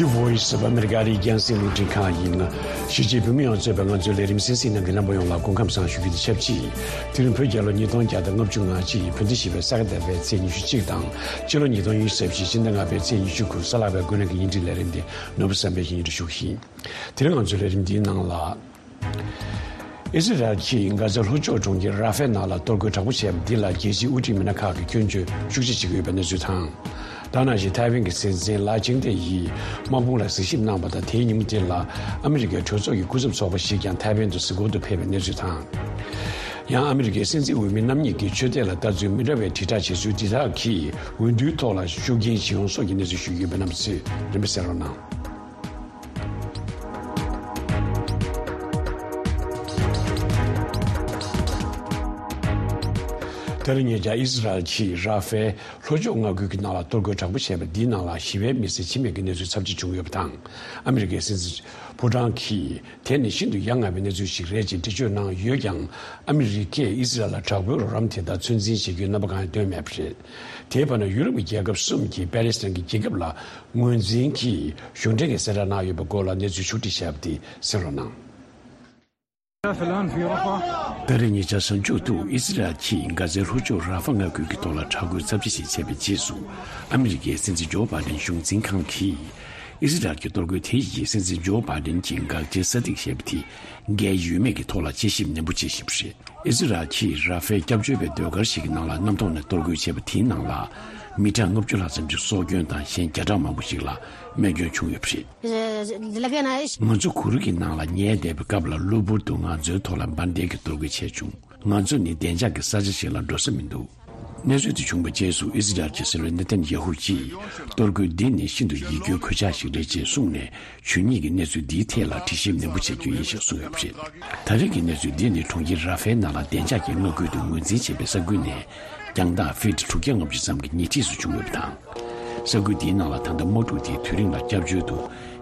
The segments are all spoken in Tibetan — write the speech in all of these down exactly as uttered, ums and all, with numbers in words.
Voice of America རིགས་རྒྱང་སྲིང་རླུང་འཕྲིན་ཁང་ཡིན། གཞིས་བྱེས་བོད་མི་ཡོངས་གཙོས་པའི་ང་ཚོའི་ལས་རིམ་གསན་གཟིགས་གནང་མཁན་རྣམ་པ་ཡོངས་ལ་སྐུ་ཁམས་བཟང་ཞུ་རྒྱུ་དང་ཆབས་ཅིག་དེ་རིང་བོད་རྒྱལ་ལོ་ཉིས་སྟོང་བརྒྱ་དང་ལྔ་བཅུ་ང་གཅིག་བོད་ཟླ་བཞི་པའི་ས་ག་ཟླ་བའི་ཚེས་ཉི་ཤུ་གཅིག་དང་། སྤྱི་ལོ་ཉིས་སྟོང་ཉི་ཤུ་རྩ་བཞི་ཕྱི་ཟླ་ལྔ་པའི་ཚེས་ཉི་ཤུ་དགུ་གཟའ་ལྷག་པའི་དགོང་དྲོ་གི་བརྙན་འཕྲིན་ལས་རིམ་འདི་ནོར་བུ་བསམ་འཕེལ་གྱིས་སྙན་སྒྲོན་ཞུ་གི་ཡིན། དེ་རིང་ང་ཚོའི་ལས་རིམ་འདིའི་ནང་ལ། ཨི་ཟི་རལ་གྱིས་གྷ་ཛའི་ལྷོ་ཕྱོགས་གྲོང་ཁྱེར་ར་ཧྥའི་ནང་ལ་གཏོར་རྒོལ་དྲག་པོ་བྱས་པ་འདི་ལ་རྒྱལ་སྤྱིའི་དབུ་ཁྲིད་མི་སྣ་ཁག་གིས་སྐྱོན་བརྗོད་ཤུགས་ཆེ་བྱེད་ཀྱི་ཡོད་པའི་གནས་ཚུལ་དང་། ད་ནང་བཞིན་ཐའེ་ཝན་གྱི་སྲིད་འཛིན་ལའེ་ཆིང་ཏེ་ཡིས་དམག་དཔུང་ལ་གཟིགས་ཞིབ་གནང་བ་དང་། དེའི་ཉིན་མོ་དེ་ལ་ཨ་མི་རི་ཀའི་གྲོས་ཚོགས་ཀྱི་སྐུ་ཚབ་ཚོགས་པ་ཞིག་ཀྱང་ཐའེ་ཝན་དུ་གཟིགས་སྐོར་དུ་ཕེབས་པའི་གནས་ཚུལ་དང་། ཡང་ཨ་མི་རི་ཀའི་སྲིད་འཛིན་འོས་མི་རྣམ་གཉིས་ཀྱིས་ཆོས་དད་ལ་ལྟ་ཚུལ་མི་འདྲ་བའི་དྲིལ་བསྒྲགས་བྱེད་ཚུལ་འདི་དག་གིས་འོས་བསྡུའི་ཐོག་ལ་ཤུགས་རྐྱེན་ཇི་ཡོང་སོགས་ཀྱི་གནས་ཚུལ་ཞུས་ཡོད་པའི་རྣམ་པ་ཚོས་རིམ་པས་གསན་རོགས་གནང་། ད་རེས་ཉེ་ཆར་ཨི་ཟི་རལ་གྱིས་ར་ཧྥའི་ལྷོ་ཕྱོགས་མངའ་ཁུལ་གྱི་ནང་ལ་གཏོར་རྒོལ་དྲག་པོ་བྱས་པ་འདིའི་ནང་ལ་ཞི་བའི་མི་སེར་འཆི་རྨས་ཀྱི་གནས་ཚུལ་ཚབས་ཆེ་བྱུང་ཡོད་པ་དང་། ཨ་མི་རི་ཀའི་སྲིད་འཛིན་ཕོ་བྲང་གིས་དེ་ནི་ཤིན་ཏུ་ཡ་ང་བའི་གནས་ཚུལ་ཞིག་རེད་ཅེས་འགྲེལ་བརྗོད་གནང་ཡོད་ཀྱང་། ཨ་མི་རི་ཀས་ཨི་ཟི་རལ་ལ་དྲག་པོའི་རོགས་རམ་དེ་དག་ཚོད་འཛིན་བྱེད་རྒྱུའི་རྣམ་པ་གང་ཡང་སྟོན་མེད་པ་རེད། དེའི་བར་ན་ཡུ་རོབ་ཀྱི་རྒྱལ་ཁབ་གསུམ་གྱིས་པེ་ལེ་སི་ཐན་གྱི་རྒྱལ་ཁབ་ལ་ངོས་འཛིན་གྱིས་གཞུང་འབྲེལ་གྱི་གསལ་བསྒྲགས་གནང་ཡོད་པའི་སྐོར་ལ་གནས་ཚུལ་ཕྱོགས་སྒྲིག་བྱས་པ་དེ་གསན་རོགས་གནང་། ད་རེས་ཉེ་ཆར་གཟའ་མཇུག་ཏུ་ཨི་ཟི་རལ་གྱིས་གྷ་ཛའི་ལྷོ་ཕྱོགས་ར་ཧྥ་མངའ་ཁུལ་གྱི་ཐོག་ལ་དྲག་རྒོལ་ཚབས་ཆེ་ཞིག་བྱས་པའི་རྗེས་སུ། ཨ་མི་རི་ཀའི་སྲིད་འཛིན་ཇོ་བྷའི་ཌེན་གཞུང་འཛིན་ཁང་གིས་ཨི་ཟི་རལ་གྱི་གཏོར་རྒོལ་དེ་ཡིས་སྲིད་འཛིན་ཇོ་བྷའི་ཌེན་གྱི་འགག་རྩའི་ས་ཐིག་ཞེས་པ་དེ་འགལ་ཡོད་མེད་ཀྱི་ཐོག་ལ་དཔྱད་ཞིབ་ནན་པོ་བྱེད་བཞིན་པ་རེད། ཨི་ཟི་རལ་གྱིས་ར་ཧྥའི་སྐྱབས་བཅོལ་བའི་ཟློས་གར་ཞིག་གི་ནང་ལ་གནམ་ཐོག་ནས་གཏོར་རྒོལ་བྱས་པ་དེའི་ནང་ལ་མི་གྲངས་ལྔ་བཅུ་ལྷག་ཙམ་གྱི་སྲོག་སྐྱོན་དང་། གཞན་བརྒྱ་ཕྲག་མང་པོ་ཞིག་ལ་རྨས་སྐྱོན་བྱུང་ཡོད་པ་རེད། ང་ཚོ་གུ་རུ་གྱི་ནང་ལ་ཉལ་བསྡད་པའི་སྐབས་ལ་གློ་བུར་དུ་ང་ཚོའི་ཐོག་ལ་འབར་མདེལ་གྱི་གཏོར་རྒོལ་བྱས་བྱུང་། ང་ཚོ་ནི་བདེ་འཇགས་ཀྱི་ས་ཆ་ཞིག་ལ་འགྲོ་ས་མི་འདུག་གནས་ཚུལ་དེ་བྱུང་བའི་རྗེས་སུ་ཨི་ཟི་རལ་གྱི་སྲིད་བློན་ནེ་ཐན་ཡ་ཧུ་གྱིས། གཏོར་རྒོལ་འདི་ནི་ཤིན་ཏུ་ཡིད་སྐྱོའི་གོད་ཆག་ཞིག་རེད་ཅེས་གསུངས་ནས། ཇུས་ཉིད་ཀྱི་གནས་ཚུལ་འདིའི་ཐད་ལ་དྲི་ཞིབ་ནན་པོ་བྱེད་རྒྱུ་ཡིན་ཞེས་གསུངས་ཡོད་པ་རེད། ད་རེས་ཀྱི་གནས་ཚུལ་འདི་ནི་གྲོང་ཁྱེར་ར་ཧྥའི་ནང་ལ་བདེ་འཇགས་ཀྱི་མངའ་ཁུལ་དུ་ངོས་འཛིན་བྱས་པའི་ས་ཁུལ་ནས། རྒྱང་ཐག་ཕིཊ་དྲུག་བརྒྱ་ལྔ་བཅུ་ཙམ་གྱི་ཉེ་འཁྲིས་སུ་བྱུང་ཡོད་པ་དང་། ས་ཁུལ་འདིའི་ནང་ལ་ད་ལྟ་དམག་འཁྲུག་དེའི་དུས་རིང་ལ་སྐྱབས་བཅོལ་དུ་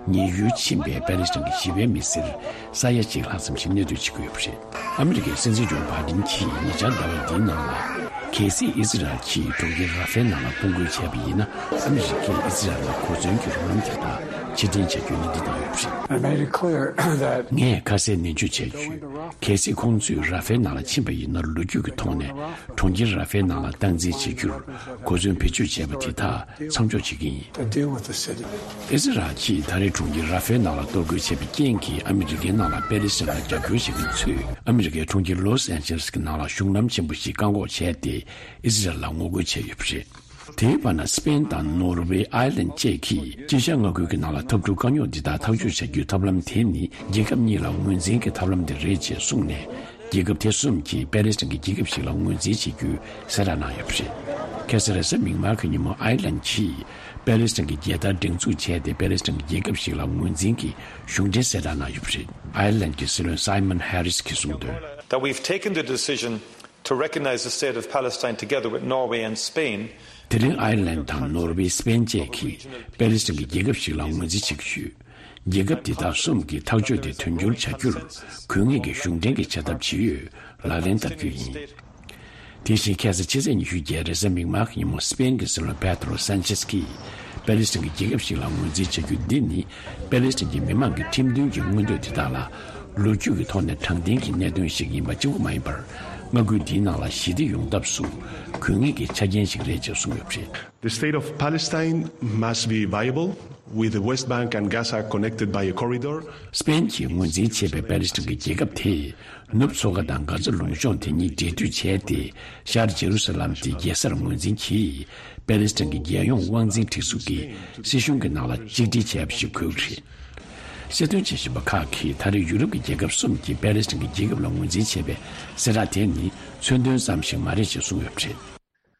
ཉེན་ཡོལ་ཕྱིན་པའི་པེ་ལེ་སི་ཐན་གྱི་ཞི་བའི་མི་སེར་ས་ཡ་གཅིག་ལྷག་ཙམ་ཞིག་གནས་སྡོད་བྱེད་ཀྱི་ཡོད་པ་རེད། ཨ་མི་རི་ཀའི་སྲིད་འཛིན་ཇོ་བྷའི་ཌེན་གྱིས་ཉེ་ཆར་ཟླ་བ་འདིའི་ནང་ལ། གལ་སྲིད་ཨི་ཟི་རལ་གྱིས་གྲོང་ཁྱེར་ར་ཧྥའི་ནང་ལ་དཔུང་རྒོལ་བྱས་པ་ཡིན་ན། ཨ་མི་རི་ཀས་ཨི་ཟི་རལ་ལ་གོ་མཚོན་གྱི་རོགས་རམ་དེ་དག་ཕྱིར་འཐེན་བྱ་རྒྱུའི་སྣེ་ཁྲིད་བཏང་ཡོད་པ་རེད། I made it clear that ངས་ཁ་གསལ་ནན་བརྗོད་བྱས་ཡོད། གལ་སྲིད་ཁོང་ཚོས་ར་ཧྥའི་ནང་ལ་ཕྱིན་པ་ཡིན་ན། ལོ་རྒྱུས་ཀྱི་ཐོག་ནས་གྲོང་ཁྱེར་ར་ཧྥའི་ནང་ལ་སྟངས་འཛིན་བྱེད་རྒྱུར་གོ་མཚོན་བེད་སྤྱོད་བྱས་པ་དེ་དག་མཚམས་འཇོག་བྱེད་ཀྱི་ཡིན། to deal with the city. ཨི་ཟི་རལ་གྱིས་ད་རེས་གྲོང་ཁྱེར་ར་ཧྥའི་ནང་ལ་གཏོར་རྒོལ་བྱས་པའི་རྐྱེན་གྱིས། ཨ་མི་རི་ཀའི་ནང་ལ་པེ་ལེ་སི་ཐན་ལ་རྒྱབ་སྐྱོར་བྱེད་མཁན་ཚོས། ཨ་མི་རི་ཀའི་གྲོང་ཁྱེར་ལོས་ཨན་ཇེ་ལེས་ཀྱི་ནང་ལ་གཞུང་ལམ་ཆེན་པོ་ཞིག་བཀག་འགོག་བྱས་ཏེ། ཨི་ཟི་རལ་ལ་ངོ་རྒོལ་བྱས་ཡོད་པ་རེད། དེའི་བར་ན་སི་པེན་དང་ནོར་ཝེ། ཨའི་ལན་བཅས་ཀྱིས་དཀྱིལ་ཤར་མངའ་ཁུལ་གྱི་ནང་ལ་འཐབ་འཁྲུག་དཀའ་རྙོག་འདི་དག་ཐག་གཅོད་བྱ་རྒྱུའི་ཐབས་ལམ་དེ་ནི། རྒྱལ་ཁབ་གཉིས་ལ་ངོས་འཛིན་གྱི་ཐབས་ལམ་དེ་རེད་ཅེས་གསུངས་ནས། རྒྱལ་ཁབ་དེ་གསུམ་གྱིས་པེ་ལེ་སི་ཐན་གྱི་རྒྱལ་ཁབ་ཞིག་ལ་ངོས་འཛིན་བྱེད་རྒྱུའི་གསལ་བསྒྲགས་གནང་ཡོད་པ་རེད། ཁ་སང་རེས་གཟའ་མིག་དམར་གྱི་ཉིན་མོ། ཨའི་ལན་གྱིས་པེ་ལེ་སི་ཐན་གྱི་རྒྱལ་དར་སྒྲེང་འཛུགས་བྱས་ཏེ། པེ་ལེ་སི་ཐན་གྱི་རྒྱལ་ཁབ་ཞིག་ལ་ངོས་འཛིན་གྱི་གཞུང་འབྲེལ་གསལ་བསྒྲགས་གནང་ཡོད་པ་རེད། ཨའི་ལན་གྱི་སྲིད་བློན་སའི་མོན་ཧེ་རིས་ཀྱིས་གསུངས་དོན། That we've taken the decision to recognize the state of Palestine together with Norway and Spain. དེ་རིང་ཨའི་ལན་དང་ནོར་ཝེ། སི་པེན་བཅས་ཀྱིས་པེ་ལེ་སི་ཐན་གྱི་རྒྱལ་ཁབ་ཞིག་ལ་ངོས་འཛིན་བྱེད་ཀྱི་ཡོད། རྒྱལ་ཁབ་འདི་དག་གསུམ་གྱིས་ཐག་གཅོད་དེ་དོན་འཁྱོལ་བྱ་རྒྱུར་དགོས་ངེས་ཀྱི་གཞུང་འབྲེལ་གྱི་བྱ་ཐབས་ཇི་ཡོད་ལག་ལེན་བསྟར་རྒྱུ་ཡིན། དེ་བཞིན་ཁ་སང་ཕྱི་ཚེས་ཉི་ཤུ་བརྒྱད་རེས་གཟའ་མིག་དམར་གྱི་ཉིན་མོ། སི་པེན་གྱི་སྲིད་བློན་པེ་ཏྲོ་སན་ཆེས་ཀྱིས་པེ་ལེ་སི་ཐན་གྱི་རྒྱལ་ཁབ་ཞིག་ལ་ངོས་འཛིན་བྱ་རྒྱུ་འདི་ནི། པེ་ལེ་སི་ཐན་གྱི་མི་མང་གི་ཁྲིམས་མཐུན་གྱི་མངོན་འདོད་དེ་དག་ལ་ལོ་རྒྱུས་ཀྱི་ཐོག་ནས་དྲང་བདེན་གྱི་གནད་དོན་ཞིག་ཡིན་པ་གཅིག་པུ་མ་ཡིན་པར། མངའ་ཁུལ་འདིའི་ནང་ལ་ཞི་བདེ་ཡོང་ཐབས་སུ་དགོས་ངེས་ཀྱི་ཆ་རྐྱེན་ཞིག་རེད་ཅེས་གསུངས་ཡོད་པ་རེད། The state of Palestine must be viable, with the West Bank and Gaza connected by a corridor. སི་པེན་གྱིས་ངོས་འཛིན་བྱས་པའི་པེ་ལེ་སི་ཐན་གྱི་རྒྱལ་ཁབ་དེས། ནུབ་མཚོ་ཁ་དང་གྷ་ཛ་ལུང་གཤོང་དེ་གཉིས་འབྲེལ་མཐུད་བྱས་ཏེ། ཤར་ཇེ་རུ་ས་ལམ་དེ་རྒྱལ་སར་ངོས་འཛིན་གྱིས། པེ་ལེ་སི་ཐན་གྱི་རྒྱལ་ཡོངས་དབང་འཛིན་སྒྲིག་འཛུགས་ཀྱི་སྲིད་གཞུང་གི་ནང་ལ་གཅིག་སྒྲིལ་བྱས་པ་ཞིག་དགོས་ཀྱི་རེད། གསལ་སྟོན་བྱེད་བཞིན་པ་ཁག་གིས། ད་རེས་ཡུ་རོབ་ཀྱི་རྒྱལ་ཁབ་གསུམ་གྱིས་པེ་ལེ་སི་ཐན་གྱི་རྒྱལ་ཁབ་ལ་ངོས་འཛིན་བྱས་པའི་གསལ་བསྒྲགས་དེ་ནི། མཚོན་དོན་ཙམ་ཞིག་མ་རེད་ཅེས་གསུངས་ཡོད་པ་རེད།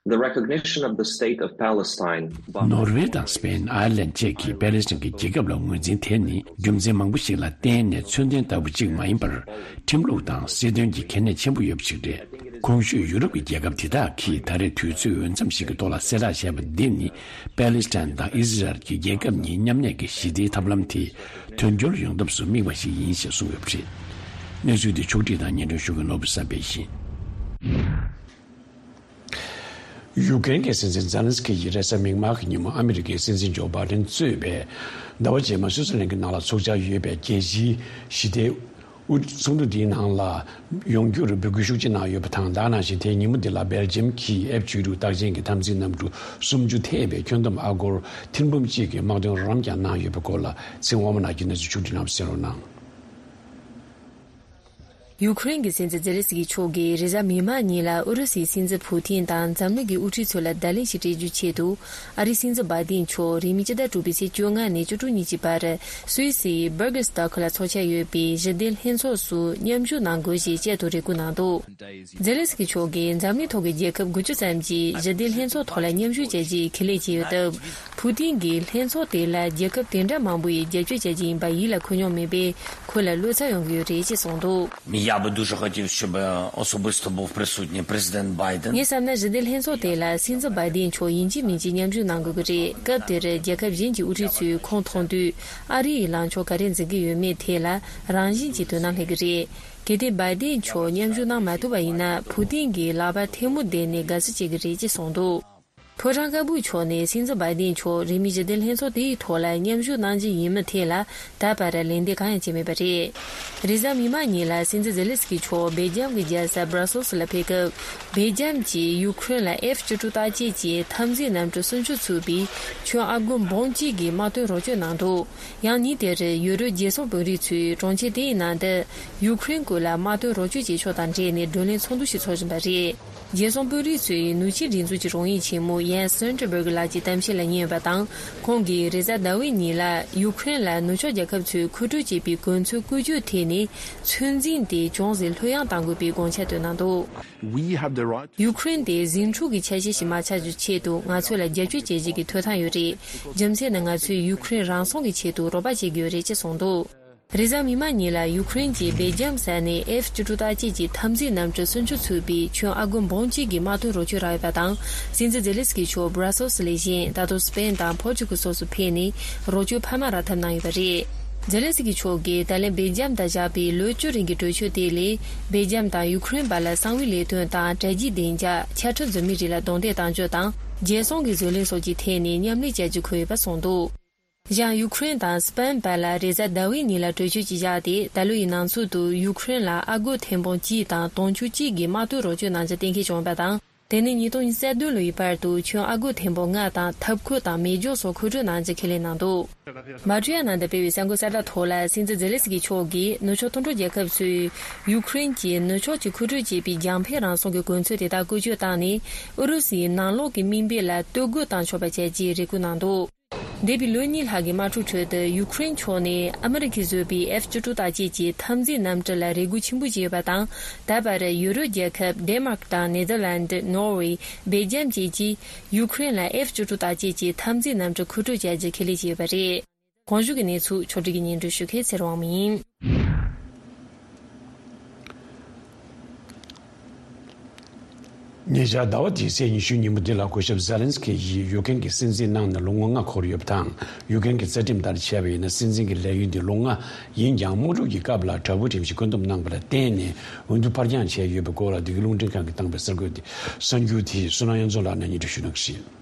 The recognition of the state of Palestine by ནོར་ཝེ་དང་སི་པེན། ཨའི་ལན་བཅས་ཀྱིས་པེ་ལེ་སི་ཐན་གྱི་རྒྱལ་ཁབ་ལ་ངོས་འཛིན་དེ་ནི། རྒྱུ་མཚན་མང་པོ་ཞིག་ལ་བརྟེན་ནས་མཚོན་དོན་ལྟ་བུ་གཅིག་མ་ཡིན་པར། ཁྲིམས་ལུགས་དང་སྲིད་དོན་གྱི་གལ་གནད་ཆེན་པོ་ཡོད་པ་ཞིག་རེད། གོང་ཞུས་ཡུ་རོབ་ཀྱི་རྒྱལ་ཁབ་དེ་དག་གིས་ད་རེས་དུས་ཚོད་འོས་འཚམ་ཞིག་གི་ཐོག་ལ་གསལ་བསྒྲགས་བྱས་པ་འདི་ནི། པེ་ལེ་སི་ཐན་དང་ཨི་ཟི་རལ་གྱི་རྒྱལ་ཁབ་གཉིས་མཉམ་གནས་ཀྱི་ཞི་བདེའི་ཐབས་ལམ་དེ་དོན་འཁྱོལ་ཡོང་ཐབས་སུ་དམིགས་པ་ཞིག་ཡིན་ཞེས་གསུངས་ཡོད་པ་རེད། གནས་ཚུལ་འདི་ཕྱོགས་སྒྲིག་དང་སྙན་སྒྲོན་ཞུ་མཁན་ནོར་བུ་བསམ་འཕེལ་ཡིན། ཡུཀ་རེན་གྱི་སྲིད་འཛིན་ཛེ་ལན་སི་ཀི་ཡིས་རེས་གཟའ་མིག་དམར་གྱི་ཉིན་མོ། ཨ་མི་རི་ཀའི་སྲིད་འཛིན་ཇོ་བྷའི་ཌེན་གཙོས་པའི་ ཟླ་བ་རྗེས་མ་སུད་སི་ལན་གྱི་ནང་ལ་འཚོགས་འཆར་ཡོད་པའི་རྒྱལ་སྤྱིའི་ཞི་བདེའི་དབུ་ཚོགས་འདུ་འདིའི་ནང་ལ་ཡོང་རྒྱུར་འབོད་སྐུལ་ཤུགས་ཆེ་གནང་ཡོད་པ་དང་། ད་ག་ནང་བཞིན་དེའི་ཉིན་མོ་འདི་ལ་སྦེལ་ཇམ་གྱི་ཨེཕ་བཅུ་དྲུག་རྟགས་ཅན་གྱི་འཐབ་འཛིང་གནམ་གྲུ་སུམ་ཅུ་ཐེ་བའི་ཁྱོན་བསྡོམས་ཨ་སྒོར་ཐེར་འབུམ་གཅིག་གི་དམག་དོན་རོགས་རམ་ཀྱང་གནང་ཡོད་པའི་སྐོར་ལ་ཚེ་དབང་མོ་ནག་གིས་གནས་ཚུལ་ཕྱོགས་བསྒྲིགས་གནང་བ་གསན་རོགས་གནང་། ཡུ་ཁུ་རེན་གྱི་སྲིད་འཛིན་ཛེ་ལེ་སི་ཀི་མཆོག་གིས་རེས་གཟའ་མིག་དམར་ཉིན་ལ་ཨུ་རུ་སུའི་སྲིད་འཛིན་ཕུ་ཐིན་དང་འཛམ་གླིང་གི་དབུ་ཁྲིད་ཚོ་ལ་བརྡ་ལན་ཞིག་སྤྲད་རྒྱུའི་ཆེད་དུ། ཨ་རིའི་སྲིད་འཛིན་བྷའི་ཏིན་མཆོག་རིང་མིན་ཕྱི་ཟླ་དྲུག་པའི་ཚེས་བཅོ་ལྔ་ནས་བཅུ་དྲུག་ཉིན་གྱི་བར་སུད་སིའི་Bürgersdorf་ལ་འཚོགས་འཆར་ཡོད་པའི་ཞི་བདེ་ལྷན་ཚོགས་སུ་མཉམ་ཞུགས་གནང་དགོས་ཞེས་བཅས་དུ་རེ་སྐུལ་གནང་འདུག་ཛེ་ལེ་སི་ཀི་མཆོག་གིས་འཛམ་གླིང་ཐོག་གི་རྒྱལ་ཁབ་དགུ་བཅུ་ཙམ་གྱིས་ཞི་བདེ་ལྷན་ཚོགས་ཐོག་ལ་མཉམ་ཞུགས་བྱ་རྒྱུའི་ཁས་ལེན་བྱས་ཡོད་སྟབས། ཕུ་ཏིན་གྱིས་ལྷན་ཚོགས་དེ་ལ་རྒྱལ་ཁབ་དེ་འདྲ་མང་པོ་ཡིས་རྒྱབ་སྐྱོར་བྱ་རྒྱུ་ཡིན་པ་ཡིད་ལ་འཁོར་མྱོང་མེད་པས། ཁོ་ལ་བློ་འཚབ་ཡོང་གི་ཡོད་རེད་ཅེས་གསུངས་འདུག Я бы дуже хотів, щоб особисто був присутній президент Байден. ངས་བསམ་ན་ཞི་བདེ་ལྷན་ཚོགས་དེ་ལ་སྲིད་འཛིན་བྷའི་ཏིན་མཆོག་ཡིན་གཅིག་མིན་གཅིག་མཉམ་ཞུགས་གནང་དགོས་ཀྱི་རེད། སྐབས་དེར་རྒྱལ་ཁབ་གཞན་གྱི་དབུ་ཁྲིད་ཚོས་ཁོང་མཐོང་དུས། ཨ་རི་ཡི་ལངས་ཕྱོགས་ག་རེ་འཛིན་གྱི་ཡོད་མེད་ཐད་ལ་རང་བཞིན་གྱིས་དོ་སྣང་སླེབས་ཀྱི་རེད། གལ་ཏེ་བྷའི་ཏིན་མཆོག་མཉམ་ཞུགས་གནང་མ་ཐུབ་པ་ཡིན་ན། ཕུ་ཏིན་གྱིས་ལག་པ་ཐལ་མོ་བསྡད་ནས་དགའ་བསུ་བྱེད་ཀྱི་རེད་ཅེས་གསུངས་འདུག་ཕོ་བྲང་དཀར་པོའི་ཕྱོགས་ནས་སྲིད་འཛིན་བྷའི་ཏིན་མཆོག་རིང་མིན་ཞི་བདེ་ལྷན་ཚོགས་དེའི་ཐོག་ལ་མཉམ་ཞུགས་གནང་རྒྱུ་ཡིན་མིན་ཐད་ལ་ད་བར་ལན་འདེབས་གང་ཡང་བྱས་མེད་པ་རེད། རེས་གཟའ་མིག་དམར་ཉིན་ལ་སྲིད་འཛིན་ཛེ་ལེ་སི་ཀི་མཆོག་སྦེལ་ཇམ་གྱི་རྒྱལ་ས་Brussels་ལ་ཕེབས་སྐབས། སྦེལ་ཇམ་གྱིས་ཡུ་ཁུ་རེན་ལ་ཨེཕ་བཅུ་དྲུག་རྟགས་ཅན་གྱི་འཐབ་འཛིང་གནམ་གྲུ་སུམ་ཅུ་ཚུད་པའི་ཁྱོན་ཨ་སྒོར་འབུམ་གཅིག་གི་དམག་དོན་རོགས་སྐྱོར་གནང་འདུག་ཡང་ཉིན་དེར་ཡུ་རོབ་རྒྱལ་སྲུང་དཔོན་རིགས་ཚོས་གྲོང་ཁྱེར་དེའི་ནང་དུ་ཡུ་ཁུ་རེན་ཀུན་ལ་དམག་དོན་རོགས་སྐྱོར་བྱེད་ཕྱོགས་དང་འབྲེལ་ནས་བགྲོ་གླེང་ཚོགས་འདུ་ཞིག་འཚོགས་བཞིན་པ་རེད། རྒྱལ་སྲུང་དཔོན་རིགས་ཚོས་ནུབ་ཕྱོགས་སྒྲིག་འཛུགས་ཀྱི་དྲུང་ཡིག་ཆེན་མོ་ཡན་སི་སི་ཊོལ་ཊེན་བྷར་གྷི་ལགས་ཀྱི་གཏམ་བཤད་ལ་ཉན་ཡོད་པ་དང་། ཁོང་གིས་རེས་གཟའ་ཟླ་བའི་ཉིན་ལ་ཡུ་ཁུ་རེན་ལ་ནུབ་ཕྱོགས་རྒྱལ་ཁབ་ཚོས་མཁོ་སྤྲོད་བྱས་པའི་གོ་མཚོན་བཀོལ་སྤྱོད་ཐད་ནས་ཚོད་འཛིན་དེ་ཅུང་ཟད་ལྷོད་ཡངས་གཏང་དགོས་པའི་དགོངས་འཆར་བཏོན་གནང་འདུག We have the right. ཡུ་ཁུ་རེན་དེ་ཟིང་འཁྲུག་གི་ཆ་ཤས་ཤིག་མ་ཆགས་རྒྱུའི་ཆེད་དུ་ང་ཚོ་ལ་རྒྱབ་སྐྱོར་བྱེད་བཞིན་གྱི་ཐོབ་ཐང་ཡོད་རེད། རྒྱུ་མཚན་ནི་ང་ཚོས་ཡུ་ཁུ་རེན་རང་སྲུང་གི་ཆེད་དུ་རོགས་པ་བྱེད་ཀྱི་ཡོད་རེད་ཅེས་གསུངས་འདུག་རེས་གཟའ་མིག་དམར་ཉིན་ལ་ཡུ་ཁུ་རེན་གྱིས་སྦེལ་ཇམ་ས་ནས་ཨེཕ་བཅུ་དྲུག་རྟགས་ཅན་གྱི་འཐབ་འཛིང་གནམ་གྲུ་སུམ་ཅུ་ཚུད་པའི་ཁྱོན་ཨ་སྒོར་འབུམ་གཅིག་གི་དམག་དོན་རོགས་སྐྱོར་རག་ཡོད་པ་དང་། སྲིད་འཛིན་ཛེ་ལེ་སི་ཀི་མཆོག་Brussels་ལས་གཞན་ད་དུང་སི་པེན་དང་པོར་ཅུ་གལ་སོགས་སུ་ཕེབས་ནས་རོགས་སྐྱོར་འཕར་མ་རག་ཐབས་གནང་ཡོད་པ་རེད། ཛེ་ལེ་སི་ཀི་མཆོག་གིས་ད་ལན་སྦེལ་ཇམ་དང་བཞག་པའི་ལོ་བཅུ་རིང་གི་གྲོས་ཆོད་དེ་ལས། སྦེལ་ཇམ་དང་ཡུ་ཁུ་རེན་བར་ལ་གསང་བའི་ལས་དོན་དང་། དྲ་རྒྱའི་བདེ་འཇགས། ཆ་འཕྲུལ་འཛོལ་མའི་རིགས་ལ་རྡུང་རྡེག་གཏང་རྒྱུ་དང་། རྒྱལ་སྲུང་གི་བཟོ་ལས་སོགས་ཀྱི་ཐད་ནས་མཉམ་ལས་བྱ་རྒྱུ་འཁོད་ཡོད་པ་གསུངས་འདུག་གཞན་ཡུ་ཁུ་རེན་དང་སི་པན་བར་ལ་རེས་གཟའ་ཟླ་བའི་ཉིན་ལ་གྲོས་ཆོད་ཅིག་བཞག་སྟེ། ད་ལོ་ཡི་ནང་ཚུད་དུ་ཡུ་ཁུ་རེན་ལ་ཨ་སྒོར་ཐེར་འབུམ་གཅིག་དང་དུང་ཕྱུར་གཅིག་གི་དམག་དོན་རོགས་སྐྱོར་གནང་རྒྱུ་གཏན་འཁེལ་བྱུང་ཡོད་པ་དང་། དེ་ནི་ཉིས་སྟོང་ཉི་ཤུ་རྩ་བདུན་ལོའི་བར་དུ་ཁྱོན་ཨ་སྒོར་ཐེར་འབུམ་ལྔ་དང་ཐབ་ཁུལ་དང་མེ་སྒྱོགས་སོགས་མཁོ་སྤྲོད་གནང་རྒྱུ་ཁས་ལེན་གནང་འདུག་མ་ཊུ་ཡ་ནང་དུ་སྤེལ་བའི་གསར་འགོད་གསལ་བསྒྲགས་ཐོག་ལ། སྲིད་འཛིན་ཛེ་ལེ་སི་ཀི་མཆོག་གིས་ནུབ་ཕྱོགས་མཐུན་གྲོགས་རྒྱལ་ཁབ་ཚོས་ཡུ་ཁུ་རེན་གྱིས་ནུབ་ཕྱོགས་ཀྱིས་མཁོ་སྤྲོད་བྱེད་པའི་རྒྱང་འཕེན་རང་སྲུང་གི་གོ་མཚོན་དེ་དག་བཀོལ་སྤྱོད་བཏང་ནས། ཨུ་རུ་སུའི་ནང་ལོགས་ཀྱི་དམིགས་འབེན་ལ་གཏོར་རྒོལ་གཏང་ཆོག་པ་བྱ་རྒྱུའི་རེ་སྐུལ་གནང་འདུག་འདས་པའི་ལོ་གཉིས་ལྷག་གི་དམག་འཁྲུག་ཁྲོད་དུ། ཡུ་ཁུ་རེན་ཕྱོགས་ནས་ཨ་མི་རི་ཀས་བཟོས་པའི་ཨེཕ་བཅུ་དྲུག་རྟགས་ཅན་གྱི་འཐབ་འཛིང་གནམ་གྲུ་ལ་རེ་སྒུག་ཆེན་པོ་བྱས་ཡོད་པ་དང་། ད་བར་ཡུ་རོབ་རྒྱལ་ཁབ་ཌེན་མཱརཀ་དང་ནེ་དར་ལན་ཌི། ནོར་ཝེ། སྦེལ་ཇམ་བཅས་ཀྱིས་ཡུ་ཁུ་རེན་ལ་ཨེཕ་བཅུ་དྲུག་རྟགས་ཅན་གྱི་འཐབ་འཛིང་གནམ་གྲུ་མཁོ་སྤྲོད་བྱ་རྒྱུ་ཁས་ལེན་བྱས་ཡོད་པ་རེད། གོང་ཞུས་ཀྱི་གནས་ཚུལ་ཕྱོགས་སྒྲིག་གིས་སྙན་སྒྲོན་ཞུ་མཁན་ཚེ་རིང་དབང་མོ་ཡིན། ཉེ་ཆར་ཟླ་བ་འདིའི་ཚེས་ཉི་ཤུ་ཉིན་མོ་འདི་ལ་སྐུ་ཞབས་ཛེ་ལན་སི་ཀི་ཡིས་ཡུ་ཀེ་རེན་གྱི་སྲིད་འཛིན་གནང་ནས་ལོ་ངོ་ལྔ་འཁོར་ཡོད་པ་དང་། ཡུ་ཀེ་རེན་གྱི་རྩ་ཁྲིམས་ལྟར་བྱས་པ་ཡིན་ན། སྲིད་འཛིན་གྱི་ལས་ཡུན་འདི་ལོ་ལྔ་ཡིན་ཀྱང་། དམག་འཁྲུག་གི་སྐབས་ལ་དྲག་པོའི་ཁྲིམས་ཀྱིས་བཀོད་འདོམས་གནང་བ་ལ་བརྟེན་ནས། འོས་བསྡུ་ཕར་འགྱངས་བྱས་ཡོད་པའི་སྐོར་ལ། འདི་ག་རླུང་འཕྲིན་ཁང་གིས་བཏང་པའི་གསར་འགོད་དེ་གསར་འགྱུར་དེ་བསོད་ནམས་དབྱངས་འཛོམས་ལགས་ནས་སྙན་སྒྲོན་ཞུ་གནང་གི་རེད།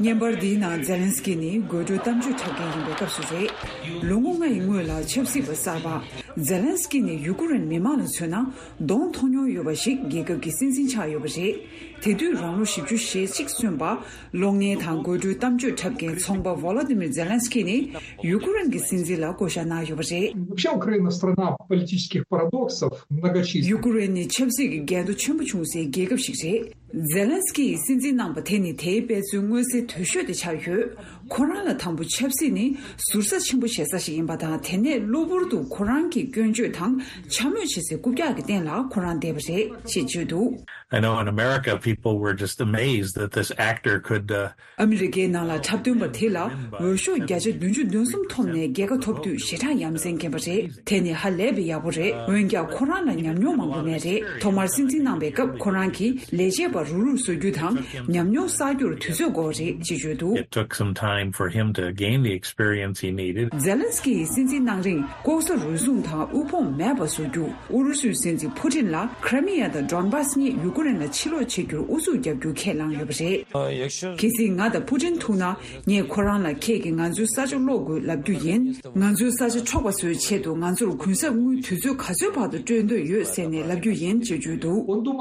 བརྙན་པར་འདིའི་ནང་ཛེ་ལན་སི་ཀི་ནི་དགོད་བྲོའི་གཏམ་བརྗོད་འཁྲབ་མཁན་ཡིན་པའི་སྐབས་སུ་རེད། ལོ་ངོ་ལྔ་ཡི་སྔོན་ལ་ཆབ་སྲིད་པ་གསར་པ་ཛེ་ལན་སི་ཀི་ནི་ཡུ་ཀུ་རེན་མི་མང་ལ་མཚོན་ན་གདོང་མཐོང་མྱོང་ཡོད་པ་ཞིག་རྒྱལ་ཁབ་ཀྱི་སྲིད་འཛིན་ཆགས་ཡོད་པ་རེད། དེ་དུས་རང་ལོ་བཞི་བཅུ་ཞེ་གཅིག་སོན་པ། གློག་བརྙན་དང་དགོད་བྲོའི་གཏམ་བརྗོད་འཁྲབ་མཁན་ཚོང་པ་ཝོ་ལོ་དི་མིར་ཛེ་ལན་སི་ཀི་ནི་ཡུ་ཀུ་རེན་གྱི་སྲིད་འཛིན་ལ་བསྐོ་བཞག་གནང་ཡོད་པ་རེད། Вообще, Украина страна политических парадоксов многочисленных. ཡུ་ཀུ་རེན་ནི་ཆབ་སྲིད་ཀྱི་འགལ་ཟླ་ཆེན་པོ་བྱུང་སའི་རྒྱལ་ཁབ་ཞིག་རེད། ཛེ་ལན་སི་ཀི་ཡིས་སྲིད་འཛིན་གནང་པ་དེ་ནི་དེའི་དཔེ་མཚོན་མངོན་གསལ་དོད་ཤོས་དེ་ཆགས་ཡོད། ཁོ་རང་ལ་དང་པོ་ཆབ་སྲིད་ནི་ཟུར་ཟ་ཆེན་པོ་བྱེད་ས་ཞིག་ཡིན་པ་དང་། དེ་ནས་གློ་བུར་དུ་ཁོ་རང་གི་སྐྱོན་བརྗོད་དང་འཕྱ་སྨོད་བྱེད་སའི་རྐུབ་བཀྱག་གི་སྟེང་ལ་ཁོ་རང་བསྡད་པ་རེད་ཅེས་བརྗོད་འདུག I know in America, people were just amazed that this actor could, uh, ཨ་མི་རི་ཀའི་ནང་ལ་འཁྲབ་སྟོན་པ་དེ་ལ་འོས་ཤོག་བརྒྱ་ཆ་བདུན་ཅུ་དོན་གསུམ་ཐོབ་ནས་རྒྱལ་ཁ་ཐོབ་དུས་ཞེ་དྲག་ཡ་མཚན་སྐྱེས་པ་རེད། དེ་ནི་ཧ་ལས་པའི་ཡག་པོ་རེད། འོན་ཀྱང་ཁོ་རང་ལ་ཉམས་མྱོང་མང་པོ་མེད་རེད། ཐོག་མར་སྲིད་འཛིན་གནང་པའི་སྐབས་ཁོ་རང་གིས་ལས་བྱེད་པ་ རུག་རུག་བཟོ་རྒྱུ་དང་ཉམས་མྱོང་བསགས་རྒྱུར་དུས་ཚོད་འགོར་རེད་ཅེས་བརྗོད་འདུག། It took some time for him to gain the experience he needed. ཛེ་ལན་སི་ཀི་ཡིས་སྲིད་འཛིན་གནང་རིང་ལྐོག་ཟ་རུལ་སུངས་དང་དབུལ་ཕོངས་མེད་པ་བཟོ་རྒྱུ། ཨུ་རུ་སུའི་སྲིད་འཛིན་ཕུ་ཏིན་ལ་ཁྲི་མི་ཡ་དང་ཌོན་བྷ་སི་གཉིས་ཡུ་ཀེ་རེན་ལ་ཕྱིར་སློག་བྱེད་རྒྱུར་ཨུ་ཚུགས་རྒྱག་རྒྱུ་ཁས་བླངས་ཡོད་པ་རེད། གལ་སྲིད་ང་དང་ཕུ་ཏིན་ཐུག་ན། ངས་ཁོ་རང་ལ་ཁྱེད་ཀྱིས་ང་ཚོའི་ས་ཆ་སློག་དགོས་ལབ་རྒྱུ་ཡིན། ང་ཚོའི་ས་ཆ་འཕྲོག་པ་བཟོའི་ཆེད་དུ་ང་ཚོར་གུན་གསབ་དངུལ་དུས་ཚོད་ག་ཚོད་བར་དུ་སྤྲོད་འདོད་ཡོད་ཟེར་ནས་ལབ་རྒྱུ་ཡིན་ཅེས་བརྗོད་འདུག།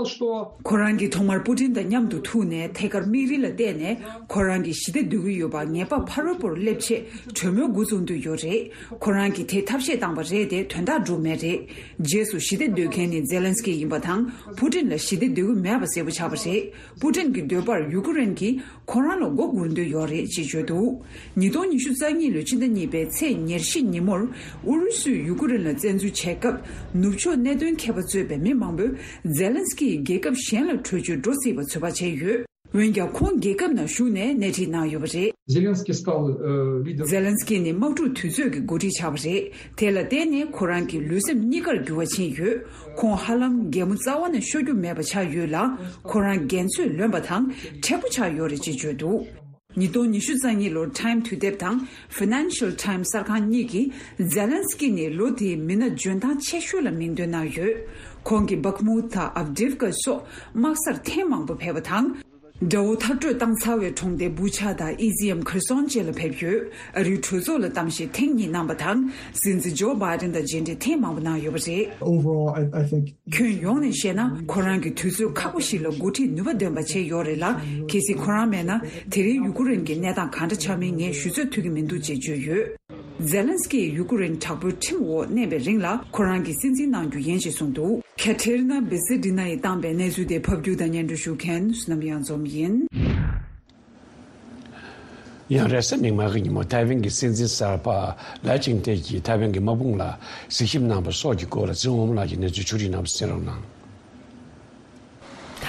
ཁོ་རང་གིས་ཐོག་མར་པུ་ཏིན་དང་མཉམ་དུ་ཐུག་ནས་ཐད་ཀར་དམིགས་རིལ་ལ་བལྟས་ནས་ཁོ་རང་གིས་ཞི་བདེ་འདོད་ཀྱི་ཡོད་པ་ངེས་པ་ཕ་རོལ་པོར་སླེབས་ཆེད་གྲོས་མོལ་འགོ་བཙུགས་འདོད་ཡོད་རེད། ཁོ་རང་གིས་དེ་ཐབས་ཤེས་བཏང་པ་རེད་དེ་དོན་དག་འགྲུབ་མེད་རེད། རྗེས་སུ་ཞི་བདེ་འདོད་མཁན་ནི་ཛེ་ལན་སི་ཀི་ཡིན་པ་དང་ཕུ་ཏིན་ལ་ཞི་བདེ་འདོད་ཀྱི་མེད་པ་གསལ་པོ་ཆགས་པ་རེད། པུ་ཏིན་གྱི་འདོད་པར་ཡུ་ཀེ་རེན་གྱིས། ཁོ་རང་ལ་མགོ་སྒུར་འདོད་ཡོད་རེད་ཅེས་བརྗོད་འདུག། ཉིས་སྟོང་ཉི་ཤུ་རྩ་གཉིས་ལོའི་ཕྱི་ཟླ་གཉིས་པའི་ཚེས་ཉེར་བཞི་ཉིན་མོར་ཨུ་རུ་སུས་ཡུ་ཀེ་རེན་ལ་བཙན་འཛུལ་བྱས་སྐབས་ནུབ་ཕྱོགས་གནད་དོན་མཁས་པ་གཙོས་པའི་མི་མང་པོས་ཛེ་ལན་སི་ཀི་ཡིས་རྒྱལ་ཁབ་གཞན་ལ་བྲོས་བྱོལ་འགྲོ་སྲིད་པ་ཚོད་དཔག་བྱས་ཡོད། འོན་ཀྱང་ཁོང་རྒྱལ་ཁབ་ནང་བཞུགས་ནས་སྣེ་ཁྲིད་གནང་ཡོད་པ་རེད། Зеленский стал, э, лидером. ཛེ་ལན་སི་ཀི་ནི་དམག་འཁྲུག་དུས་ཚོད་ཀྱི་འགོ་ཁྲིད་ཆགས་པ་རེད། དེ་ལ་བརྟེན་ནས་ཁོ་རང་གི་ལུས་སེམས་གཉིས་ཀར་འགྱུར་བ་ཕྱིན་ཡོད། ཁོང་ཧ་ལམ་གད་མོ་རྩ་བ་ནས་ཤོར་རྒྱུ་མེད་པ་ཆགས་ཡོད་ལ། ཁོ་རང་འགན་ཚོད་ལོན་པ་དང་མཁྲེགས་པོ་ཆགས་ཡོད་རེད་ཅེས་བརྗོད་འདུག། ཉིས་སྟོང་ཉི་ཤུ་རྩ་གཉིས་ལོར་Time དུས་དེབ་དང་Financial Times གསར་ཁང་གཉིས་ཀྱིས་ཛེ་ལན་སི་ཀི་ནི་ལོ་དེའི་མི་སྣ་འཇོན་ཐང་ཆེ་ཤོས་ལ་མིང་འདོན་གནང་ཡོད། ཁོང་གིས་བྷག་མུད་དང་ཨབ་དིབ་ཀ་སོགས་དམག་སར་ཐེངས་མང་པོ་ཕེབས་པ་དང་། དགྲ་བོ་མཐར་སྐྲོད་བཏང་ཚར་བའི་གྲོང་སྡེ་བུ་ཆ་དང་ཨི་ཟི་ཡམ་ཁེར་སོན་བཅས་ལ་ཕེབས་ཡོད། ཨ་རིའི་གྲོས་ཚོགས་ལ་གཏམ་བཤད་ཐེངས་གཉིས་གནང་བ་དང་། སྲིད་འཛིན་ཇོ་བྷའི་ཌེན་དང་མཇལ་འཕྲད་ཐེངས་མང་པོ་གནང་ཡོད་པ་རེད། Overall, I, I think ཁྱོན་ཡོངས་ནས་བཤད་ན་ཁོ་རང་གིས་དུས་ཚོད་ཁག་པོ་ཞིག་ལ་འགོ་ཁྲིད་ནུས་པ་ལྡན་པ་བྱས་ཡོད་རེད་ལ། གལ་སྲིད་ཁོ་རང་མེད་ན་དེ་རིང་ཡུ་ཀེ་རེན་གྱི་གནས་སྟངས་གང་འདྲ་ཆགས་མིན་ངས་ཞུ་ཚོད་ཐུབ་ཀྱི་མི་འདུག་ཅེས་བརྗོད་ཡོད། ཛེ་ལན་སི་ཀིས་ཡུ་ཀེ་རེན་དྲག་པོའི་ཁྲིམས་འོག་གནས་པའི་རིང་ལ་ཁོ་རང་གིས་སྲིད་འཛིན་གནང་རྒྱུ་ཡིན་ཞེས་གསུངས་འདུག། ཁ་ཐེ་རི་ན་བི་སི་ཌི་ན་ཡིས་བཏང་པའི་གནས་ཚུལ་དེ་ཕབ་སྒྱུར་དང་སྙན་སྒྲོན་ཞུ་མཁན་བསོད་ནམས་གཡང་འཛོམས་ཡིན། ཡང་རེས་གཟའ་མིག་དམར་གྱི་ཉིན་མོ་ཐའེ་ཝན་གྱི་སྲིད་འཛིན་གསར་པ་ལའེ་ཆིང་ཏེ་གྱིས་ཐའེ་ཝན་གྱི་དམག་དཔུང་ལ་གཟིགས་ཞིབ་གནང་པ་སོགས་ཀྱི་སྐོར་ལ་ཚེ་དབང་མོ་ལགས་ཀྱིས་གནས་ཚུལ་ཕྱོགས་སྒྲིག་གནང་བ་གསན་རོགས་གནང་།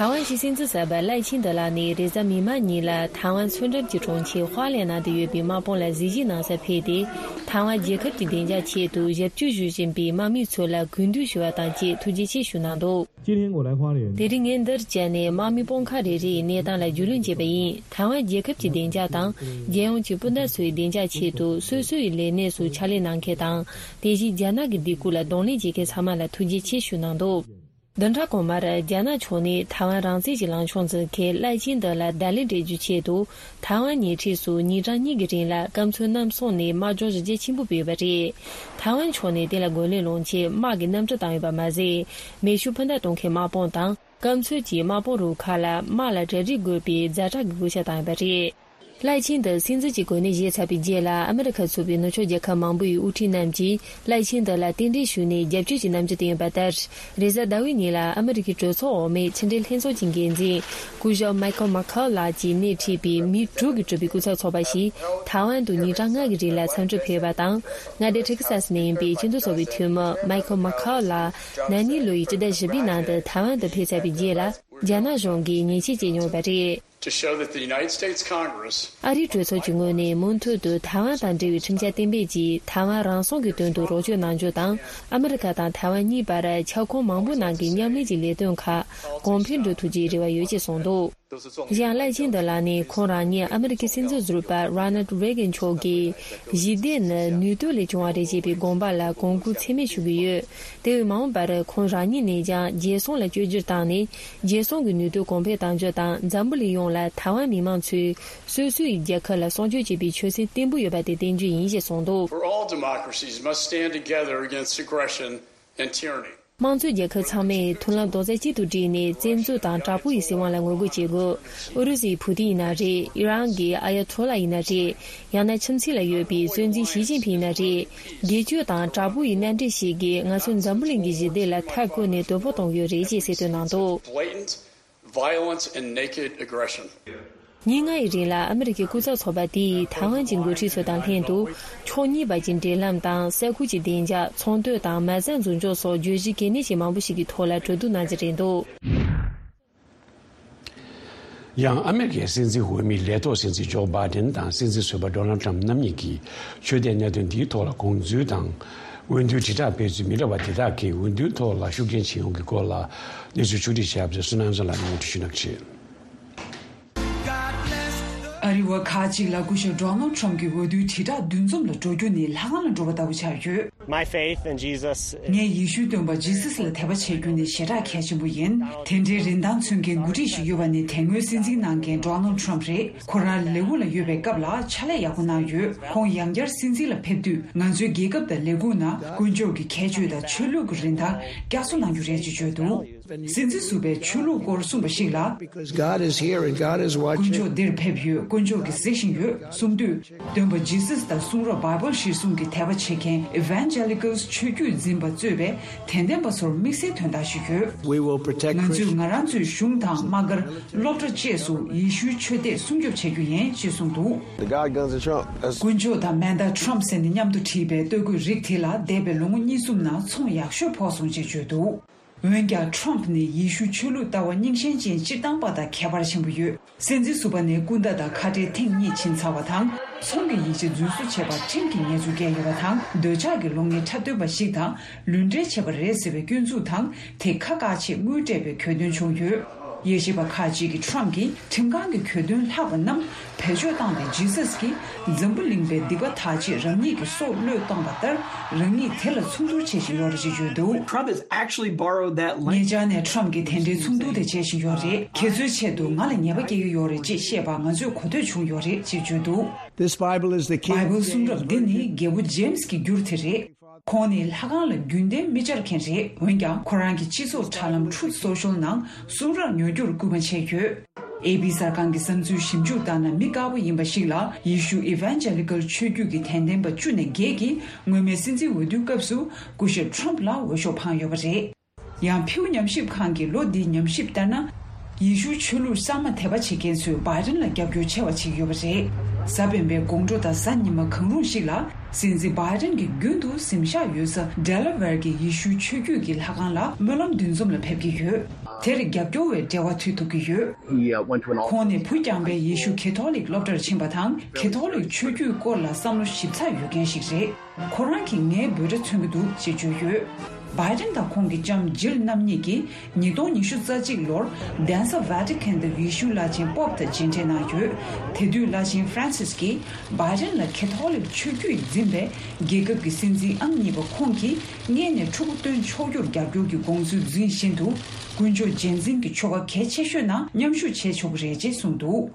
ཐའེ་ཝན་གྱི་སྲིད་འཛིན་གསར་པ་ལའེ་ཆིང་ཏེ་ལགས་ནས་རེས་གཟའ་མིག་དམར་ཉིན་ལ་ཐའེ་ཝན་མཚོ་འགྲམ་གྱི་གྲོང་ཁྱེར་ཧྭ་ལེ་ནང་དུ་ཡོད་པའི་དམག་དཔུང་ལ་གཟིགས་ཞིབ་གནང་སར་ཕེབས་ཏེ། ཐའེ་ཝན་རྒྱལ་ཁབ་ཀྱི་བདེ་འཇགས་ཆེད་དུ་ཞབས་ཕྱི་ཞུ་བཞིན་པའི་དམག་མི་ཚོ་ལ་གུས་འདུད་ཞུ་བ་དང་བཅས་ཐུགས་རྗེ་ཆེ་ཞུ་གནང་འདུག། 今天我来花莲。 དེ་རིང་ངས་འདིར་བཅར་ནས་དམག་མི་དཔུང་ཁག་རེ་རེ་ཡི་གནས་སྟངས་ལ་རྒྱུས་ལོན་བྱས་པ་ཡིན། ཐའེ་ཝན་རྒྱལ་ཁབ་ཀྱི་བདེ་འཇགས་དང་། རྒྱལ་ཡོངས་ཀྱི་སྤུན་ཟླ་ཚོའི་བདེ་འཇགས་ཆེད་དུ་སོ་སོ་ཡི་ལས་གནས་སུ་ཕྱག་ལས་གནང་མཁན་དང་། དེ་བཞིན་རྒྱ་ནག་གི་སྡིགས་སྐུལ་ལ་གདོང་ལེན་བྱེད་མཁན་ཚང་མ་ལ་ཐུགས་རྗེ་ཆེ་ཞུ་གནང་འདུག། བདུན་ཕྲག་གོང་མར་རྒྱ་ནག་ཕྱོགས་ནས་ཐའེ་ཝན་རང་བཙན་གྱི་ལངས་ཕྱོགས་འཛིན་མཁན་ལའེ་ཆིང་ཏེ་ལ་བརྡ་ལན་སྤྲད་རྒྱུའི་ཆེད་དུ། ཐའེ་ཝན་ཉེ་འཁྲིས་སུ་ཉིན་གྲངས་གཉིས་ཀྱི་རིང་ལ་སྐམ་མཚོའི་གནམ་གཤིས་ནས་དམག་སྦྱོང་གཞི་རྒྱ་ཆེན་པོ་སྤེལ་བ་རེད། ཐའེ་ཝན་ཕྱོགས་ནས་དེ་ལ་རྒོལ་ལན་སློང་ཆེད་དམག་གི་གནམ་གྲུ་བཏང་ཡོད་པ་མ་ཟད། མེ་ཤུགས་འཕུར་མདའ་གཏོང་མཁན་དམག་དཔུང་དང་། སྐམ་མཚོ་གྱི་དམག་དཔུང་རུ་ཁག་ལ་དམག་ལ་གྲ་སྒྲིག་དགོས་པའི་ཛ་དྲག་གི་བཀོད་ཁྱབ་བཏང་ཡོད་པ་རེད། ལའེ་ཆིང་ཏེ་སྲིད་འཛིན་གྱི་གོ་གནས་བཞེས་ཚར་བའི་རྗེས་ལ་ཨ་མི་རི་ཁ་ཚུད་པའི་ནུབ་ཕྱོགས་རྒྱལ་ཁབ་མང་པོ་ཡི་དབུ་ཁྲིད་རྣམས་ཀྱིས་ལའེ་ཆིང་ཏེ་ལ་རྟེན་འབྲེལ་ཞུས་ནས་རྒྱབ་སྐྱོར་གྱི་རྣམ་འགྱུར་བསྟན་ཡོད་པ་ལྟར། རེས་གཟའ་ཟླ་བའི་ཉིན་ལ་ཨ་མི་རི་ཀའི་གྲོས་ཚོགས་འོག་མའི་ཕྱི་འབྲེལ་ལྷན་ཚོགས་ཀྱི་འགན་འཛིན་སྐུ་ཞབས་མའི་ཁལ་མ་ཁའོ་ལགས་ཀྱིས་སྣེ་ཁྲིད་པའི་མི་དྲུག་གིས་གྲུབ་པའི་སྐུ་ཚབ་ཚོགས་པ་ཞིག་ཐའེ་ཝན་དུ་ཉིན་གྲངས་ལྔ་གི་རིང་ལ་འཚམས་འདྲིར་ཕེབས་པ་དང་། མངའ་སྡེ་ཏེག་ས་སི་ནས་ཡིན་པའི་སྤྱི་མཐུན་ཚོགས་པའི་འཐུས་མི་མའི་ཁལ་མ་ཁའོ་ལགས་ན་ནིང་ལོ་ཡི་སྤྱི་ཟླ་བཞི་པའི་ནང་དུ་ཐའེ་ཝན་དུ་ཕེབས་ཚར་བའི་རྗེས་ལ། རྒྱ་ནག་གཞུང་གིས་ཉེས་ཆད་བཅད་མྱོང་བ་རེད། To show that the United States Congress ཨ་རིའི་གྲོས་ཚོགས་ཀྱི་ངོས་ནས་མུ་མཐུད་དུ་ཐའེ་ཝན་དང་འབྲེལ་བའི་ཁྲིམས་འཆར་གཏན་འབེབས་ཀྱིས་ཐའེ་ཝན་རང་སྲུང་གི་དོན་དུ་རོགས་སྐྱོར་གནང་རྒྱུ་དང་། ཨ་མི་རི་ཀ་དང་ཐའེ་ཝན་གཉིས་བར་ཁྱབ་ཁོངས་མང་པོའི་ནང་གི་མཉམ་ལས་ཀྱི་ལས་དོན་ཁག་གོང་འཕེལ་འགྲོ་ཐུབ་རྒྱུའི་རེ་བ་ཡོད་ཅེས་གསུངས་འདུག། གཞན་ལའེ་ཆིང་ཏེ་ལགས་ནས་ཁོང་རང་ཉིད་ཨ་མི་རི་ཀའི་སྲིད་འཛིན་ཟུར་པ་རོ་ནལ་རེ་གན་མཆོག་གིས་ཞི་བདེ་ནི་ནུས་སྟོབས་ལས་བྱུང་བ་རེད་ཅེས་པའི་དགོངས་པ་ལ་གོང་བཀུར་ཚད་མེད་ཞུ་གི་ཡོད། དེ་བས་མ་འོངས་པར་ཁོང་རང་ཉིད་ནས་ཀྱང་རྒྱལ་སྲུང་ལ་བཅོས་བསྒྱུར་བཏང་ནས། རྒྱལ་སྲུང་གི་ནུས་སྟོབས་གོང་འཕེལ་གཏང་རྒྱུ་དང་། འཛམ་བུ་གླིང་ཡོངས་ལ་ཐའེ་ཝན་མི་མང་ཚོས་སོ་སོའི་རྒྱལ་ཁབ་ལ་སྲུང་སྐྱོབ་བྱེད་པའི་ཆོད་སེམས་བརྟན་པོ་ཡོད་པ་དེ་བསྟན་རྒྱུ་ཡིན་ཞེས་གསུངས་འདུག། For all democracies must stand together against aggression and tyranny. དམངས་གཙོའི་རྒྱལ་ཁབ་ཚང་མས་མཐུན་ལམ་རྡོག་རྩ་གཅིག་ཏུ་བསྒྲིལ་ནས་བཙན་འཛུལ་དང་དྲག་པོ་ཡི་སྲིད་དབང་ལ་ངོ་རྒོལ་བྱེད་དགོས། ཨུ་རུ་སུའི་ཕུ་ཏིན་ཡིན་ན་རེད། ཨི་རན་གྱི་ཨ་ཡ་ཐོ་ལ་ཡིན་ན་རེད། ཡང་ན་ཁྱིམ་མཚེས་ལ་ཡོད་པའི་གཙོ་འཛིན་ཞི་ཅིན་ཕིང་ཡིན་ན་རེད། སྒེར་གཅོད་དང་དྲག་པོ་ཡི་མནའ་འབྲེལ་ཞིག་གིས་ང་ཚོ་འཛམ་བུ་གླིང་གི་ཞི་བདེ་ལ་མཐའ་བསྐོར་ནས་དོ་ཕོག་གཏོང་གི་ཡོད་རེད་ཅེས་གསལ་སྟོན་གནང་འདུག། Blatant violence and naked aggression. ཉིན་ལྔ་ཡི་རིང་ལ་ཨ་མི་རི་ཀའི་སྐུ་ཚབ་ཚོགས་པ་དེ་ཡིས་ཐའེ་ཝན་གྱི་འགོ་ཁྲིད་ཚོ་དང་ལྷན་དུ། ཕྱོགས་གཉིས་བར་གྱི་འབྲེལ་ལམ་དང་། ས་ཁུལ་གྱི་བདེ་འཇགས། ཚོང་དོན་དང་མ་རྩ་འཛིན་སྐྱོང་སོགས་བརྗོད་གཞི་གལ་གནད་ཆེ་མང་པོ་ཞིག་གི་ཐོག་ལ་གྲོས་བསྡུར་གནང་རྩིས་རེད་འདུག། ཡང་ཨ་མེ་རི་ཀའི་སྲིད་འཛིན་འོས་མི་ལས་ཐོག་སྲིད་འཛིན་ཇོ་བྷའི་ཌེན་དང་སྲིད་འཛིན་ཟུར་པ་ཌོ་ནལ་ཊམ་རྣམ་གཉིས་ཀྱིས་ཆོས་དད་གནད་དོན་འདིའི་ཐོག་ལ་དགོངས་ཚུལ་དང་། འོས་བསྡུའི་དྲིལ་བསྒྲགས་སྤེལ་ཚུལ་མི་འདྲ་བ་དེ་དག་གིས་འོས་བསྡུའི་ཐོག་ལ་ཤུགས་རྐྱེན་བྱེད་ཡོང་གི་སྐོར་ལ་གནས་ཚུལ་ཕྱོགས་སྒྲིག་བྱས་པ་དེ་བསོད་ནམས་བཟང་ལགས་ནས་སྙན་སྒྲོན་ཞུ་གནང་གི་རེད། རི་བ་ཁག་ཅིག་ལ་སྐུ་ཞབས་Donald Trump་གྱི་འོས་བསྡུའི་དྲིལ་བསྒྲགས་འདུ་འཛོམས་ལ་འགྲོ་རྒྱུ་ནི་ལྷ་ཁང་ལ་འགྲོ་བ་ལྟ་བུ་ཆགས་ཡོད། My faith in Jesus is ངས་ཡེ་ཤུའི་སྟོན་པ་ཇི་སཱས་ལ་དད་པ་བྱེད་རྒྱུ་ནི་ཞེ་དྲག་གལ་ཆེན་པོ་ཡིན། དེ་འདྲའི་རིན་ཐང་མཚོན་མཁན་འགོ་ཁྲིད་ཞིག་ཡོད་པ་ནི་དེ་སྔོན་སྲིད་འཛིན་གནང་མཁན་Donald Trump་རེད། ཁོ་རང་ལས་ཁུངས་ལ་ཡོད་པའི་སྐབས་ལ་ཕྱག་ལས་ཡག་པོ་གནང་ཡོད། ཁོང་ཡང་བསྐྱར་སྲིད་འཛིན་ལ་ཕེབས་དུས་ང་ཚོའི་རྒྱལ་ཁབ་དང་ལས་ཁུངས་ནང་དཀོན་མཆོག་གི་ཁྱད་ཆོས་དང་ཆོས་ལུགས་ཀྱི་རིན་ཐང་བསྐྱར་གསོ་གནང་རྒྱུ་རེད་ཅེས་བརྗོད་འདུག་སྲིད་འཛིན་ཟུར་པས་ཆོས་ལུགས་སྐོར་གསུངས་པ་ཞིག་ལ། Because God is here and God is དཀོན་watching. མཆོག་འདིར་ཕེབས་ཡོད། དཀོན་མཆོག་གིས་གཟིགས་བཞིན་ཡོད་གསུངས་དུས། སྟོན་པ་ཇི་སཱས་དང་གསུང་རབ་Bible་གཞིར་བཟུང་གི་དད་པ་བྱེད་མཁན་Evangelicals་ཆོས་བརྒྱུད་འཛིན་པ་གཙོས་པའི་དད་ལྡན་པ་ཚོར་དམིགས་བསལ་དོན་དག་ཞིག་ཡོད། We will protect ང་ཚོས་Christians. ང་རང་ཚོའི་གཞུང་དང་དམག་སྒར་སློབ་གྲྭ་བཅས་སུ་ཡེ་ཤུའི་ཆོས་དད་སྲུང་སྐྱོབ་བྱེད་རྒྱུ་ཡིན་ཞེས་གསུངས་འདུག The God guns of Trump. That's དཀོན་མཆོག་དང་མེ་མདའ་Trump་ཟེར་ནས་མཉམ་དུ་བྲིས་པའི་སྟོད་གོས་རིགས་དེ་ལ་འདས་པའི་ལོ་ངོ་གཉིས་གསུམ་ནང་ཚོང་ཡག་ཤོས་ཕོག་སོང་ཅེས་བརྗོད་འདུག་འོན་ཀྱང་Trump་ནི་ཡེ་ཤུ་ཆོས་ལུགས་ལྟ་བ་རྙིང་ཞེན་ཅན་སྤྱིར་བཏང་པ་དང་ཁྱད་པར་ཆེན་པོ་ཡོད། སྲིད་འཛིན་ཟུར་པ་ནི་སྐུ་ཟླ་དང་ཁ་བྲལ་ཐེངས་གཉིས་ཕྱིན་ཚར་བ་དང་། ཚོང་གི་ཡིག་ཆ་རྫུན་བཟོ་བྱས་པར་ཁྲིམས་ཀྱི་ཉེས་འཛུགས་བཀལ་ཡོད་པ་དང་། འདོད་ཆགས་ཀྱི་བློ་ངན་འཁྲབ་སྟོན་པ་ཞིག་དང་ལུས་འབྲེལ་བྱས་པ་རེད་ཟེར་བའི་སྐྱོན་འཛུགས་དང་དེ་ཁ་བཀག་ཆེད་དངུལ་སྤྲད་པའི་གྱོད་དོན་བྱུང་ཡོད། དབྱེ་ཞིབ་པ་ཁག་ཅིག་གིས་Trump་གྱིས་ཁྲིམས་ཁང་གི་གྱོད་དོན་ལྷག་པ་རྣམས་བེད་སྤྱོད་བཏང་སྟེ་ཇི་སཱས་ཀྱིས་འཛམ་བུ་གླིང་པའི་སྡིག་པ་དག་ཆེད་རང་ཉིད་ཀྱི་སྲོག་བློས་བཏང་བ་ལྟར་རང་ཉིད་དེ་ལ་མཚུངས་བསྡུར་བྱེད་བཞིན་ཡོད་རེད་ཅེས་བརྗོད་འདུག Trump has actually borrowed that language. ཉེ་ཆར་ནས་Trump་གྱིས་དེ་འདྲའི་མཚུངས་བསྡུར་དེ་བྱེད་བཞིན་ཡོད་རེད། ཁྱེད་ཚོའི་ཆེད་དུ་ང་ལ་ཉེས་པ་སྐྱེལ་གྱི་ཡོད་རེད་ཅེས་བཤད་པ་ང་ཚོས་གོ་ཐོས་བྱུང་ཡོད་རེད་ཅེས་བརྗོད་འདུག This Bible is the King James Bible་གསུང་རབ་འདི་ནི་རྒྱལ་པོ་James་གྱི་འགྱུར་དེ་རེད། ཁོང་ནི་ལྷ་ཁང་ལ་རྒྱུན་ལྡན་མི་བཅར་མཁན་རེད། འོན་ཀྱང་ཁོ་རང་གི་སྤྱི་ཚོགས་དྲ་ལམ་Truth Social་ནང་གསུང་རབ་ཉོ་རྒྱུར་སྐུལ་མ་བྱས་ཡོད། ཨེ་པི་གསར་ཁང་གི་བསམ་ཚུལ་ཞིབ་འཇུག་ལྟར་ན་མི་དཀར་པོ་ཡིན་པ་ཞིག་ལ་ཡེ་ཤུ་Evangelical་ཆོས་བརྒྱུད་ཀྱི་དད་ལྡན་པ་བཅུ་ནས་བརྒྱད་ཀྱིས་སྔོན་མའི་སྲིད་འཛིན་འོས་བསྡུའི་སྐབས་སུ་སྐུ་ཞབས་Trump་ལ་འོས་ཤོག་འཕངས་ཡོད་པ་རེད། ཡང་Pew་ཉམས་ཞིབ་ཁང་གི་ལོ་འདིའི་ཉམས་ཞིབ་ལྟར་ན། ཡེ་ཤུའི་ཆོས་ལུགས་གསར་མ་དད་པ་བྱེད་མཁན་ཚོས་Biden་ལ་རྒྱབ་སྐྱོར་ཆེ་བ་བྱེད་ཀྱི་ཡོད་པ་རེད། གཟའ་སྤེན་པའི་དགོང་དྲོ་དང་གཟའ་ཉི་མ་གང་རུང་ཞིག་ལ་སྲིད་འཛིན་Biden་གྱིས་རྒྱུན་དུ་གཟིམ་ཤག་ཡོད་ས་Delaware་གྱི་ཡེ་ཤུའི་ཆོས་བརྒྱུད་ཀྱི་ལྷ་ཁང་ལ་སྨོན་ལམ་འདུ་འཛོམས་ལ་ཕེབས་ཀྱི་ཡོད། དེར་རྒྱབ་སྐྱོར་བའི་འབྲེལ་བ་མཐུད་ཐུབ་ཀྱི་ཡོད། He, uh, went to an all- ཁོང་ནི་བུ་རྐྱང་པའི་ཡེ་ཤུ་ཁེ་ཐོ་ལིག་སློབ་གྲྭར་ཕྱིན་པ་དང་ཁེ་ཐོ་ལིག་ཆོས་བརྒྱུད་སྐོར་ལ་བསམ་བློ་ཞིབ་ཚགས་ཡོད་མཁན་ཞིག་རེད། ཁོ་རང་གིས་ངའི་འབོད་སྒྲ་མཚོན་གྱི་འདུག་ཅེས་བརྗོད་ཡོད། Biden་དང་ཁོང་གི་ལྕམ་Jill་རྣམ་གཉིས་ཀྱིས་ཉིས་སྟོང་ཉི་ཤུ་རྩ་གཅིག་ལོར་གདན་ས་Vatican་དུ་ཡེ་ཤུའི་བླ་ཆེན་Pope་དང་མཇལ་འཕྲད་གནང་ཡོད། དེ་དུས་བླ་ཆེན་Francis་གྱིས་Biden་ལ་ཁེ་ཐོ་ལིག་ཆོས་བརྒྱུད་འཛིན་པའི་རྒྱལ་ཁབ་ཀྱི་སྲིད་འཛིན་ཨང་གཉིས་པ་ཁོང་གིས་སྔས་ནས་ཕྲུ་གུ་སྟོན་ཆོག་རྒྱུར་རྒྱབ་སྐྱོར་གྱི་དགོངས་ཚུལ་འཛིན་བཞིན་དུ་དཀོན་མཆོག་རྗེས་འཛིན་གྱི་ཆོ་ག་གལ་ཆེ་ཤོས་ནང་མཉམ་ཞུགས་བྱེད་ཆོག་གི་རེད་ཅེས་གསུངས་འདུག་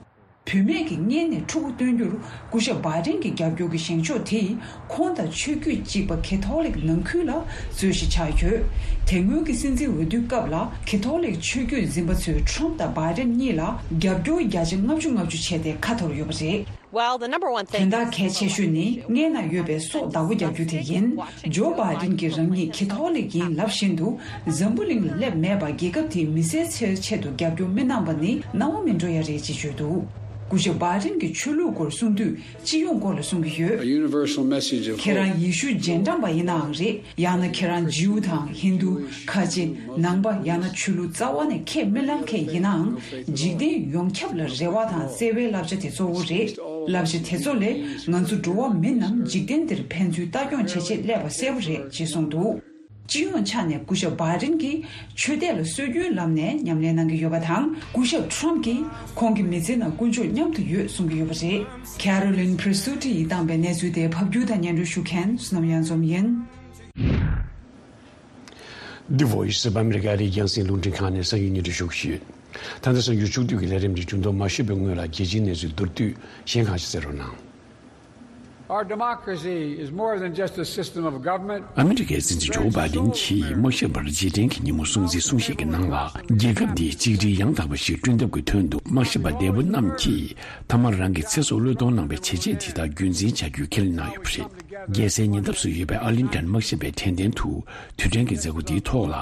བུད་མེད་ཀྱིས་སྔས་ནས་ཕྲུ་གུ་སྟོན་རྒྱུར་སྐུ་ཞབས་Biden་གྱི་རྒྱབ་སྐྱོར་གྱི་བཞེངས་ཕྱོགས་དེས་ཁོང་དང་ཆོས་བརྒྱུད་གཅིག་པ་ཁེ་ཐོ་ལིག་ནང་ཁུལ་ལ་རྩོད་གཞི་ཆགས་ཡོད། དེ་སྔོན་གྱི་སྲིད་འཛིན་འོས་བསྡུའི་སྐབས་ལ་ཁེ་ཐོ་ལིག་ཆོས་བརྒྱུད་འཛིན་པ་ཚོས་Trump་དང་Biden་གཉིས་ལ་རྒྱབ་སྐྱོར་བརྒྱ་ཆ་ལྔ་བཅུ་ལྔ་བཅུ་བྱས་ཏེ་ཁ་འཐོར་ཡོད་པ་རེད། Well, the number one thing དོན་དག་གལ་ཆེ་ཤོས་ནི་སྔས་ན་ཡོད་པའི་སྲོག་བདག་པོ་རྒྱག་རྒྱུ་དེ་ཡིན། ཇོ་བྷའི་ཌེན་གྱིས་རང་ཉིད་ཁེ་ཐོ་ལིག་ཡིན་ལབ་བཞིན་དུ་འཛམ་བུ་གླིང་ལ་སླེབས་མེད་པར་རྒྱལ་ཁབ་དེའི་མི་སེར་ཚོའི་ཆེད་དུ་རྒྱབ་སྐྱོར་མི་གནང་པ་ནི་གནང་བ་མིན་འགྲོ་ཡ་རེད་ཅེས་བརྗོད་འདུག་སྐུ་ཞབས་བྷའི་ཌེན་གྱིས་ཆོས་ལུགས་སྐོར་གསུང་དུས་སྤྱི་ཡོངས་སྐོར་ལ་གསུང་གི་ཡོད། A universal message of hope. ཁྱེད་རང་ཡེ་ཤུ་རྗེས་འབྲང་པ་ཡིན་ནའང་རེད། ཡང་ན་ཁྱེད་རང་ཇིའུ་དང་ཧིན་དུ། ཁ་ཆེ། ནང་པ་ཡང་ན་ཆོས་ལུགས་རྩ་བ་ནས་ཁས་མི་ལེན་མཁན་ཡིན་ནའང་། འཇིག་རྟེན་ཡོངས་ཁྱབ་ལ་རེ་བ་དང་བརྩེ་བའི་བསླབ་བྱ་དེ་གཙོ་བོ་རེད། བསླབ་བྱ་དེ་ཚོ་ལས་ང་ཚོ་འགྲོ་བ་མི་རྣམས་འཇིག་རྟེན་འདིར་ཕན་ཚུན་ལྟ་སྐྱོང་བྱེད་ཆེད་སླེབས་པ་གསལ་པོ་རེད་ཅེས་གསུངས་འདུག་སྤྱི་ཡོངས་ཆ་ནས་སྐུ་ཞབས་བྷའི་ཌེན་གྱིས་ཆོས་དད་ལ་སྲོལ་རྒྱུན་ལམ་ནས་ཉམས་ལེན་གནང་གི་ཡོད་པ་དང་། སྐུ་ཞབས་ཁྲོམ་གྱིས་ཁོང་གི་མི་ཚེ་ནང་དཀོན་མཆོག་མཉམ་དུ་ཡོད་གསུང་གི་ཡོད་པ་རེད། Carolyn Presutti་ཡིས་བཏང་པའི་གནས་ཚུལ་དེ་ཕབ་སྒྱུར་དང་སྙན་སྒྲོན་ཞུ་མཁན་བསོད་ནམས་གཡང་འཛོམས་ཡིན། The Voice of America་རི་རྒྱང་སྲིང་རླུང་འཕྲིན་ཁང་ནས་གསར་འགྱུར་སྙན་སྒྲོན་ཞུ་གི་ཡོད། ད་ལྟ་གསར་འགྱུར་ཕྱོགས་བསྡུས་ཀྱི་ལས་རིམ་འདི་འབྱུང་ཐོག་མ་ཤོད་པའི་སྔོན་ལ་རྒྱལ་སྤྱིའི་གནས་ཚུལ་མདོར་བསྡུས་གཞན་ཁག་ཅིག་གསན་རོགས་གནང་། Our democracy is more than just a system of government. ཨ་མི་རི་ཀའི་སྲིད་འཛིན་ཇོ་བྷའི་ཌེན་གྱིས་དམག་ཞབས་པར་རྗེས་དྲན་གྱི་ཉིན་མོ་སྲུང་བརྩིའི་གསུང་བཤད་ཀྱི་ནང་ལ། རྒྱལ་ཁབ་འདིའི་གཅིག་སྒྲིལ་ཡང་དག་པ་ཞིག་བསྐྲུན་ཐབས་ཀྱི་དོན་དུ་དམག་ཞབས་པ་འདས་པོ་རྣམས་ཀྱིས་མཐའ་མར་རང་གི་ཚེ་སྲོག་བློས་གཏོང་གནང་བའི་བྱས་རྗེས་དེ་དག་རྒྱུན་འཛིན་བྱ་རྒྱུའི་ཁས་ལེན་གནང་ཡོད་པ་རེད། རྒྱལ་སའི་ཉེ་འདབས་སུ་ཡོད་པའི་ཨར་ལིང་ཊོན་དམག་ཞབས་པའི་དྲན་རྟེན་དུ་དུས་དྲན་གྱི་མཛད་སྒོ་འདིའི་ཐོག་ལ།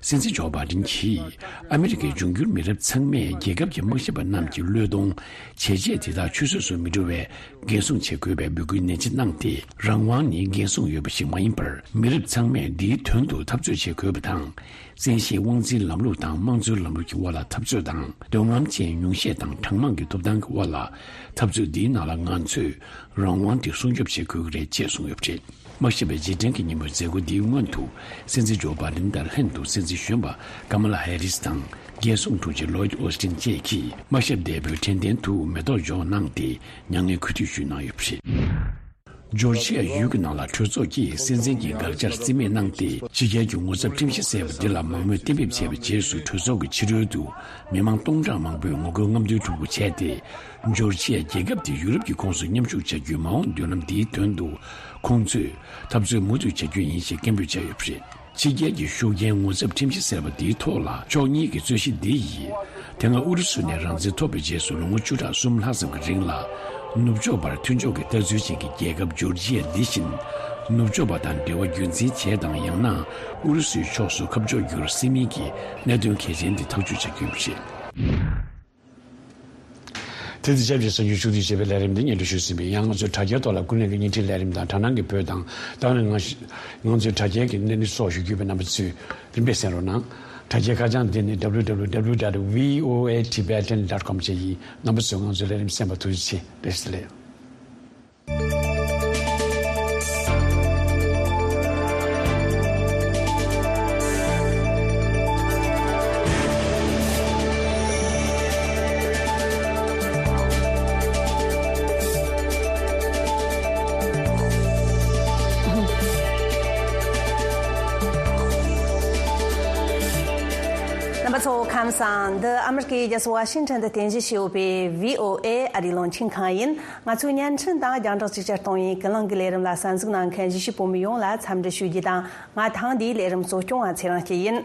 སྲིད་འཛིན་ཇོ་བྷའི་ཌེན་གྱིས་ཨ་མི་རི་ཀའི་འབྱུང་འགྱུར་མི་རབས་ཚང་མས་རྒྱལ་ཁབ་ཀྱི་དམག་ཞབས་པ་རྣམས་ཀྱི་བློས་གཏོང་བྱས་རྗེས་དེ་དག་ཆུད་ཟོས་སུ་མི་འགྲོ་བའི་འགན་སྲུང་བྱེད་དགོས་པའི་འབོད་སྐུལ་ནན་ཆེ་གནང་སྟེ། རང་དབང་ནི་འགན་སྲུང་ཡོད་པ་ཞིག་མ་ཡིན་པར། མི་རབས་ཚང་མས་འདིའི་དོན་དུ་འཐབ་རྩོད་བྱེད་དགོས་པ་དང་། བཙན་ཤེད་དབང་འཛིན་ལམ་ལུགས་དང་དམངས་གཙོའི་ལམ་ལུགས་ཀྱི་དབར་ལ་འཐབ་རྩོད་དང་། འདོད་རྔམ་ཅན་ཉུང་ཤས་དང་གྲངས་མང་གི་ཐོབ་ཐང་གི་དབར་ལ་འཐབ་རྩོད་འདིའི་ནང་ལ་ང་ཚོས་རང་དབང་དེ་སྲུང་སྐྱོབ་བྱེད་དགོས་ཀྱི་རེད་ཅེས་གསུངས་ཡོད་པ་རེད། དམག་ཞབས་པའི་རྗེས་དྲན་གྱི་ཉིན་མོའི་མཛད་སྒོ་འདིའི་སྔོན་དུ། སྲིད་འཛིན་ཇོ་བྷའི་ཌེན་དང་ལྷན་དུ་སྲིད་འཛིན་གཞོན་པ་ཀ་མ་ལ་ཧེ་རིས་དང་། རྒྱལ་སྲུང་དྲུང་ཆེ་ལོའིད་ཨོ་སི་ཊིན་བཅས་ཀྱིས་དམར་ཞབས་འདས་པོའི་དྲན་རྟེན་དུ་མེ་ཏོག་འབྱོར་གནང་སྟེ་མྱ་ངན་གུས་འདུད་ཞུས་གནང་ཡོད་པ་རེད། ཇོར་ཇི་ཡ་ཡུལ་གྱི་ནང་ལ་གྲོས་ཚོགས་ཀྱིས་སྲིད་འཛིན་གྱི་དགག་བྱར་རྩིས་མེད་གནང་སྟེ། ཕྱི་རྒྱལ་གྱི་ངོ་ཚབ་ཁྲིམས་གཞི་གསལ་བ་འདི་ལ་མང་མོས་གཏན་འབེབས་བྱས་པའི་རྗེས་སུ། གྲོས་ཚོགས་ཀྱི་ཕྱི་རོལ་དུ་མི་མང་སྟོང་ཕྲག་མང་པོས་ངོ་རྒོལ་རྔམ་སྟོན་འཁྲུག་པོ་བྱས་ཏེ། ཇོར་ཇི་ཡ་རྒྱལ་ཁབ་དེ་ཡུ་རོབ་ཀྱི་ཁོངས་སུ་མཉམ་ཞུགས་བྱ་རྒྱུའི་མ་འོངས་མདུན་ལམ་འདིའི་དོན་དུ། ཁོང་ཚོས་འཐབ་རྩོད་མུ་མཐུད་བྱ་རྒྱུ་ཡིན་ཞེས་སྐད་འབོད་བྱས་ཡོད་པ་རེད། ཕྱི་རྒྱལ་གྱི་ཤུགས་རྐྱེན་ངོ་ཚབ་ཁྲིམས་གཞི་གསར་པ་འདིའི་ཐོག་ལ། ཕྱོགས་གཉིས་ཀྱི་རྩོད་གཞི་འདི་ཡིས། དེ་སྔ་ཨུ་རུ་སུ་ནས་རང་བཙན་ཐོབ་པའི་རྗེས་སུ། ལོ་ངོ་བཅུ་ཕྲག་གསུམ་ལྷག་ཙམ་གྱི་རིང་ལ། ནུབ་ཕྱོགས་པར་མཐུན་ཕྱོགས་ཀྱི་ལྟ་ཚུལ་ཅན་གྱི་རྒྱལ་ཁབ་ཇོར་ཇི་ཡ་འདི་བཞིན། ནུབ་ཕྱོགས་པ་དང་འབྲེལ་བ་རྒྱུན་འཛིན་བྱས་དང་། ཡང་ན་ཨུ་རུ་སུའི་ཕྱོགས་སུ་ཁ་ཕྱོགས་བསྒྱུར་སྲིད་མིན་གྱི་གནད་དོན་གལ་ཆེན་འདི་ཐག་གཅོད་བྱ་རྒྱུ་ཡིན་པ་རེད། དེ་དུས་ཆབས་ཅིག་གསར་འགྱུར་ཕྱོགས་བསྡུས་བྱས་པའི་ལས་རིམ་འདི་སྙན་སྒྲོན་ཞུས་ཟིན་པས། ཡང་ང་ཚོའི་དྲ་རྒྱའི་ཐོག་ལ་ཀུན་གླེང་གི་བརྙན་འཕྲིན་ལས་རིམ་དང་དྲ་སྣང་གི་བོད་དང་། ད་ནི་ང་ང་ཚོའི་དྲ་རྒྱའི་གི་གནས་ཚུལ་སོགས་ཞུ་རྒྱུ་ཡོད་པས། རྣམ་པ་ཚོས་རིམ་པས་གསན་རོགས་གནང་། དྲ་རྒྱའི་ཁ་བྱང་འདི་ནི་W W W dot V O A Tibetan dot com བཅས་ཡིན། རྣམ་པ་ཚོས་ང་ཚོའི་ལས་རིམ་གསན་པར་ཐུགས་རྗེ་ཆེ། བཀྲ་ཤིས་བདེ་ལེགས། རྣམ་པ་ཚོ་ཁམས་བཟང་། འདི་ཨ་མི་རི་ཀའི་རྒྱལ་ས་ཝ་ཤིང་ཊོན་དུ་རྟེན་གཞི་བྱས་ཡོད་པའི་V O A ཨ་རིའི་རླུང་འཕྲིན་ཁང་ཡིན། ང་ཚོའི་བརྙན་འཕྲིན་དང་རྒྱང་བསྒྲགས་ཅིག་ཅར་གཏོང་བའི་ཀུན་གླེང་གི་ལས་རིམ་ལ་གསན་གཟིགས་གནང་མཁན་གཞིས་བྱེས་བོད་མི་ཡོངས་ལ་འཚམས་འདྲི་ཞུ་རྒྱུ་དང་། ང་ཐེངས་འདིའི་ལས་རིམ་གཙོ་སྐྱོང་བ་ཚེ་རིང་སྐྱིད་ཡིན།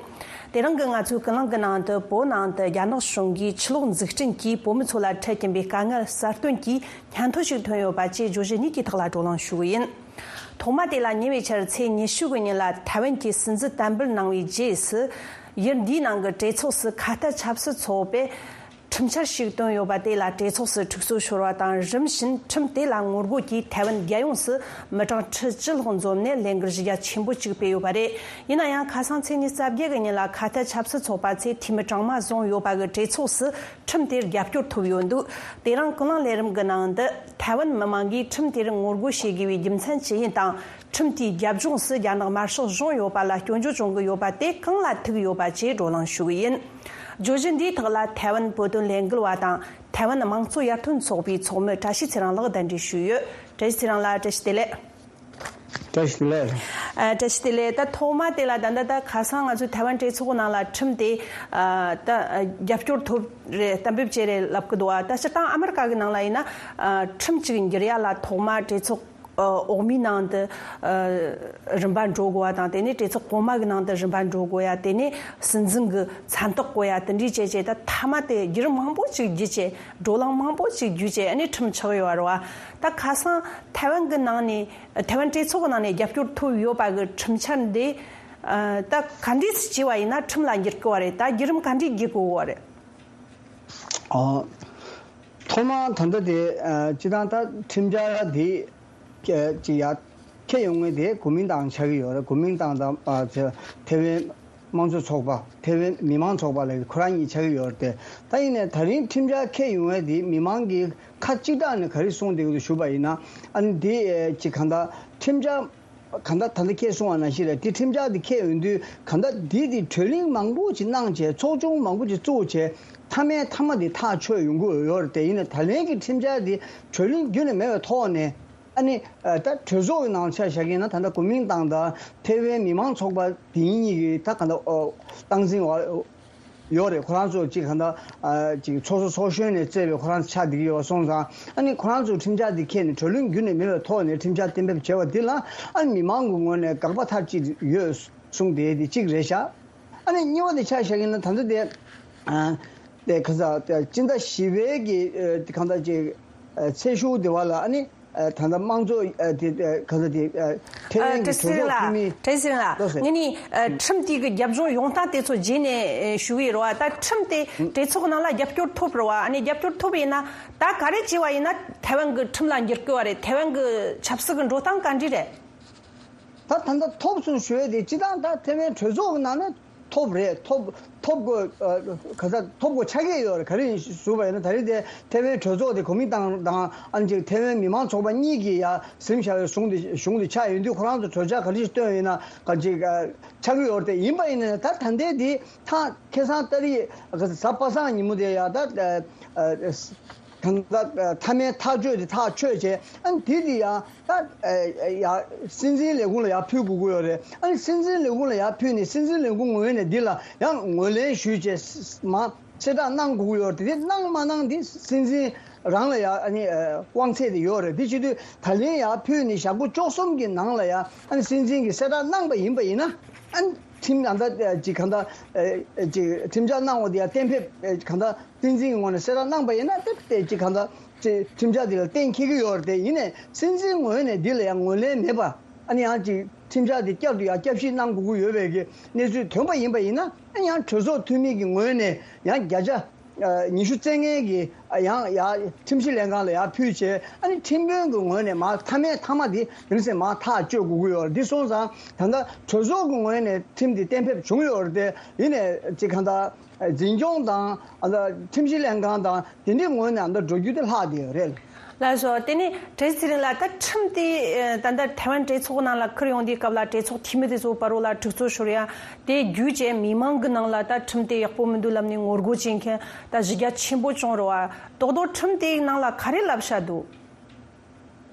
དེ་རིང་གི་ང་ཚོའི་ཀུན་གླེང་གི་ནང་དུ། བོད་ནང་དུ་རྒྱ་ནག་གཞུང་གིས་ཆུ་ལོག་འཛུགས་སྐྲུན་གྱིས་བོད་མི་ཚོ་ལ་འཕྲད་ཀྱིན་པའི་དཀའ་ངལ་གསར་བཏོན་གྱིས་སྙན་ཐོ་ཞིག་ཐོན་ཡོད་པ་བཅས་བརྗོད་གཞི་གཉིས་ཀྱི་ཐོག་ལ་བགྲོ་གླེང་ཞུ་གི་ཡིན། ཐོག་མ་དེ་ལ་ཉེ་བའི་ཆར་ཚེས་ཉི་ཤུ་གི་ཉིན་ལ་ཐའེ་ཝན་གྱིས་སྲིད་འཛིན་བསྟན་འབུལ་གནང་བའི་རྗེས་སུ། ཡུལ་འདིའི་ནང་གི་གྲོས་ཚོགས་སུ་ཁ་གཏད་ཆབ་སྲིད་ཚོགས་པས་ཁྲིམས་འཆར་ཞིག་བཏོན་ཡོད་པ་དེ་ལ་གྲོས་ཚོགས་སུ་འཁྲུག་རྩོད་ཤོར་བ་དང་། རིམ་བཞིན་ཁྲིམས་དེ་ལ་ངོ་རྒོལ་གྱིས་ཐའེ་ཝན་རྒྱལ་ཡོངས་སུ་མི་གྲངས་ཁྲི་བཅུ་ལྷག་འཛོམས་ནས་ལས་འགུལ་གཞི་རྒྱ་ཆེན་པོ་ཅིག་སྤེལ་ཡོད་པ་རེད། ཡིན་ན་ཡང་། ཁ་སང་ཚེས་ཉི་ཤུ་རྩ་བརྒྱད་གི་ཉིན་ལ་ཁ་གཏད་ཆབ་སྲིད་ཚོགས་པ་ཚོས་འཐུས་མི་གྲངས་མང་བཟུང་ཡོད་པ་གི་གྲོས་ཚོགས་སུ་ཁྲིམས་དེར་རྒྱབ་སྐྱོར་ཐོབ་ཡོད་འདུག་དེ་རིང་ཀུན་གླེང་ལས་རིམ་གྱི་ནང་དུ། ཐའེ་ཝན་མི་མང་གིས་ཁྲིམས་དེར་ངོ་རྒོལ་བྱེད་དགོས་པའི་རྒྱུ་མཚན་ཅི་ཡིན་དང་། ཁྲིམས་དེའི་རྒྱབ་ལྗོངས་སུ་རྒྱ་ནག་དམར་ཤོག་གཞུང་ཡོད་པ་ལ་སྐྱོན་བརྗོད་བྱུང་གི་ཡོད་པ་དེ་གང་ལ་ཐུག་ཡོད་པ་བཅས་བགྲོ་གླེང་ཞུ་གི་ཡིན། བརྗོད་གཞི་འདིའི་ཐོག་ལ་ཐའེ་ཝན་བོད་དོན་ལས་འགུལ་བ་དང་། ཐའེ་ཝན་དམངས་གཙོ་ཡར་ཐོན་ཚོགས་པའི་ཚོགས་མི་བཀྲ་ཤིས་ཚེ་རིང་ལགས་གདན་འདྲེན་ཞུས་ཡོད། བཀྲ་ཤིས་ཚེ་རིང་ལགས། བཀྲ་ཤིས་བདེ་ལེགས། བཀྲ་ཤིས་བདེ་ལེགས། ཨ། བཀྲ་ཤིས་བདེ་ལེགས། ད་ཐོག་མ་དེ་ལ་ད་ལྟ་ད་ཁ་སང་ང་ཚོའི་ཐའེ་ཝན་གྲོས་ཚོགས་ནང་ལ་ཁྲིམས་དེ། ཨ། ད་རྒྱབ་སྐྱོར་ཐོབ་རེད། གཏན་འབེབས་བྱས་རེད་ལབ་ཀྱི་འདུག་བ། ད་སྤྱིར་བཏང་ཨ་མི་རི་ཀ་གི་ནང་ལ་ཡིན་ན། ཨ། ཁྲིམས་གཅིག་འགྱུར་ཡ་ལ་ཐོག་མ་གྲོས་ཚོགས། ཨ། འོག་མའི་ནང་དུ། ཨ། རིམ་པ་འགྲོ་དགོས་པ་དང་། དེ་ནས་གྲོས་ཚོགས་གོང་མ་གི་ནང་དུ་རིམ་པ་འགྲོ་དགོས་ཡ། དེ་ནས་སྲིད་འཛིན་གྱི་མཚན་རྟགས་བཀོད་ཡ། དེ་འདྲའི་བྱས་བྱས། ད་མཐའ་མ་དེ་བརྒྱུད་རིམ་མང་པོ་ཅིག་བརྒྱུད་བྱས། བགྲོ་གླེང་མང་པོ་ཅིག་བརྒྱུད་བྱས། ཨ་ནི་ཁྲིམས་ཆགས་ཡོད་རེད་བ། ད་ཁ་སང་ཐའེ་ཝན་གྱི་ནང་ནས། ཐའེ་ཝན་གྲོས་ཚོགས་ཀྱི་ནང་ནས་རྒྱབ་སྐྱོར་ཐོབ་ཡོད་པ་གི་ཁྲིམས་འཆར་འདི། ཨ། ད་ག་འདྲས་སེ་བྱས་པ་ཡིན་ན་ཁྲིམས་ལ་འགྱུར་གི་བ་རེད། ད་བརྒྱུད་རིམ་ག་འདྲས་བརྒྱུད་དགོས་བ་རེད། ཨོ། ཐོག་མར་ད་ལྟ་དེ། ཨ། སྤྱིར་བཏང་ད་ཁྲིམས་འཆར་འདི་ཅིག་ཡར་འཁྱེར་ཡོང་མཁན་དེ་གོ་མིན་ཏང་ཆགས་ཀྱི་ཡོད་རེད། གོ་མིན་ཏང་དང་། ཨ། ཐའེ་ཝན་དམངས་གཙོ་ཚོགས་པ། ཐའེ་ཝན་མི་མང་ཚོགས་པ་ལབ་ཁོ་རང་གཉིས་ཆགས་ཀྱི་ཡོད་རེད་དེ། ད་ཡིན་ནའི་ད་རིང་ཁྲིམས་འཆར་འཁྱེར་ཡོང་མཁན་དེ་མི་མང་གིས་ཁ་གཅིག་གྲགས་ནས་ག་རེ་གསུངས་བསྡད་ཀྱི་འདུག་ཞུས་པ་ཡིན་ན། ཨ་ནི་དེ་ཅིག་གང་ལྟར་ཁྲིམས་འཆར། གང་ལྟར་ད་ལྟ་ཁྱེད་གསུངས་པ་ནང་བཞིན་རེད། དེ་ཁྲིམས་འཆར་དེ་འཁྱེར་ཡོང་དུས། གང་ལྟར་འདི་དེ་གྲོས་གླེང་མང་པོ་ཅིག་གནང་བྱས། ཚོགས་ཆུང་མང་པོ་ཅིག་བཙུགས་བྱས། མཐའ་མའི་མཐའ་མ་དེ་ཐག་ཆོད་ཡོང་གི་ཡོད་རེད་དེ། ཡིན་ནའི་ད་ལན་གྱི་ཁྲིམས་འཆར་དེ་གྲོས་གླེང་རྒྱུན་ནས་མེད་པའི་ཐོག་ནས། ཨ་ནི། ཨ། ད་གྲོས་ཚོགས་ཀྱི་ནང་ཆ་བཞག་གི་ཡིན་ན། ད་ལྟ་གོ་མིན་ཏང་དང་ཐའེ་ཝན་མི་མང་ཚོགས་པ་དེ་གཉིས་ཀྱིས་ད་གང་ལྟར། ཨོ། སྟངས་འཛིན་འོག་ཡོད་རེད། ཁོ་རང་ཚོ་གཅིག་གང་ལྟར། ཨ། གཅིག་ཚོགས་གཙོ་ཚོགས་གཞོན་ནས་བཙལ་བའི་ཁོ་རང་ཚོ་ཆགས་བསྡད་ཀྱི་ཡོད་པ་སོང་ཙང་། ཨ་ནི་ཁོ་རང་ཚོ་ཁྲིམས་འཆར་འདི་འཁྱེར་ནས་གྲོས་གླེང་རྒྱུན་ནས་མེད་པའི་ཐོག་ནས་ཁྲིམས་འཆར་གཏན་འབེབས་བྱས་པ་འདི་ལ། ཨ་ནི་མི་མང་གི་ངོས་ནས་དགག་པ་མཐའ་གཅིག་ཡོད་གསུངས་བསྡད་དེ་གཅིག་རེད་ཤག་ཨ་ནི་གཉིས་པ་དེ་ཆ་བཞག་གི་ཡིན་ན། ད་ལྟ་དེ། ཨ། དེ་ག་ས་སྤྱི་ཟླ་བཞི་པའི་གི། ཨ། གང་ལྟར་ཅིག་ཨ། ཚེས་གཞུག་དེ་བ་ལ། ཨ་ནི། ཨ། ད་ལྟ་དམངས་གཙོ། ཨ། དེ། ཨ། ག་ས་དེ། ཨ། ཐའེ་ཝན་གྱི་གྲོས་ཚོགས་འཐུས་མི། བཀྲ་ཤིས་ལགས། ལགས་སོ། ངས་ནི། ཨ། ཁྲིམས་དེ་གི་རྒྱབ་ལྗོངས་ཡོང་སྟངས་དེ་ཚོ་རྗེས་ནས། ཨ། ཞུ་གི་ཡིན་རོ། ད་ཁྲིམས་དེ་གྲོས་ཚོགས་ནང་ལ་རྒྱབ་སྐྱོར་ཐོབ་རོ་བ། ཨ་ནི་རྒྱབ་སྐྱོར་ཐོབ་ཡིན་ན། ད་ག་རེ་བྱས་པ་ཡིན་ན་ཐའེ་ཝན་གྱི་ཁྲིམས་ལ་འགྱུར་གི་བ་རེད། ཐའེ་ཝན་གྱི་ཆབ་སྲིད་ཀྱི་འགྲོ་སྟངས་ག་འདྲ་རེད། ད་ད་ལྟ་ཐོབ་སོང་ཞུ་ཡས་དེ་སྤྱིར་བཏང་ད་ཐའེ་ཝན་གྲོས་ཚོགས་ཀྱི་ནང་ནས་ ཐོབ་རེད། ཐོབ་ཐོབ་དགོས། ཨ་ག་ས་ཐོབ་དགོས་ཆགས་ཀྱི་ཡོད་རེད། ག་རེ་ཡིན་ཞུས་པ་ཡིན་ན། ད་རེས་དེ་ཐེ་ཝན་གྲོས་ཚོགས་དེ་གོ་མིན་ཏང་དང་ཨ་ནི་ཅིག་ཐེ་ཝན་མི་མང་ཚོགས་པ་གཉིས་ཀྱིས་ཡ་ཟིན་བཞག་པའི་གཞུང་དེ་གཞུང་དེ་ཆགས་ཡོང་དུས། ཁོ་རང་ཚོ་གྲོས་འཆར་ག་རེ་ཞིག་བཏོན་ཡིན་ན་ག་ཅིག་ཨ་ཆགས་ཀྱི་ཡོད་རེད་དེ། ཡིན་པ་ཡིན་ན་ད་ད་ལྟའི་དེ་ཐ་ཁ་སང་ཏ་རིག་གཟའ་པ་སངས་ཉིན་མོ་དེ་ཡ་ད་ཨ་ཨ་གང་ལྟར་མཐའ་མའི་ཐག་གཅོད་དེ་ཐག་ཆོད་བྱས། ཨ་ནི་དེ་དེ་ཡང་ད་ཡ་སྲིད་འཛིན་ལས་ཁུངས་ལ་ཡར་ཕུལ་དགོས་ཀྱི་ཡོད་རེད། ཨ་ནི་སྲིད་འཛིན་ལས་ཁུངས་ལ་ཡར་ཕུལ་ནས་སྲིད་འཛིན་ལས་ཁུངས་ངོས་ནས་འདི་ལ་ཡང་ངོས་ལེན་ཞུས་བྱས་མ་གསལ་བསྒྲགས་གནང་དགོས་ཀྱི་ཡོད་རེད། དེ་གནང་མ་གནང་འདི་སྲིད་འཛིན་རང་ལ་ཡང་ཨ་ནི་དབང་ཚད་དེ་ཡོད་རེད། དེ་བྱེད་དུས་ད་ལན་ཡར་ཕུལ་ནས་ཞག་པོ་བཅུ་གསུམ་གྱི་ནང་ལ་ཡང་ཨ་ནི་སྲིད་འཛིན་གྱིས་གསལ་བསྒྲགས་གནང་པ་ཡིན་པ་ཡིན་ན། ཨ་ནི་ཁྲིམས་གང་ལྟར་ཅིག་གང་ལྟར་ཅིག་ཁྲིམས་འཆར་གནང་བ་དེ་ཡང་གཏན་འབེབས་གང་ལྟར་སྲིད་འཛིན་གྱི་ངོས་ནས་གསལ་བསྒྲགས་གནང་པ་ཡིན་ན། དེ་དེ་ཅིག་གང་ལྟར་ཅིག་ཁྲིམས་འཆར་དེ་ལ་གཏན་འཁེལ་གྱི་ཡོད་རེད་དེ། ཡིན་ནའི་སྲིད་འཛིན་ངོས་ནས་འདི་ལ་ཡང་ངོས་ལེན་མེད་པ། ཨ་ནི་ཡང་ཅིག་ཁྲིམས་འཆར་དེ་བསྐྱར་དུ་ཡང་བསྐྱར་ཞིབ་གནང་དགོས་ཀྱི་ཡོད་པའི་གི་གནས་ཚུལ་ཐོན་པ་ཡིན་པ་ཡིན་ན། ཨ་ནི་ཡང་གྲོས་ཚོགས་འཐུས་མི་གི་ངོས་ནས་ཡང་བརྒྱ་ཆ་ཉི་ཤུ་རྩ་ལྔའི་གི་ཡང་ཡང་ཁྲིམས་ཞིབ་ལྷན་ཁང་ལ་ཡང་ཕུལ་བྱས། ཨ་ནི་ཁྲིམས་དཔོན་གྱི་ངོས་ནས་མར་མཐའ་མའི་མཐའ་མ་དེ་དེ་ནས་མར་ཐག་གཅོད་དགོས་ཀྱི་ཡོད་རེད། འདི་སོང་ཙང་ད་ལྟ་གྲོས་ཚོགས་ཀྱི་ངོས་ནས་ཁྲིམས་དེ་གཏན་འབེབས་བྱུང་ཡོད་རེད་དེ། ཡིན་ནའི་ཅིག་གང་ལྟར་འཛིན་སྐྱོང་དང་ཨ་ད་ཁྲིམས་ཞིབ་ལྷན་ཁང་དང་དེ་འདྲའི་ངོས་ནས་ཨ་ད་འགྲོ་རྒྱུ་དེ་ལྷག་བསྡད་ཡོད་རེད། ལགས་སོ། དེ་ནས་བཀྲ་ཤིས་ཚེ་རིང་ལགས། ད་ཁྲིམས་དེ་ད་ལྟ་ཐའེ་ཝན་གྲོས་ཚོགས་ནང་ལ་ཁུར་ཡོང་དུས་སྐབས་ལ་གྲོས་ཚོགས་འཐུས་མི་དེ་ཚོ་བར་རོ་ལ་དྲུག་ཚོ་ཤོར་ཡ། དེ་བརྒྱུད་བྱས་མི་མང་གི་ནང་ལ་ད་ཁྲིམས་དེ་ཡག་པོ་མི་འདུག་ལབ་ནས་ངོ་རྒོལ་བྱེད་མཁན་ད་གཞི་རྒྱ་ཆེན་པོ་བྱུང་རེད་བ། རྡོག་རྡོག་ཁྲིམས་དེའི་ནང་ལ་ག་རེ་ལབ་བཞག་འདུག་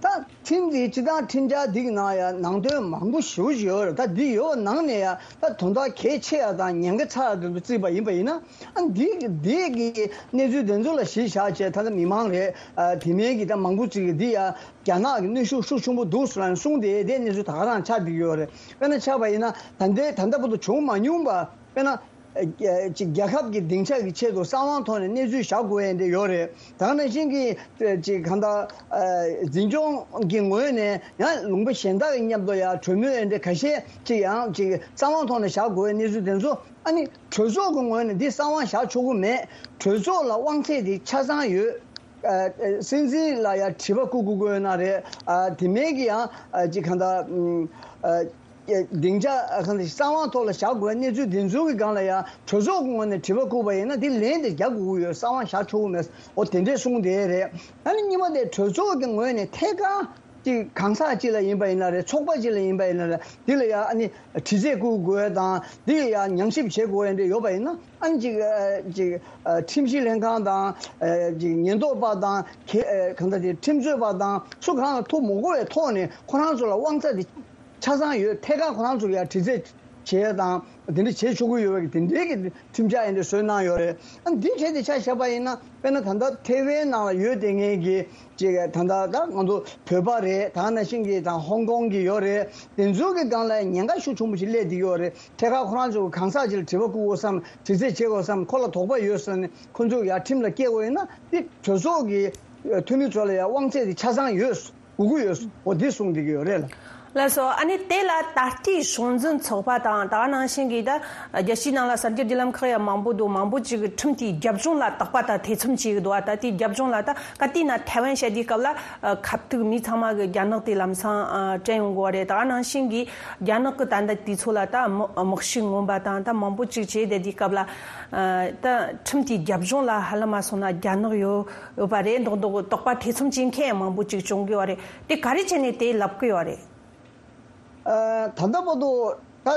ད་ཁྲིམས་དེ་སྤྱི་བཏང་ཁྲིམས་འཆར་འདི་གི་ནང་ཡང་ནང་དོན་མང་པོ་ཞེ་པོ་ཅིག་ཡོད་རེད། ད་འདི་ཡོད་པ་ནང་ནས་ཡང་ད་དོན་དག་གལ་ཆེ་ཡ་དང་ཉེན་ཁ་ཚ་ཡ་དེ་ཚོ་བརྩིས་པ་ཡིན་པ་ཡིན་ན། ཨ་འདི་འདི་གི་གནས་ཚུལ་དེ་ཚོ་ལ་གཞི་བཞག་བྱས། ད་ལྟ་མི་མང་རེད། ཨ་དེ་མིན་གྱི་ད་མང་པོ་ཅིག་གིས་འདི་ཡང་རྒྱ་ནག་གི་གནོན་ཤུགས་ཤུགས་ཆེན་པོ་འདུག་ཟེར་ནས་གསུངས་ཏེ། དེ་གནས་ཚུལ་ད་ག་རང་ཆགས་བསྡད་ཀྱི་ཡོད་རེད། དཔེར་ན་ཆགས་པ་ཡིན་ན་ད་ལྟའི་ད་ལྟ་བར་དུ་བྱུང་མ་མྱོང་པ། དཔེར་ན་ཨ་ཅིག་རྒྱལ་ཁབ་ཀྱི་སྡིངས་ཆ་གི་ཆེད་དུ་གསང་བའི་ཐོག་ནས་གནས་ཚུལ་བཞག་དགོས་ཡ་འདི་ཡོད་རེད། ད་ག་ནང་བཞིན་གྱི་ཅིག་གང་ལྟར་ཨ་འཛིན་སྐྱོང་གི་ངོས་ནས་ཡང་ལུང་པ་གཞན་དག་གི་མཉམ་དུ་ཡང་གྲོས་མོལ་ཡ་འདི་ཁ་ཤས་ཅིག་ཡང་ཅིག་གསང་བའི་ཐོག་ནས་བཞག་དགོས་ཡ་གནས་ཚུལ་དེ་ཚོ། ཨ་ནི་གྲོས་ཚོགས་ཀྱི་ངོས་ནས་འདི་གསང་བ་བཞག་ཆོག་གི་མེད། གྲོས་ཚོགས་ལ་དབང་ཚད་དེ་ཆ་ཚང་ཡོད། ཨ་སྲིད་འཛིན་ལ་ཡང་དྲི་བ་བཀོད་དགོས་ཀྱི་ཡོད་ན་རེད། ཨ་དེ་མིན་གྱི་ཡང་ཨ་ཅིག་གང་ལྟར་ཨ་སྡིངས་ཆ་ཨ་གང་ལྟར་གསང་བའི་ཐོག་ལ་བཞག་དགོས་པའི་གནས་ཚུལ་དེ་ཚོའི་གི་སྒང་ལ་ཡང་གྲོས་ཚོགས་ཀྱི་ངོས་ནས་དྲི་བ་བཀོད་པ་ཡིན་ན། དེ་ལན་དེ་རྒྱག་དགོས་ཀྱི་ཡོད། གསང་བ་བཞག་ཆོག་གི་མེད། འོ་དེ་འདྲས་གསུངས་བསྡད་རེད། ཨ་ནི་གཉིས་པ་དེ་གྲོས་ཚོགས་ཀྱི་ངོས་ནས་ཐད་ཀར་ཅིག་གང་ཟག་ཅིག་ལ་ཡིན་པ་ཡིན་ན་རེད། ཚོགས་པ་ཅིག་ལ་ཡིན་པ་ཡིན་ན་རེད། འདི་ལ་ཡང་ཨ་ནི་དྲི་རྩད་བཀུར་དགོས་དང་། འདི་ལ་ཡང་ཉམས་ཞིབ་བྱེད་དགོས་ཡ་འདྲ་ཡོད་པ་ཡིན་ན། ཨ་ནི་ཅིག་ཨ་ཅིག་ཨ་ཁྲིམས་ཞིབ་ལྷན་ཁང་དང་ཨ་ཅིག་ཉེན་རྟོག་པ་དང་། གལ་ཨ་གང་ལྟར་དེ་ཁྲིམས་རྩོད་པ་དང་སུ་གང་ལ་ཐུག་མི་དགོས་པའི་ཐོག་ནས་ཁོ་རང་ཚོ་ལ་དབང་ཚད་དེ་ཆ་ཚང་ཡོད། ཐད་ཀར་ཁོ་རང་ཚོ་ལ་ཡང་དྲི་རྩད་བྱེད་ཡ་དང་དེ་འདྲ་བྱེད་ཆོག་གི་ཡོད་པའི་དེ་འདྲའི་གི་ཁྲིམས་འཆར་ཡིན་འདྲ་བཟོས་གནང་ཡོད་རེད། ཨ་འདི་གལ་ཏེ་ཆ་བཞག་པ་ཡིན་ན། དཔེར་ན་ད་ལྟ་ཐེ་ཝན་ནང་ལ་ཡོད་བསྡད་མཁན་གྱི་ཅིག་ད་ལྟ་ད་ང་ཚོ་བོད་པ་རེད། ད་ག་ནང་བཞིན་གྱི་ད་ཧོང་ཀོང་གི་ཡོད་རེད། དེ་ཚོ་གི་སྒང་ལ་ཉེན་ཁ་ཤུགས་ཆེན་པོ་ཞིག་སླེབས་བསྡད་ཡོད་རེད། ཐད་ཀར་ཁོ་རང་ཚོ་གི་གང་ཟག་ཅིག་ལ་དྲི་བ་བཀོད་དགོས་བསམ། དྲི་རྩད་བྱེད་དགོས་བསམ། ཁོ་ལ་དོགས་པ་ཡོད་བསམ་ནས་ཁོ་ཚོ་ཡར་ཁྲིམས་ལ་སྐྱེལ་དགོས་ཡིན་ན། དེ་གྲོས་ཚོགས་ཀྱི་འཐུས་མི་ཚོ་ལ་ཡང་དབང་ཚད་དེ་ཆ་ཚང་ཡོད། དགོས་ཀྱི་ཡོད། འོ་འདི་གསུངས་བསྡད་ཀྱི་ཡོད་རེད་ལ། ལགས་སོ། ཨ་ནི་དེ་ལ་ད་ལྟའི་གཞུང་འཛིན་ཚོགས་པ་དང་། ད་ག་ནང་བཞིན་གྱི་ད་རྒྱལ་སྤྱིའི་ནང་ལ་གསར་འགྱུར་བརྒྱུད་ལམ་ཁག་ཡང་མང་པོ་འདུག་མང་པོ་ཅིག་གིས་ཁྲིམས་དེའི་རྒྱབ་ལྗོངས་ལ་དོགས་པ་དང་ཐེ་ཚོམ་བྱེད་ཀྱི་འདུག་ད་ལྟའི་རྒྱབ་ལྗོངས་ལ་ད་ག་དུས་ན་ཐའེ་ཝན་བཤད་དུས་སྐབས་ལ་ཨ་ཁ་ཐུག་མི་ཚང་མ་གི་རྒྱ་ནག་དེ་ལམ་སང་ཨ་དྲན་ཡོང་གི་ཡོད་རེད། ད་ག་ནང་བཞིན་གྱི་རྒྱ་ནག་གི་ད་ལྟ་དུས་ཚོད་ལ་ད་དམག་དམག་ཤུགས་མངོན་པ་དང་ད་མང་པོ་ཅིག་བྱས་བསྡད་དུས་སྐབས་ལ་ཨ་ད་ཁྲིམས་དེའི་རྒྱབ་ལྗོངས་ལ་ཧ་ལམ་མ་སོང་ན་རྒྱ་ནག་ཡོད་ཡོད་པ་རེད་མདོག་མདོག་དོགས་པ་ཐེ་ཚོམ་བྱེད་མཁན་ཡང་མང་པོ་ཅིག་བྱུང་གི་ཡོད་རེད། དེ་ག་རེ་བྱས་ནས་དེ་ལབ་ཀྱི་ཡོད་རེད། ཨ་ད་ལྟ་བར་དུ་ད་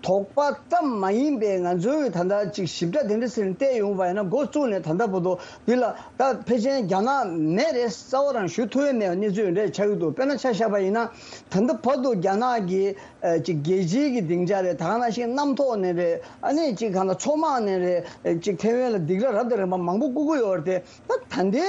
དོགས་པ་ཙམ་མ་ཡིན་པའི་ང་ཚོའི་ད་ལྟ་ཅིག་ཞིབ་ཕྲ་དེ་འདྲ་ཟེར་ནས་བལྟས་ཡོང་བ་ཡིན་ན། འགོ་བཙུགས་ནས་ད་ལྟ་བར་དུ་འདི་ལ་ད་ཕལ་ཆེར་རྒྱ་ནག་མེད་རེད། རྩ་བ་རང་ཞུ་ཐུབ་ཡ་མེད་པའི་གནས་ཚུལ་འདྲ་ཆགས་ཀྱི་འདུག་དཔེར་ན་ཆ་བཞག་པ་ཡིན་ན། ད་ལྟ་བར་དུ་རྒྱ་ནག་གི་ཨ་ཅིག་རྒྱལ་སྤྱིའི་གི་སྡིངས་ཆ་རེད། ད་ག་ནང་བཞིན་གནམ་ཐོག་ནས་རེད། ཨ་ནི་ཅིག་གང་ལྟར་མཚོ་དམག་ནས་རེད། ཅིག་ཐེ་ཝན་ལ་སྡིགས་ར་རབ་དང་རིམ་པ་མང་པོ་བསྐུལ་གྱི་ཡོད་རེད་དེ། ད་ད་ལྟའི་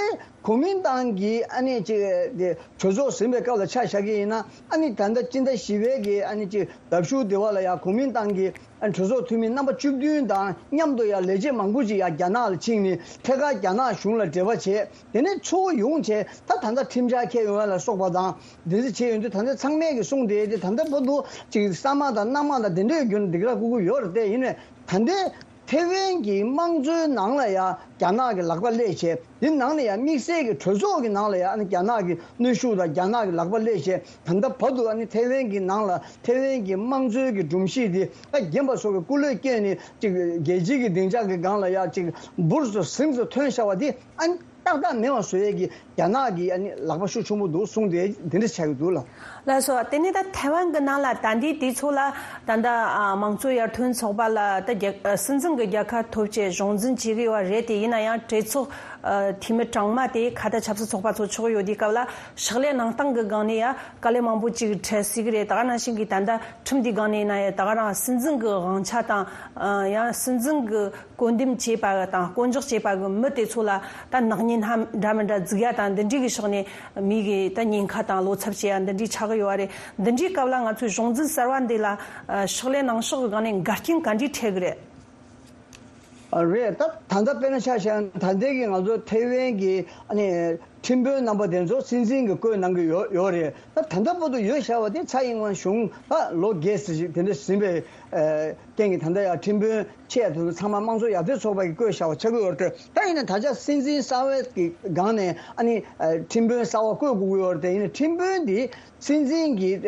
གོ་མིན་ཏང་གིས་ཨ་ནི་ཅིག་དེ་གྲོས་ཚོགས་ཟིན་པའི་སྐབས་ལ་ཆ་བཞག་གི་ཡིན་ན། ཨ་ནི་ད་ལྟ་སྤྱི་ཟླ་བཞི་པའི་གི་ཨ་ནི་ཅིག་ཟླ་མཇུག་དེ་བ་ལ་ཡང་གོ་མིན་ཏང་གི་ཨ་ནི་གྲོས་ཚོགས་འཐུས་མི་རྣམ་པ་བཅུ་བདུན་དང་མཉམ་དུ་ཡང་ལས་བྱེད་མང་པོ་ཅིག་ཡང་རྒྱ་ནག་ལ་ཕྱིན་ནས་ཐད་ཀར་རྒྱ་ནག་གཞུང་ལ་འབྲེལ་བ་བྱས། དེ་ནས་ཚུར་ཡོང་བྱས་ད་ད་ལྟ་ཁྲིམས་འཆར་འཁྱེར་ཡོང་ཡ་ལ་སོགས་པ་དང་དེ་ཚོ་བྱས་ཡོང་དུས། ད་ལྟ་ཚང་མས་ཀྱི་གསུངས་བསྡད་དེ། ད་ལྟ་བར་དུ་ཅིག་ས་དམག་དང་གནམ་དམག་དང་དེ་འདྲའི་བརྒྱུད་ནས་སྡིགས་ར་བསྐུལ་གྱི་ཡོད་རེད་དེ། ཡིན་ནའི་ད་ལྟའི་ ཐེ་ཝན་གྱི་དམངས་གཙོའི་ནང་ལ་ཡང་རྒྱ་ནག་གི་ལག་པ་སླེབས་བྱས། དེ་ནང་ལ་ཡང་དམིགས་བསལ་གྱི་གྲོས་ཚོགས་ཀྱི་ནང་ལ་ཡང་ཨ་ནི་རྒྱ་ནག་གི་གནོན་ཤུགས་དང་རྒྱ་ནག་གི་ལག་པ་སླེབས་བྱས། ད་ལྟ་བར་དུ་ཨ་ནི་ཐེ་ཝན་གྱི་ནང་ལ་ཐེ་ཝན་གྱི་དམངས་གཙོའི་གི་སྒྲོམ་གཞི་དེ་ཨ་རྒན་པ་ཚོ་གི་སྐུ་ལས་བསྐྱོན་ནས་ཅིག་རྒྱལ་སྤྱིའི་གི་སྡིངས་ཆ་གི་སྒང་ལ་ཡང་ཅིག་འབུར་དུ་ཟིང་དུ་ཐོན་བཞག་པ་དེ་ཨ་ནི་ཏག་ཏག་མེད་པ་བཟོ་ཡས་ཀྱི་རྒྱ་ནག་གི་ཨ་ནི་ལག་པ་ཤུགས་ཆེན་པོ་འདུག་གསུངས་ཏེ་འདི་འདྲ་ཆགས་ཀྱི་འདུག་ལ། ལགས་སོ། དེ་ནས་ད་ཐའེ་ཝན་གྱི་ནང་ལ་ད་ལྟའི་དུས་ཚོད་ལ་ད་ལྟ་ཨ་དམངས་གཙོ་ཡར་ཐོན་ཚོགས་པ་ལ་ད་རྒྱ་ཨ་སྲིད་འཛིན་གྱི་རྒྱལ་ཁ་ཐོབ་བྱས་གཞུང་འཛིན་བྱེད་ཀྱི་ཡོད་པ་རེད་དེ། ཡིན་ན་ཡང་གྲོས་ཚོགས་ཨ་འཐུས་མི་གྲངས་མང་དེ་ཁ་ད་ཆབ་སྲིད་ཚོགས་པ་ཚོ་ཆགས་ཡོད་དུས་སྐབས་ལ་ཕྱག་ལས་གནང་སྟངས་ཀྱི་སྒང་ནས་ཡང་དཀའ་ལས་མང་པོ་ཅིག་འཕྲད་སྲིད་ཀྱི་རེད། ད་ག་ནང་བཞིན་གྱི་ད་ལྟ་ཁྲིམས་དེའི་སྒང་ནས་ཡིན་ན་ཡང་ད་ག་རང་སྲིད་འཛིན་གྱི་དབང་ཆ་དང་ཨ་ཡང་སྲིད་འཛིན་གྱི་བསྐོ་འདེམས་བྱས་པ་དང་བསྐོ་འཇོག་བྱས་པ་གི་མི་དེ་ཚོ་ལ་ད་ནག་ཉེས་སྣ་འདྲ་མི་འདྲ་འཛུགས་ཡ་དང་འདི་འདྲའི་གི་ཕྱོགས་ནས་མི་གི་ད་ཉེན་ཁ་དང་བློ་འཚབ་བྱེད་ཡ་འདི་འདྲའི་ཆགས་ཀྱི་ཡོད་རེད། འདི་འདྲའི་སྐབས་ལ་ང་ཚོའི་གཞུང་འཛིན་གསར་བ་འདི་ལ་ཕྱག་ལས་གནང་ཕྱོགས་གི་སྒང་ནས་འགལ་རྐྱེན་ག་འདྲས་འཕྲད་གི་རེད། རེད། ད་ད་ལྟ་དཔེར་ན་ཆ་བཞག་ན་ད་ལྟའི་གི་ང་ཚོ་ཐེ་ཝན་གི་ཨ་ནི་ཁྲིམས་དཔོན་རྣམ་པ་དེ་ཚོ་སྲིད་འཛིན་གྱིས་བསྐོས་གནང་གི་ཡོད་ཡོད་རེད། ད་ད་ལྟ་བར་དུ་ཡོད་བཞག་པ་དེ་ཚ་ཡིན་ཝན་གཞུང་ད་ལོ་བརྒྱད་ཙམ་ཞིག་དེ་འདྲ་ཟིན་པའི་ཨ་རྐྱེན་གྱིས་ད་ལྟ་ཡང་ཁྲིམས་དཔོན་ཆེ་དེ་ཚོ་ཚང་མ་དམངས་གཙོ་ཡར་ཐོན་ཚོགས་པ་གིས་བསྐོས་བཞག་པ་ཆགས་ཀྱི་ཡོད་རེད། ད་ཡིན་ན་ད་ཆ་སྲིད་འཛིན་གསར་བའི་གི་སྒང་ནས་ཨ་ནི་ཨ་ཁྲིམས་དཔོན་གསར་བ་བསྐོས་དགོས་ཀྱི་ཡོད་རེད་དེ། ཡིན་ན་ཁྲིམས་དཔོན་འདི་སྲིད་འཛིན་གྱིས་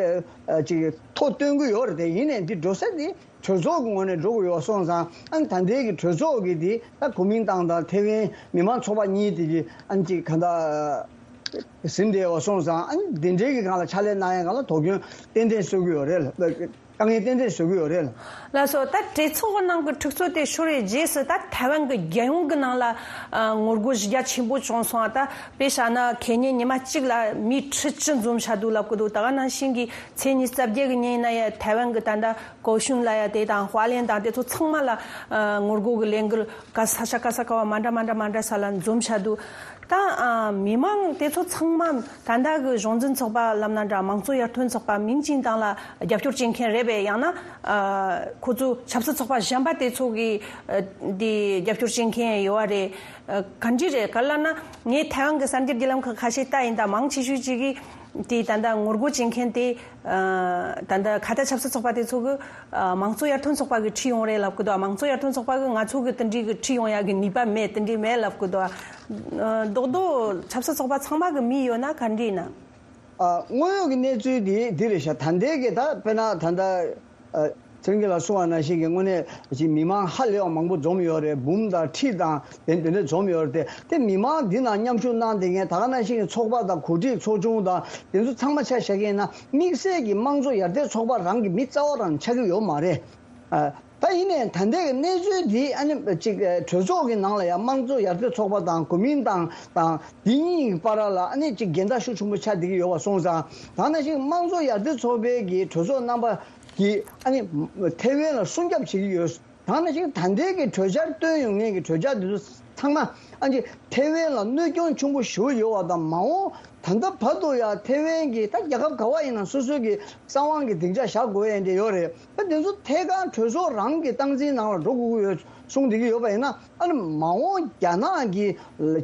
ཨ་ཨ་ཅིག་ཐོ་སྟོན་གྱི་ཡོད་རེད་དེ། ཡིན་ནའི་འདི་འགྲོ་ས་འདི་གྲོས་ཚོགས་ཀྱི་ངོས་ནས་འགྲོ་དགོས་ཡོད་སོང་ཙང་ཨ་ནི་ད་ལྟའི་གི་གྲོས་ཚོགས་ཀྱི་འདི་ད་གོ་མིན་ཏང་དང་ཐེ་ཝན་མི་དམངས་ཚོགས་པ་གཉིས་དེ་གི་ཨ་ནི་ཅིག་ག་འདྲ་ཟིན་བསྡད་ཡོད་སོང་ཙང་། ཨ་ནི་འདི་འདྲའི་གི་སྒང་ལ་ཕྱག་ལས་གནང་ཡ་སྒང་ལ་དོ་སྐྱོན་ཏན་ཏན་བཟོ་གི་ཡོད་རེད་ལ། དཀའ་ངལ་ཏན་ཏན་བཟོ་གི་ཡོད་རེད་ལ། ལགས་སོ། ད་གྲོས་ཚོགས་ནང་གི་འཁྲུག་རྩོད་དེ་ཤོར་བའི་རྗེས་སུ་ད་ཐའེ་ཝན་གྱི་རྒྱལ་ཡོངས་ཀྱི་ནང་ལ་ཨ་ངོ་རྒོལ་གཞི་རྒྱ་ཆེན་པོ་བྱུང་སོང་། ད་དཔེ་བཞག་ན་ཁེ་ཉིན་ཉི་མ་གཅིག་ལ་མི་ཁྲི་བཅུ་འཛོམས་བཞག་འདུག་ལབ་ཀྱི་འདུག་ད་ག་ནང་བཞིན་གྱི་ཚེས་ཉི་ཤུ་རྩ་བརྒྱད་གི་ཉིན་ཡིན་ན་ཡང་ཐའེ་ཝན་གྱི་ད་ལྟ་ཀའོ་ཤུན་ལ་ཡ་དེ་དང་ཧྭ་ལན་དང་དེ་ཚོ་ཚང་མ་ལ་ཨ་ངོ་རྒོལ་གྱི་ལས་འགུལ་ག་ས་ཆ་ག་ས་ག་བ་མ་འདྲ་མ་འདྲ་མ་འདྲ་ས་ལ་འཛོམས་བཞག་འདུག་ད་ཨ་མི་མང་དེ་ཚོ་ཚང་མ་ད་ལྟ་གི་གཞུང་འཛིན་ཚོགས་པ་ལབ་ན་འདྲ། དམངས་གཙོ་ཡར་ཐོན་ཚོགས་པ་མིང་ཅན་དང་ལ་རྒྱབ་སྐྱོར་བྱེད་མཁན་རེད་པས། ཡང་ན་ཨ་ཁོ་ཚོ་ཆབ་སྲིད་ཚོགས་པ་གཞན་པ་དེ་ཚོ་གི་ཨ་དེ་རྒྱབ་སྐྱོར་བྱེད་མཁན་ཡོད་པ་རེད། ཨ་ག་འདྲ་རེད་ག་ལབ་ན། ངས་ཐའེ་ཝན་གྱི་གསར་འགྱུར་བརྒྱུད་ལམ་ཁག་ཁ་ཤས་ལྟ་ཡིན། ད་མང་ཆེ་ཤོས་ཅིག་གིས་དེ་ད་ལྟ་ངོ་རྒོལ་བྱེད་མཁན་དེ་ཨ་ད་ལྟ་ཁ་ཏ་ཆབ་སྲིད་ཚོགས་པ་དེ་ཚོ་གི་ཨ་དམངས་གཙོ་ཡར་ཐོན་ཚོགས་པ་གི་ཁྲིད་ཡོང་རེད་ལབ་ཀྱི་འདུག་དམངས་གཙོ་ཡར་ཐོན་ཚོགས་པ་གི་ང་ཚོ་གི་དེ་འདྲའི་གི་ཁྲིད་ཡོང་ཡ་གི་ནུས་པ་མེད། དེ་འདྲའི་མེད་ལབ་ཀྱི་འདུག་ཨ་རྡོག་རྡོག་ཆབ་སྲིད་ཚོགས་པ་ཚང་མ་གི་མི་ཡོད་ན་ག་འདྲ་ཡིན་ན། ཨ་དངོས་ཡོད་ཀྱི་གནས་ཚུལ་དེ་འདི་རེད་ཤག་ད་ལྟའི་གི་ད་དཔེར་ན་ད་ལྟ་ཨ་ཚེ་རིང་གིས་ལ་གསུངས་པ་ནང་བཞིན་གྱི་དངོས་གནས་ཀྱི་མི་མང་ཧ་ལས་པ་མང་པོ་འཛོམས་ཡོད་རེད། འབུམ་དང་ཁྲི་དང་དེ་དེ་འདྲ་འཛོམས་ཡོད་རེད་དེ། དེ་མི་མང་འདི་ནང་མཉམ་ཞུགས་གནང་བསྡད་མཁན་ད་ག་ནང་བཞིན་གྱི་ཚོགས་པ་དང་གོ་སྒྲིག་ཚོགས་ཆུང་དང་དེ་ཚོ་ཚང་མ་ཆ་བཞག་གི་ཡིན་ན་དམིགས་བསལ་གྱི་དམངས་གཙོ་ཡར་ཐོན་ཚོགས་པ་རང་གི་མི་རྩ་བ་རང་ཆགས་ཀྱི་ཡོད་མ་རེད། ཨ་ད་ཡིན་ནའི་ད་ལྟའི་གི་གནས་ཚུལ་འདི་ཨ་ནི་ཅིག་གྲོས་ཚོགས་ཀྱི་ནང་ལ་ཡང་དམངས་གཙོ་ཡར་ཐོན་ཚོགས་པ་དང་གོ་མིན་ཏང་དང་འདི་གཉིས་ཀྱི་བར་ལ་ཨ་ནི་ཅིག་འགལ་ཟླ་ཤུགས་ཆེན་པོ་ཆགས་བསྡད་ཀྱི་ཡོད་པ་སོང་ཙང་། ད་ནང་བཞིན་དམངས་གཙོ་ཡར་ཐོན་ཚོགས་པའི་གི་གྲོས་ཚོགས་རྣམ་པ་གིས་ཨ་ནི་ཐེ་ཝན་ལ་སྲུང་སྐྱོབ་བྱེད་ཀྱི་ཡོད། ད་ནང་བཞིན་ད་ལྟའི་གི་གྲོས་འཆར་བཏོན་ཡོང་མཁན་གྱི་གྲོས་འཆར་འདི་ཚོ་ཚང་མ་ཨ་ནི་ཐེ་ཝན་ལ་གནོད་སྐྱོན་ཆེན་པོ་ཞེ་པོ་ཡོད་པ་དང་། མ་འོངས་ད་ལྟ་བར་དུ་ཡང་ཐེ་ཝན་གྱི་ད་རྒྱལ་ཁབ་ག་བ་ཡིན་ན་སོ་སོའི་གི་གསང་བའི་གི་སྡིངས་ཆ་བཞག་དགོས་ཡ་འདི་ཡོད་རེད། ད་དེ་ཚོ་ཐད་ཀར་གྲོས་ཚོགས་རང་གི་སྟངས་འཛིན་ནང་ལ་འགྲོ་དགོས་ཀྱི་ཡོད་གསུངས་བསྡད་ཀྱི་ཡོད་པ་ཡིན་ན། ཨ་ནི་མ་འོངས་རྒྱ་ནག་གིས་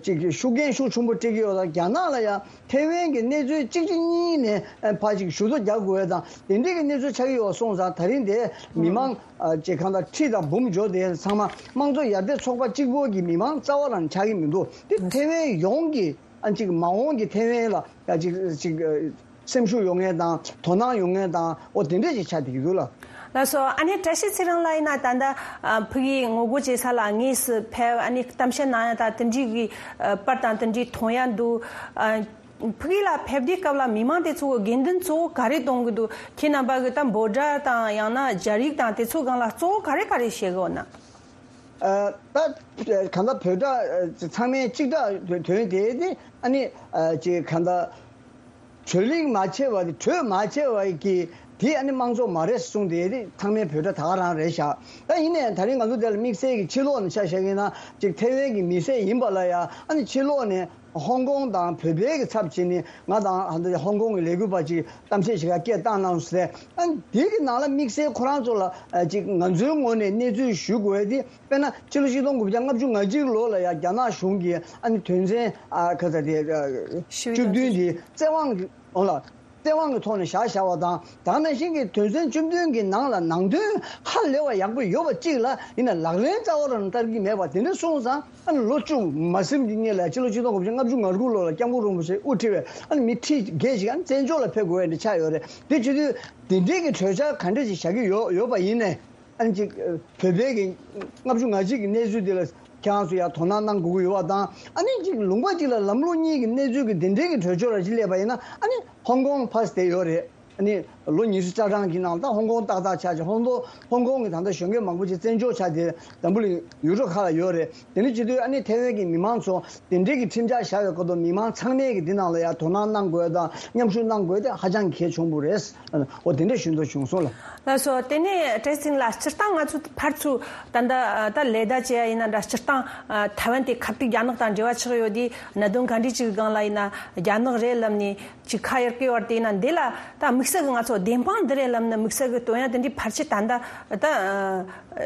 ཅིག་ཤུགས་རྐྱེན་ཤུགས་ཆེན་པོ་སྤྲད་ཀྱི་ཡོད་ཙང་། རྒྱ་ནག་ལ་ཡང་ཐེ་ཝན་གྱི་གནས་ཚུལ་གཅིག་གཅིག་གཉིས་ནས་ཕར་ཅིག་ཞུ་གཏུག་རྒྱག་དགོས་ཡ་དང་དེ་འདྲའི་གི་གནས་ཚུལ་ཆགས་ཀྱི་ཡོད་སོང་ཙང་། ད་རིང་དེ་མི་མང་ཅིག་གང་ལྟར་ཁྲི་དང་འབུམ་འབྱོར་དེ་ཚང་མ་དམངས་གཙོ་ཡར་ཐོན་ཚོགས་པ་གཅིག་པོ་གི་མི་མང་རྩ་བ་རང་ཆགས་ཀྱི་མི་འདུག་དེ་ཐེ་ཝན་ཡོངས་ཀྱི་ཨ་ཅིག་མ་འོངས་ཀྱི་ཐེ་ཝན་ལ་ཡ་ཅིག་ཅིག་སེམས་ཤུགས་ཡོང་མཁན་དང་དོ་སྣང་ཡོང་མཁན་དང་། འོ་དེ་འདྲས་ཅིག་ཆགས་བསྡད་ཀྱི་འདུག་ལ། ལགས་སོ། ཨ་ནེ་བཀྲ་ཤིས་ཚེ་རིང་ལགས་ཡིན་ན་ད་ལྟ་ཨ་ཕ་གིའི་ངོ་རྒོལ་བྱེད་ས་ལ་དངོས་སུ་ཕེབས། ཨ་ནེ་གཏམ་བཤད་གནང་ཡ་ད་དེ་འདྲའི་གི་ཨ་པར་དང་དེ་འདྲའི་མཐོང་ཡ་འདུག་ཨ་ཕ་གི་ལ་ཕེབས་དུས་སྐབས་ལ་མི་མང་དེ་ཚོ་གི་དགོས་འདུན་གཙོ་བོ་ག་རེ་གཏོང་གི་འདུག་ཁྱེད་རྣམ་པ་གི་ད་འབོད་སྒྲ་དང་ཡང་ན་སྦྱར་ཡིག་དང་དེ་ཚོ་སྒང་ལ་གཙོ་བོ་ག་རེ་ག་རེ་བཤད་གི་ཡོད་ན། ཨ་ད་གང་ལྟར་བོད་སྒྲ་ཚང་མས་གཅིག་སྒྲ་དོན་དེ་དེ་ཨ་ནི་ཨ་ཅིག་གང་ལྟར། གྲོས་གླེང་མ་བྱས་པ་དེ། གྲོས་མ་བྱས་པ་གི་དེ་ཨ་ནི་དམངས་གཙོ་མ་རེད་གསུངས་ཏེ། དེ་ཚང་མའི་བོད་སྒྲ་ད་ག་རང་རེད་ཤག་ད་ཡིན་ནའི་ད་རིང་ང་ཚོ་དེ་ལ་དམིགས་བསལ་གྱི་ཕྱི་ལོགས་ནས་ཆ་བཞག་ཡིན་ན་ཅིག་ཐེ་ཝན་གྱི་མི་སེར་ཡིན་པ་ལ་ཡ། ཨ་ནི་ཕྱི་ལོགས་ནས་ཧོང་ཀོང་དང་བོད་པའི་གི་ཚབ་བྱས་ནས་ང་དང་ཧོང་ཀོང་གི་ལས་འགུལ་པ་ཅིག་གཏམ་བཤད་བྱེད་ག་སྐད་བཏང་གནང་ཟེར། ཨ་ནི་དེ་གི་ནང་ལ་དམིགས་བསལ་ཁོ་རང་ཚོ་ལ་ཨ་ཅིག་ང་ཚོའི་ངོས་ནས་གནས་ཚུལ་ཞུ་དགོས་དེ། དཔེར་ན་ཕྱི་ལོ་ཆིག་སྟོང་དགུ་བརྒྱ་ལྔ་བཅུ་ང་གཅིག་ལོ་ལ་ཡང་རྒྱ་ནག་གཞུང་གིས་ཨ་ནི་དོན་ཚན་ཨ་ཁ་ཚ་དེ་ཨ་བཅུ་བདུན་དེ་བཙན་དབང་གི་འོང་ལ། བཙན་དབང་གི་ཐོག་ནས་བཞག་བཞག་པ་དང་། ད་ག་ནང་བཞིན་གྱི་དོན་ཚན་བཅུ་བདུན་གྱི་ནང་ལ་ནང་དོན་ཧ་ལས་པ་ཡག་པོ་ཡོད་པ་གཅིག་ལ་ཡིན་ན་ལག་ལེན་རྩ་བ་རང་བསྟར་གྱི་མེད་པ་དེ་འདྲ་སོང་ཙང་། ཨ་ནི་ལོ་བཅུ་མ་ཟིན་གྱི་སྔོན་ལ་ཕྱི་ལོ་ཆིག་སྟོང་དགུ་བརྒྱ་ལྔ་བཅུ་ང་དགུ་ལོ་ལ་སྐྱབས་མགོན་རིན་པོ་ཆེ་དབུ་ཁྲིད་པའི་ཨ་ནི་མི་ཁྲི་བརྒལ་ཞིག་ཨ་ནི་བཙན་བྱོལ་ལ་ཕེབས་དགོས་ཡ་འདྲ་ཆགས་ཡོད་རེད། དེ་བྱེད་དུས་དེ་འདྲའི་གི་གྲོས་འཆར་ག་འདྲ་ཞིག་བཞག་གི་ཡོད་ཡོད་པ་ཡིན་ནའི། ཨ་ནི་ཅིག་བོད་པའི་གི་ལྔ་བཅུ་ང་གཅིག་གི་གནས་ཚུལ་དེ་ལ་ཁྱེད་རང་ཚོ་ཡང་དོ་སྣང་གནང་དགོས་ཀྱི་ཡོད་པ་དང་། ཨ་ནི་ཅིག་ལུང་པ་གཅིག་ལ་ལམ་ལུགས་གཉིས་ཀྱི་གནས་ཚུལ་གྱི་དེ་འདྲའི་གི་གྲོས་ཆོད་ར་ཅིག་སླེབས་པ་ཡིན་ན། ཨ་ནི་ཧོང་ཀོང་ཕར་བསྡད་ཡོད་རེད། ཨ་ནི་ལོ་ཉི་ཤུ་རྩ་གྲངས་ཀྱི་ནང་ད་ཧོང་ཀོང་ཏག་ཏག་ཆགས་ཀྱི། ཧོང་ཀོང་ཧོང་ཀོང་གི་ད་ལྟ་གཞོན་སྐྱེས་མང་པོ་ཅིག་བཙན་བྱོལ་ཆགས་ཏེ་འཛམ་བུ་གླིང་ཡུལ་གྲུ་ཁག་ལ་ཡོད་རེད། དེ་འདྲ་བྱེད་དུས་ཨ་ནི་ཐའེ་ཝན་གྱི་མི་མང་ཚོ་དེ་འདྲའི་གི་ཁྲིམས་འཆར་བཞག་པའི་སྐོར་དུ་མི་མང་ཚང་མས་ཀྱི་འདི་ནང་ལ་ཡང་དོ་སྣང་གནང་དགོས་དང་མཉམ་ཞུགས་གནང་དགོས་དེ་ཧ་ཅང་གལ་ཆེན་པོ་རེད། འོ་དེ་འདྲ་ཞུ་འདོད་བྱུང་སོང་ལ། ལགས་སོ། དེ་ནས་བཀྲ་ཤིས་ཚེ་རིང་ལགས། སྤྱིར་བཏང་ང་ཚོ་ཕར་ཚུར་ད་ལྟ་ད་ལས་ད་བྱེད་ཡ་ཡིན་ན་འདྲ། སྤྱིར་བཏང་ཐའེ་ཝན་དེ་ཁ་ཐུག་རྒྱ་ནག་དང་འབྲེལ་བ་ཆགས་ཡོད་དེ། གནད་དོན་ག་འདྲ་ཅིག་སྒང་ལ་ཡིན་ན་རྒྱ་ནག་རེད་ལབ་ནས་ཅིག་ཁ་གཡར་གི་ཡོད་རེད་དེ། ཡིན་ན་འདི་ལ་ད་དམིགས་བསལ་གི་ང་ཚོ་བདེན་དཔང་འདི་རེད་ལབ་ན་དམིགས་བསལ་གི་སྟོན་ཡ་དེ་འདྲའི་ཕལ་ཆེར་ད་ལྟ་ད་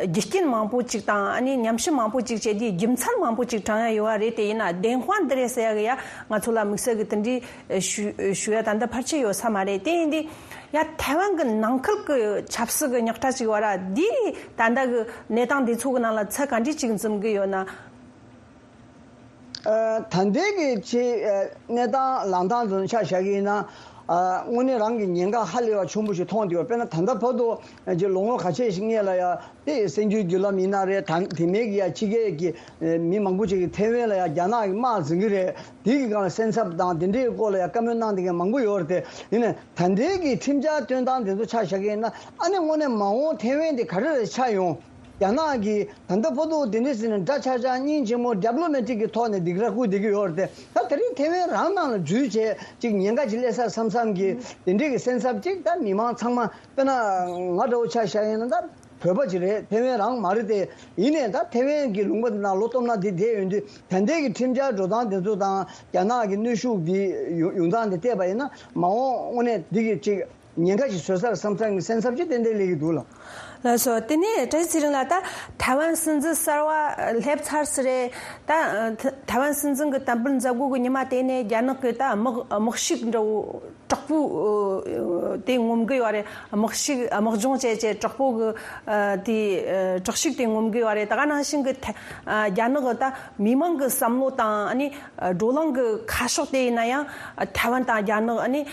རྒྱུ་རྐྱེན་མང་པོ་ཅིག་དང་ཨ་ནི་ཉམས་ཞིབ་མང་པོ་ཅིག་བྱས་དེ་རྒྱུ་མཚན་མང་པོ་ཅིག་དྲངས་ཡ་ཡོད་པ་རེད་དེ། ཡིན་ན་བདེན་དཔང་འདི་རེད་ཟེར་ཡ་གི་ཡ་ང་ཚོ་ལ་དམིགས་བསལ་གི་དེ་འདྲའི་ཞུ་ཞུ་ཡ་ད་ལྟ་ཕལ་ཆེར་ཡོད་ས་མ་རེད། དེ་ཡིན་དུས་ཡ་ཐའེ་ཝན་གི་ནང་ཁུལ་གི་ཆབ་སྲིད་གི་རྙོག་དྲ་ཅིག་བར་འདི་ད་ལྟ་གི་གནས་སྟངས་འདི་ཚོ་གི་ནང་ལ་ཚད་ག་འདྲ་ཅིག་འཛིན་གི་ཡོད་ན། ཨ། ད་ལྟའི་གི་ཆེ་ཨ་གནས་སྟངས་ལངས་སྟངས་ཚོ་ཆ་བཞག་གི་ཡིན་ན། ཨ། དངོས་གནས་རང་གི་ཉེན་ཁ་ཧ་ལས་པ་ཆེན་པོ་ཞིག་མཐོང་བསྡད་ཡོད། དཔེར་ན་ད་ལྟ་བར་དུ་ཨ་ཅིག་ལོ་ངོ་ཁ་ཤས་ཤིག་སྔོན་ལ་ཡ་དེ་གསར་འགྱུར་བརྒྱུད་ལམ་ཡིན་ན་རེད། ད་དེ་མིན་གྱི་ཡ་ཕྱི་རྒྱལ་གྱི་ཨ་མི་མང་པོ་ཅིག་གིས་ཐའེ་ཝན་ལ་ཡ་རྒྱ་ནག་གིས་དམག་འཛིང་གི་རེད། དེ་གི་སྒང་ལ་སེམས་འཚབ་དང་དེ་འདྲའི་སྐོར་ལ་ཡ་བཀའ་མོལ་གནང་བསྡད་མཁན་མང་པོ་ཡོད་རེད་དེ། ཡིན་ནའི་ད་ལྟའི་གི་ཁྲིམས་འཆར་བཏོན་སྟངས་དེ་ཚོ་ཆ་བཞག་གི་ཡིན་ན། ཨ་ནི་དངོས་གནས་མ་འོངས་ཐའེ་ཝན་དེ་ག་རེ་རེ་ཆགས་ཡོང་། རྒྱ་ནག་གིས་ད་ལྟ་བར་དུ་དེ་འདྲ་ཟེར་ནས་འདྲ་ཆགས་ཆགས་སྙིང་རྗེ་མོ་ཌི་པི་ལོ་མེ་ཊིག་གི་ཐོག་ནས་སྡིགས་ར་བསྐུལ་བསྡད་ཀྱི་ཡོད་རེད་དེ། ད་དེ་རིང་ཐའེ་ཝན་རང་ནང་ལ་འཛུལ་བྱས་ཅིག་ཉེན་ཁ་ཅིག་སླེབས་ས་བསམ་བསམ་གྱི་དེ་འདྲའི་གི་སེམས་འཚབ་ཅིག་ད་མི་མང་ཚང་མ། དཔེར་ན་ང་འདྲ་བོ་ཆ་བཞག་ཡིན་ན་ད་བོད་པ་ཅིག་རེད། ཐའེ་ཝན་རང་མ་རེད་དེ། ཡིན་ནའི་ད་ཐའེ་ཝན་གྱི་ལུང་པ་དེ་ནང་ལོ་སྟོང་ཕྲག་འདི་བསྡད་ཡོང་དུས། ད་ལྟའི་གི་ཁྲིམས་འཆར་འགྲོ་སྟངས་དེ་ཚོ་དང་རྒྱ་ནག་གི་གནོན་ཤུགས་འདི་ཡོང་ཡོང་སྟངས་འདི་བལྟས་པ་ཡིན་ན། མ་འོངས་དངོས་གནས་འདི་གི་ཅིག་ཉེན་ཁ་ཞིག་བཟོ་སར་བསམ་བསམ་གྱི་སེམས་འཚབ་ཅིག་ཏན་ཏན་སླེབས་ཀྱི་འདུག་ལ། ལགས་སོ། དེ་ནས་བཀྲ་ཤིས་ཚེ་རིང་ལགས། ད་ཐའེ་ཝན་སྲིད་འཛིན་གསར་པ་སླེབས་ཚར་ཟིན་རེད། ད་ཐའེ་ཝན་སྲིད་འཛིན་གྱི་དམ་འབུལ་མཛད་སྒོ་གི་ཉི་མ་དེ་ནས་རྒྱ་ནག་གི་ད་དམག་དམག་ཤུགས་འདྲ་བོ་དྲག་པོ་དེ་ངོམ་གི་ཡོད་རེད། དམག་ཤུགས་དམག་སྦྱོང་བྱས་བྱས་དྲག་པོ་གི་དེ་དྲག་ཤུགས་དེ་ངོམ་གི་ཡོད་རེད། ད་ག་ནང་བཞིན་གི་ཐ་རྒྱ་ནག་གི་ད་མི་མང་གི་བསམ་བློ་དང་ཨ་ནི་བགྲོ་གླེང་གི་ཁ་ཕྱོགས་དེ་ཡིན་ན་ཡང་ཐའེ་ཝན་དང་རྒྱ་ནག་ཨ་ནི་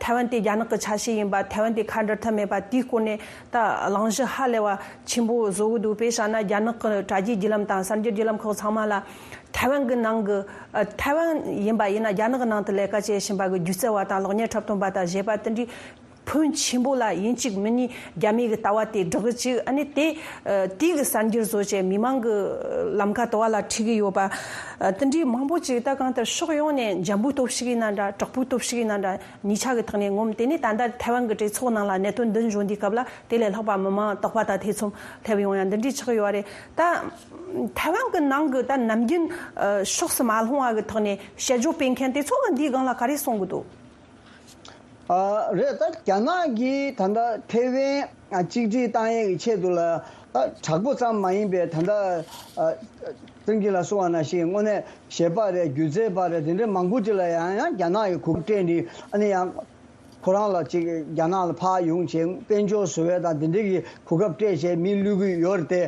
ཐའེ་ཝན་དེ་རྒྱ་ནག་གི་ཆ་ཤས་ཡིན་པ། ཐའེ་ཝན་དེ་ཁ་འབྲལ་ཐབས་མེད་པ། དེའི་སྐོར་ནས་ད་གླེང་གཞི་ཧ་ལས་པ་ཆེན་པོ་བཟོ་གི་འདུག་དཔེ་བཞག་ན་རྒྱ་ནག་གི་དྲ་རྒྱའི་བརྒྱུད་ལམ་དང་གསར་འགྱུར་བརྒྱུད་ལམ་ཁག་ཚང་མ་ལ་ཐའེ་ཝན་གི་ནང་གི་ཨ་ཐའེ་ཝན་ཡིན་པ་ཡིན་ན་རྒྱ་ནག་གི་ནང་དུ་ལས་ཀ་བྱེད་བཞིན་པ་གི་སྒྱུ་རྩལ་བ་དང་གློག་བརྙན་འཁྲབ་སྟོན་པ་དང་གཞས་པ་དེ་འདྲའི་ཕོན་ཆེན་པོ་ལ་ཡིན་གཅིག་མིན་གཉིས་རྒྱ་མི་གི་ལྟ་བ་དེ་སྒྲོག་གི་བཅུག་ཨ་ནི་དེ་ཨ་དེ་གི་གསར་འགྱུར་བཟོ་བྱས་མི་མང་གི་ལམ་ཁ་དུ་བ་ལ་ཁྲིད་གི་ཡོད་པ། ཨ་དེ་འདྲའི་མང་པོ་ཅིག་ད་གང་ལྟར་ཕྱོགས་ཡོངས་ནས་འཇམ་པོའི་སྟོབས་ཤུགས་ཡིན་ན་འདྲ། དྲག་པོའི་སྟོབས་ཤུགས་ཡིན་ན་འདྲ། གཉིས་ཆ་གི་ཐོག་ནས་ངོམ། དེ་ནས་ད་ལྟ་ཐའེ་ཝན་གྱི་གྲོས་ཚོགས་ནང་ལ་གནད་དོན་འདི་འབྱུང་དུས་སྐབས་ལ་དེ་ལས་ལྷག་པ་མི་མང་དོགས་པ་དང་ཐེ་ཚོམ་སླེབས་ཡོང་ཡ་འདི་འདྲའི་ཆགས་ཡོད་རེད། ད་ཐའེ་ཝན་གྱི་ནང་གི་ད་ནམ་རྒྱུན་ཨ་ཕྱོགས་སུ་མ་ལྷུང་བ་གི་ཐོག་ནས་དཔྱད་བརྗོད་སྤེལ་མཁན་དེ་ཚོ་གི་འདིའི་སྒང་ལ་ག་རེ་གསུང་གི་འདུག་ཨ་རེད། ད་རྒྱ་ནག་གིས་ད་ལྟ་ཐའེ་ཝན་ཨ་གཅིག་སྒྲིལ་བཏང་ཡས་ཀྱི་ཆེད་དུ་ལ་ད་དྲག་པོ་ཙམ་མ་ཡིན་པའི་ད་ལྟ་ཨ་ཀྲང་ཀྲིང་ལགས་གསུངས་པ་ནང་བཞིན་དངོས་གནས་གཞས་པ་རེད། སྒྱུ་རྩལ་པ་རེད། དེ་འདྲའི་མང་པོ་ཅིག་ལ་ཡང་ཡང་རྒྱ་ནག་གིས་གོ་སྐབས་སྤྲད་ནས། ཨ་ནི་ཡང་ཁོ་རང་ལ་ཅིག་རྒྱ་ནག་ལ་ཕར་ཡོང་བྱས་དཔལ་འབྱོར་བཟོ་བའི་དང་དེ་འདྲའི་གི་གོ་སྐབས་སྤྲད་བྱས་མི་བླུག་གི་ཡོད་རེད་དེ།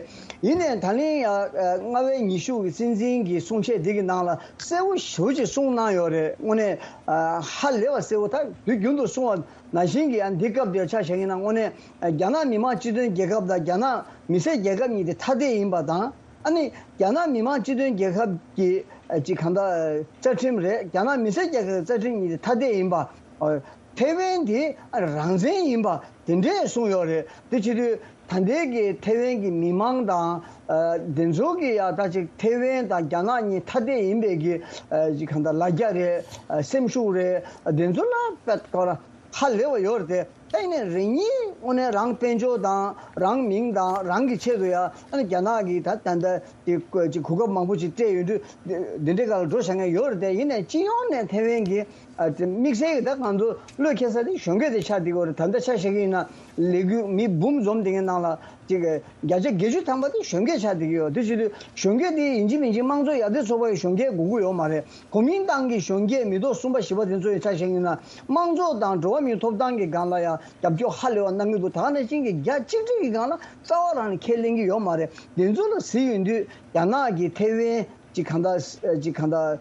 ཡིན་ནའི་ད་ལན་ཡང་ཨ་རྔ་བའི་ཉི་ཤུ་གི་སྲིད་འཛིན་གྱི་གསུང་བཤད་འདི་གི་ནང་ལ་གསལ་པོ་ཞེ་པོ་ཅིག་གསུངས་གནང་ཡོད་རེད། དངོས་གནས་ཨ་ཧ་ལས་པ་གསལ་པོ། ད་དུས་རྒྱུན་དུ་གསུང་བ་ནང་བཞིན་གྱི་ཨ་འདི་སྐབས་དེར་ཆ་བཞག་ཡིན་ན། དངོས་གནས་ཨ་རྒྱ་ནག་མི་དམངས་སྤྱི་མཐུན་རྒྱལ་ཁབ་དང་རྒྱ་ནག་མི་སེར་རྒྱལ་ཁབ་གཉིས་དེ་ཐ་དད་ཡིན་པ་དང་། ཨ་ནི་རྒྱ་ནག་མི་དམངས་སྤྱི་མཐུན་རྒྱལ་ཁབ་ཀྱི་ཨ་ཅིག་གང་ལྟར་རྩ་ཁྲིམས་རེད། རྒྱ་ནག་མི་སེར་རྒྱལ་ཁབ་ཀྱི་རྩ་ཁྲིམས་གཉིས་དེ་ཐ་དད་ཡིན་པ། ཨ་ཐའེ་ཝན་དེ་རང་བཙན་ཡིན་པ་དེ་འདྲས་གསུངས་ཡོད་རེད། དེ་བྱེད་དུས་ད་ལྟའི་གི་ཐའེ་ཝན་གྱི་མི་མང་དང་ཨ་དེ་ཚོ་གི་ཡ་ད་ཅིག་ཐའེ་ཝན་དང་རྒྱ་ནག་གཉིས་ཐ་དད་ཡིན་པའི་གི་ཨ་ཅིག་གང་ལྟར་ལ་རྒྱ་རེད། ཨ་སེམས་ཤུགས་རེད། ཨ་དེ་ཚོ་ལ་དཔེ་ཁོ་རང་ཧ་ལས་པ་ཡོད་རེད་དེ། ད་ཡིན་ནའི་རེ་གཉིས་དངོས་གནས་རང་དཔལ་འབྱོར་དང་རང་མིང་དང་རང་གི་ཆེད་དུ་ཡང་ཨ་ནི་རྒྱ་ནག་གིས་ད་ད་ལྟ་དེ་གོ་ཅིག་གོ་སྐབས་མང་པོ་ཅིག་སྤྲད་ཡོད་དུས་འདི་འདྲའི་སྒང་ལ་འགྲོ་བཞག་མཁན་ཡོད་རེད་དེ། ཡིན་ནའི་སྤྱི་ཡོངས་ནས་ཐེ་ཝན་གྱི་ཨ་དེ་དམིགས་བསལ་གྱི་ད་ང་ཚོ་བློས་འཁེལ་ས་དེ་གཞོན་སྐྱེས་དེ་ཆགས་བསྡད་ཀྱི་ཡོད་རེད། ད་ལྟ་ཆ་བཞག་གི་ཡིན་ན་ལས་འགུལ་མི་འབུམ་འཛོམས་བསྡད་མཁན་ནང་ལ་ཅིག་བརྒྱ་ཆ་བརྒྱད་ཅུ་ཐམ་པ་དེ་གཞོན་སྐྱེས་ཆགས་བསྡད་ཀྱི་ཡོད། དེ་བྱེད་དུས་གཞོན་སྐྱེས་དེ་ཡིན་གཅིག་མིན་གཅིག་དམངས་གཙོ་ཡར་ཐོན་ཚོགས་པ་ཡི་གཞོན་སྐྱེས་དགོས་ཀྱི་ཡོད་མ་རེད། གོ་མིན་ཏང་གི་གཞོན་སྐྱེས་མི་ཐོག་གསུམ་པ་བཞི་པ་དེ་ཚོ་ཡི་ཆ་བཞག་ཡིན་ན་དམངས་གཙོ་དང་འགྲོ་བ་མིའི་ཐོབ་ཐང་གི་སྒང་ལ་ཡང་རྒྱབ་སྐྱོར་ཧ་ལས་པ་གནང་གི་འདུག་ད་ག་ནང་བཞིན་གྱི་རྒྱ་གཅིག་སྒྲིལ་གྱི་སྒང་ལ་རྩ་བ་རང་ནས་ཁས་ལེན་གྱི་ཡོད་མ་རེད། དེ་ཚོ་ལ་གཟིགས་ཡོང་དུས་རྒྱ་ནག་གིས་ཐེ་ཝན་ཅིག་གང་ལྟར་ཅིག་གང་ལྟར་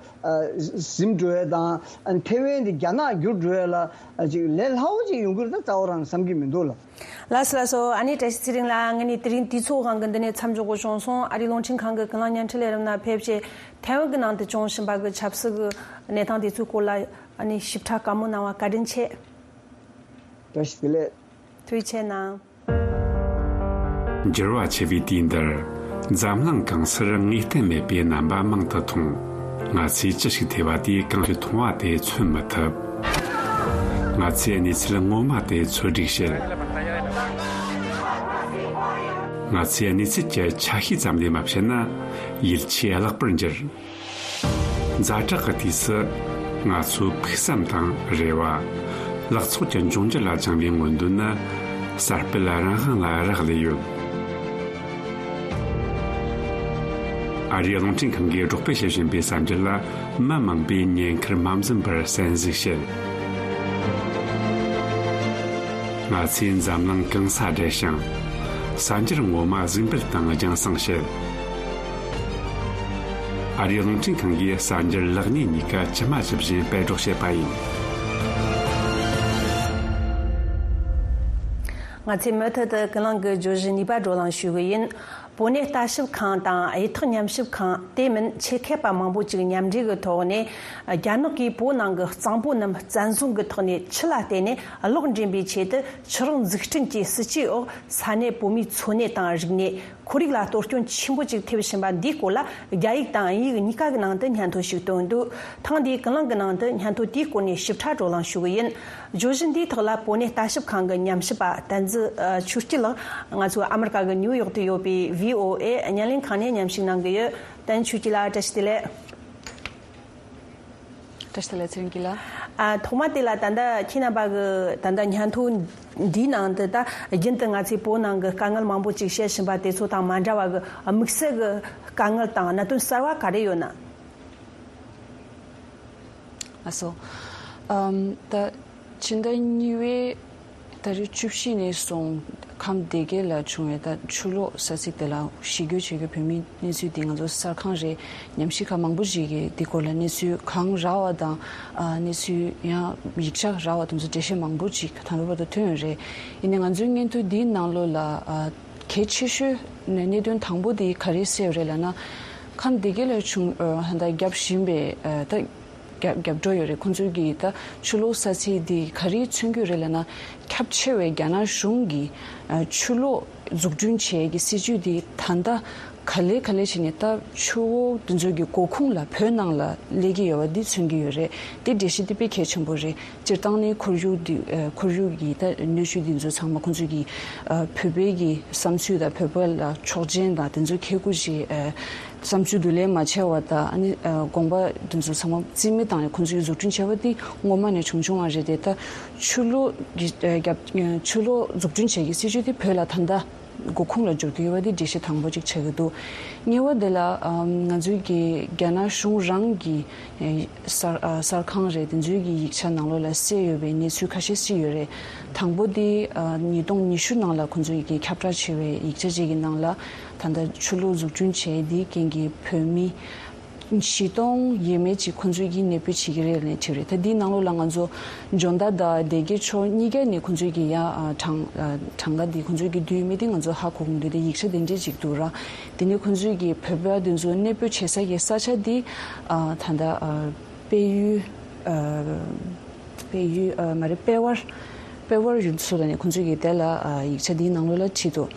ཟིན་འགྲོ་ཡས་དང་ཐེ་ཝན་དེ་རྒྱ་ནག་འགྱུར་འགྲོ་ཡས་ལ་ཅིག་ལས་སླ་བོ་ཅིག་ཡོང་གི་རེད་ད་རྩ་བ་རང་བསམ་གྱི་མི་འདུག་ལ། ལགས་སོ་ལགས་སོ། ཨ་ནི་བཀྲ་ཤིས་ཚེ་རིང་ལགས། ང་ནི་དེ་རིང་དུས་ཚོད་དབང་གིས་འདི་ནས་མཚམས་འཇོག་དགོས་བྱུང་སོང་། ཨ་རིའི་རླུང་འཕྲིན་ཁང་གི་ཀུན་གླེང་བརྙན་འཕྲིན་ལས་རིམ་ནང་ཕེབས་བྱས་ཐའེ་ཝན་གྱི་ནང་དུ་བྱུང་བཞིན་པ་གི་ཆབ་སྲིད་ཀྱི་གནས་སྟངས་དེ་ཚོའི་སྐོར་ལ་ཨ་ནི་ཞིབ་ཕྲ་བཀའ་མོལ་གནང་བ་བཀའ་དྲིན་ཆེ། བཀྲ་ཤིས་བདེ་ལེགས། ཐུགས་རྗེ་ཆེ་གནང་། འགྱུར་བ་ཆེ་བའི་དུས་འདིར། འཛམ་གླིང་གང་སར་ངེས་གཏན་མེད་པའི་རྣམ་པ་མང་དུ་མཐོང་། ང་ཚོས་ཅི་ཞིག་ཐོས་པ་དེས་གང་ཞིག་མཐོང་བ་དེ་མཚོན་མི་ཐུབ། ང་ཚོས་གནས་ཚུལ་ངོ་མ་དེ་འཚོལ་སྒྲིག་བྱེད། ང་ཚོས་གནས་ཚུལ་གྱི་ཆ་ཤས་ཙམ་ལས་མ་བཤད་ན་ཡིད་ཆེས་བརླག་པར་འགྱུར། ཛ་དྲག་གི་དུས་སུ་ང་ཚོའི་ཕུགས་བསམ་དང་རེ་བ། ལག་ཚོགས་ཀྱི་འབྱུང་འགྱུར་ལ་བཅངས་པའི་མངོན་འདོད་ནི་གསར་སྤེལ་རང་དབང་ལ་རག་ལས་ཡོད། ཨ་རིའི་རླུང་འཕྲིན་ཁང་གིས་སྒྲོག་སྤེལ་བྱེད་བཞིན་པའི་གསར་འགྱུར་ལ་མི་མང་པོས་ཉེན་ཁར་མ་འཛེམས་པར་གསན་གཟིགས་བྱེད། ང་ཚོས་འཛམ་གླིང་གང་སར་བསྡད་ཞིང་། གསར་འགྱུར་ངོ་མ་གཟིགས་འབུལ་དང་རྒྱང་སྲིང་བྱེད། ཨ་རིའི་རླུང་འཕྲིན་ཁང་གིས་གསར་འགྱུར་ལེགས་ཉེས་གཉིས་ཀ་ཇི་མ་ཇི་བཞིན་སྤེལ་སྒྲོག་བྱེད་པ་ཡིན། ང་ཚོས་མུ་མཐུད་དུ་ཀུན་གླེང་གི་བརྗོད་གཞི་གཉིས་པ་བགྲོ་གླེང་ཞུ་གི་ཡིན། པོ་ནེ་ལྟ་ཞིབ་ཁང་དང་གཡུ་ཐོག་ཉམས་ཞིབ་ཁང་དེ་མིན་ཆེད་མཁས་པ་མང་པོ་ཅིག་མཉམ་འབྲེལ་གྱི་ཐོག་ནས་རྒྱ་ནག་གིས་བོད་ནང་གི་གཙང་པོ་རྣམས་བཙན་བཟུང་གི་ཐོག་ནས་ཆུ་ལ་བརྟེན་ནས་གློག་འདྲེན་པའི་ཆེད་དུ་ཆུ་རགས་འཛུགས་སྐྲུན་གྱི་སྲིད་ཇུས་འོག་ས་གནས་བོད་མིའི་འཚོ་གནས་དང་རིག་གནས། ཁོར་ཡུག་ལ་གཏོར་སྐྱོན་ཆེན་པོ་ཅིག་ཐེབས་བཞིན་པ་འདིའི་སྐོར་ལ་རྒྱ་ཡིག་དང་དབྱིན་ཡིག་གཉིས་ཀ་གི་ནང་དུ་སྙན་ཐོ་ཞིག་བཏོན་འདུག་ཐེངས་འདིའི་ཀུན་གླེང་གི་ནང་དུ་སྙན་ཐོ་དེའི་སྐོར་ནས་ཞིབ་ཕྲ་བགྲོ་གླེང་ཞུ་གི་ཡིན། བརྗོད་གཞི་འདིའི་ཐོག་ལ་བོད་གནས་ལྟ་ཞིབ་ཁང་གི་ཉམས་ཞིབ་པ་བསྟན་འཛིན་ཆོས་སྐྱིད་ལགས་ང་ཚོའི་ཨ་མི་རི་ཀ་གི་ནིའུ་ཡོག་ཏུ་ཡོད་པའི་བྷི་ཨོ་ཨེ་བརྙན་ལེན་ཁང་ནས་མཉམ་ཞུགས་གནང་གི་ཡོད། བསྟན་འཛིན་ཆོས་སྐྱིད་ལགས་བཀྲ་ཤིས་བདེ་ལེགས། བཀྲ་ཤིས་བདེ་ལེགས་ཚེ་རིང་སྐྱིད་ལགས། ཨ་ཐོག་མ་དེ་ལ་ད་ལྟ་ཁྱེད་རྣམ་པ་གི་ད་ལྟ་སྙན་ཐོ་འདིའི་ནང་དུ་ད་རྒྱུན་དུ་ང་ཚོས་བོད་ནང་གི་དཀའ་ངལ་མང་པོ་ཅིག་བཤད་བཞིན་པ་དེ་ཚོ་དང་མ་འདྲ་བ་གི་དམིགས་བསལ་གི་དཀའ་ངལ་དང་གནད་དོན་གསར་བ་ག་རེ་ཡོད་ན། ཨ་སོ། ཨམ། ད་ཕྱི་ཟླ་གཉིས་པའི་ཏ་རིག་བཅུ་བཞི་ནས་བཟུང་ཁམས་སྡེ་དགེ་ལ་བྱུང་བའི་ད་ཆུ་ལོག་ས་ཚིགས་དེ་ལ་གཞིས་སྡོད་བྱེད་མཁན་བོད་མིའི་གནས་ཚུལ་དེ་ང་ཚོ་གསར་ཁང་རེད། ཉམས་ཞིབ་ཁང་མང་པོ་ཞིག་གིས་འདི་སྐོར་ལ་གནས་ཚུལ་གང་རག་པ་དང་། ཨ་གནས་ཚུལ་ཡང་ཡིག་ཆ་རག་པ་དེ་ཚོ་འགྲེལ་བཤད་མང་པོ་ཅིག་ད་ལྟ་བར་དུ་ཐོན་ཡོད་རེད། ཡིན་ནའི་ང་ཚོའི་སྙན་ཐོ་འདིའི་ནང་ལོགས་ལ་ཨ་གལ་ཆེ་ཤོས་ནས་གནད་དོན་དང་པོ་དེ་ག་རེ་གསལ་ཡོད་རེད་ལབ་ན། ཁམས་སྡེ་དགེ་ལ་བྱུང་ཨ་ད་བརྒྱབ་བཞིན་པའི་ཨ་ད་རྒྱབ་རྒྱབ་འགྲོ་ཡོད་རེད། ཁོང་ཚོའི་གི་ད་ཆུ་ལོག་ས་ཚིགས་འདི་ག་རེ་མཚོན་གྱི་རེད་ལབ་ན། ཁྱབ་ཆེ་བའི་རྒྱ་ནག་གཞུང་གི་ཨ་ཆུ་ལོག་འཛུགས་སྐྲུན་བྱེད་ཀྱི་སྲིད་ཇུས་འདི་ད་ལྟ་ག་ལེ་ག་ལེ་བྱས་ནས་ད་ཆུ་བོ་འདི་ཚོའི་གི་མགོ་ཁུངས་ལ་བོད་ནང་ལ་སླེབས་ཀྱི་ཡོད་པ་འདི་མཚོན་གྱི་ཡོད་རེད། འདི་འགྲེལ་བཤད་འདི་དཔེ་གལ་ཆེན་པོ་རེད། སྤྱིར་བཏང་ནི་ཁོར་ཡུག་འདི་ཨ་ཁོར་ཡུག་གི་ད་གནོད་ཤུགས་འདི་ཚོ་ཚང་མ་ཁོང་ཚོའི་གི་ཨ་བོད་པའི་གི་བསམ་ཚུལ་དང་བོད་པ་ལ་ཆོག་མཆན་དང་དེ་ཚོ་ཁེ་ཁུ་ཞིག་ཨ། བསམ་ཚུལ་བསྡུ་ལེན་མ་བྱས་པ་དང་ཨ་ནི་ཨ་དགོངས་པ་དེ་ཚོ་ཚང་མ་རྩིས་མེད་བཏང་ནས་ཁོང་ཚོས་འཛུགས་སྐྲུན་བྱས་པ་དེ་སྔོན་མ་ནས་བྱུང་བྱུང་བ་རེད་དེ། ད་ཆུ་ལོག་གི་ཨ་རྒྱབ་ཨ་ཆུ་ལོག་འཛུགས་སྐྲུན་བྱེད་ཀྱི་སྲིད་ཇུས་དེ་བོད་ལ་ད་ལྟ་མགོ་ཁུངས་ལ་འབྱོར་གྱི་ཡོད་པ་དེ་འགྲེལ་བཤད་དང་པོ་གཅིག་བྱེད་ཀྱི་འདུག་གཉིས་པ་དེ་ལ་ཨ་ང་ཚོའི་གི་རྒྱ་ནག་གཞུང་རང་གི་ཨ་གསར་ཨ་གསར་ཁང་རེད། དེ་ཚོའི་གི་ཡིག་ཆ་ནང་ལོགས་ལ་གསལ་ཡོད་པའི་གནས་ཚུལ་ཁ་ཤས་ཤིག་ཡོད་རེད། དང་པོ་དེ་ཨ་ཉིས་སྟོང་ཉི་ཤུ་ནང་ལ་ཁོང་ཚོའི་གི་ཁྱབ་བསྒྲགས་བྱས་པའི་ཡིག་ཆ་ཅིག་གི་ནང་ལ། ད་ལྟ་ཆུ་ལོག་འཛུགས་སྐྲུན་བྱས་དེའི་རྐྱེན་གྱིས་བོད་མི་བཞི་སྟོང་ཡས་མས་ཅིག་ཁོང་ཚོས་ཀྱིས་གནས་སྤོས་བྱེད་ཀྱི་རེད་ལབ་བྲིས་རེད། ད་འདིའི་ནང་ལོགས་ལ་ང་ཚོ་འཇོ་མདའ་དང་སྡེ་དགེ་ཕྱོགས་གཉིས་ཀ་ནས་ཁོང་ཚོས་ཀྱིས་ཡ་གྲངས་གྲངས་ཀ་འདི་ཁོང་ཚོས་ཀྱིས་བསྡུས་མེད་དེ་ང་ཚོ་ཧ་གོ་གི་མི་འདུག་དེ་ཡིག་ཆ་དེ་འདྲས་ཅིག་འདུག་ར། དེ་ནས་ཁོང་ཚོས་ཀྱིས་བོད་པ་དེ་ཚོ་གནས་སྤོས་བྱེད་ས་ཀྱི་ས་ཆ་འདི་ད་ལྟ་དཔལ་ཡུལ་དཔལ་ཡུལ་མ་རེད་དཔལ་བར། པེ་ཝར་ཡུལ་ཚོ་ལ་ནས་ཁོང་ཚོས་ཀྱི་དེ་ལ་ཨ་ཡིག་ཆ་འདིའི་ནང་ལོགས་ལ་བྲིས་འདུག་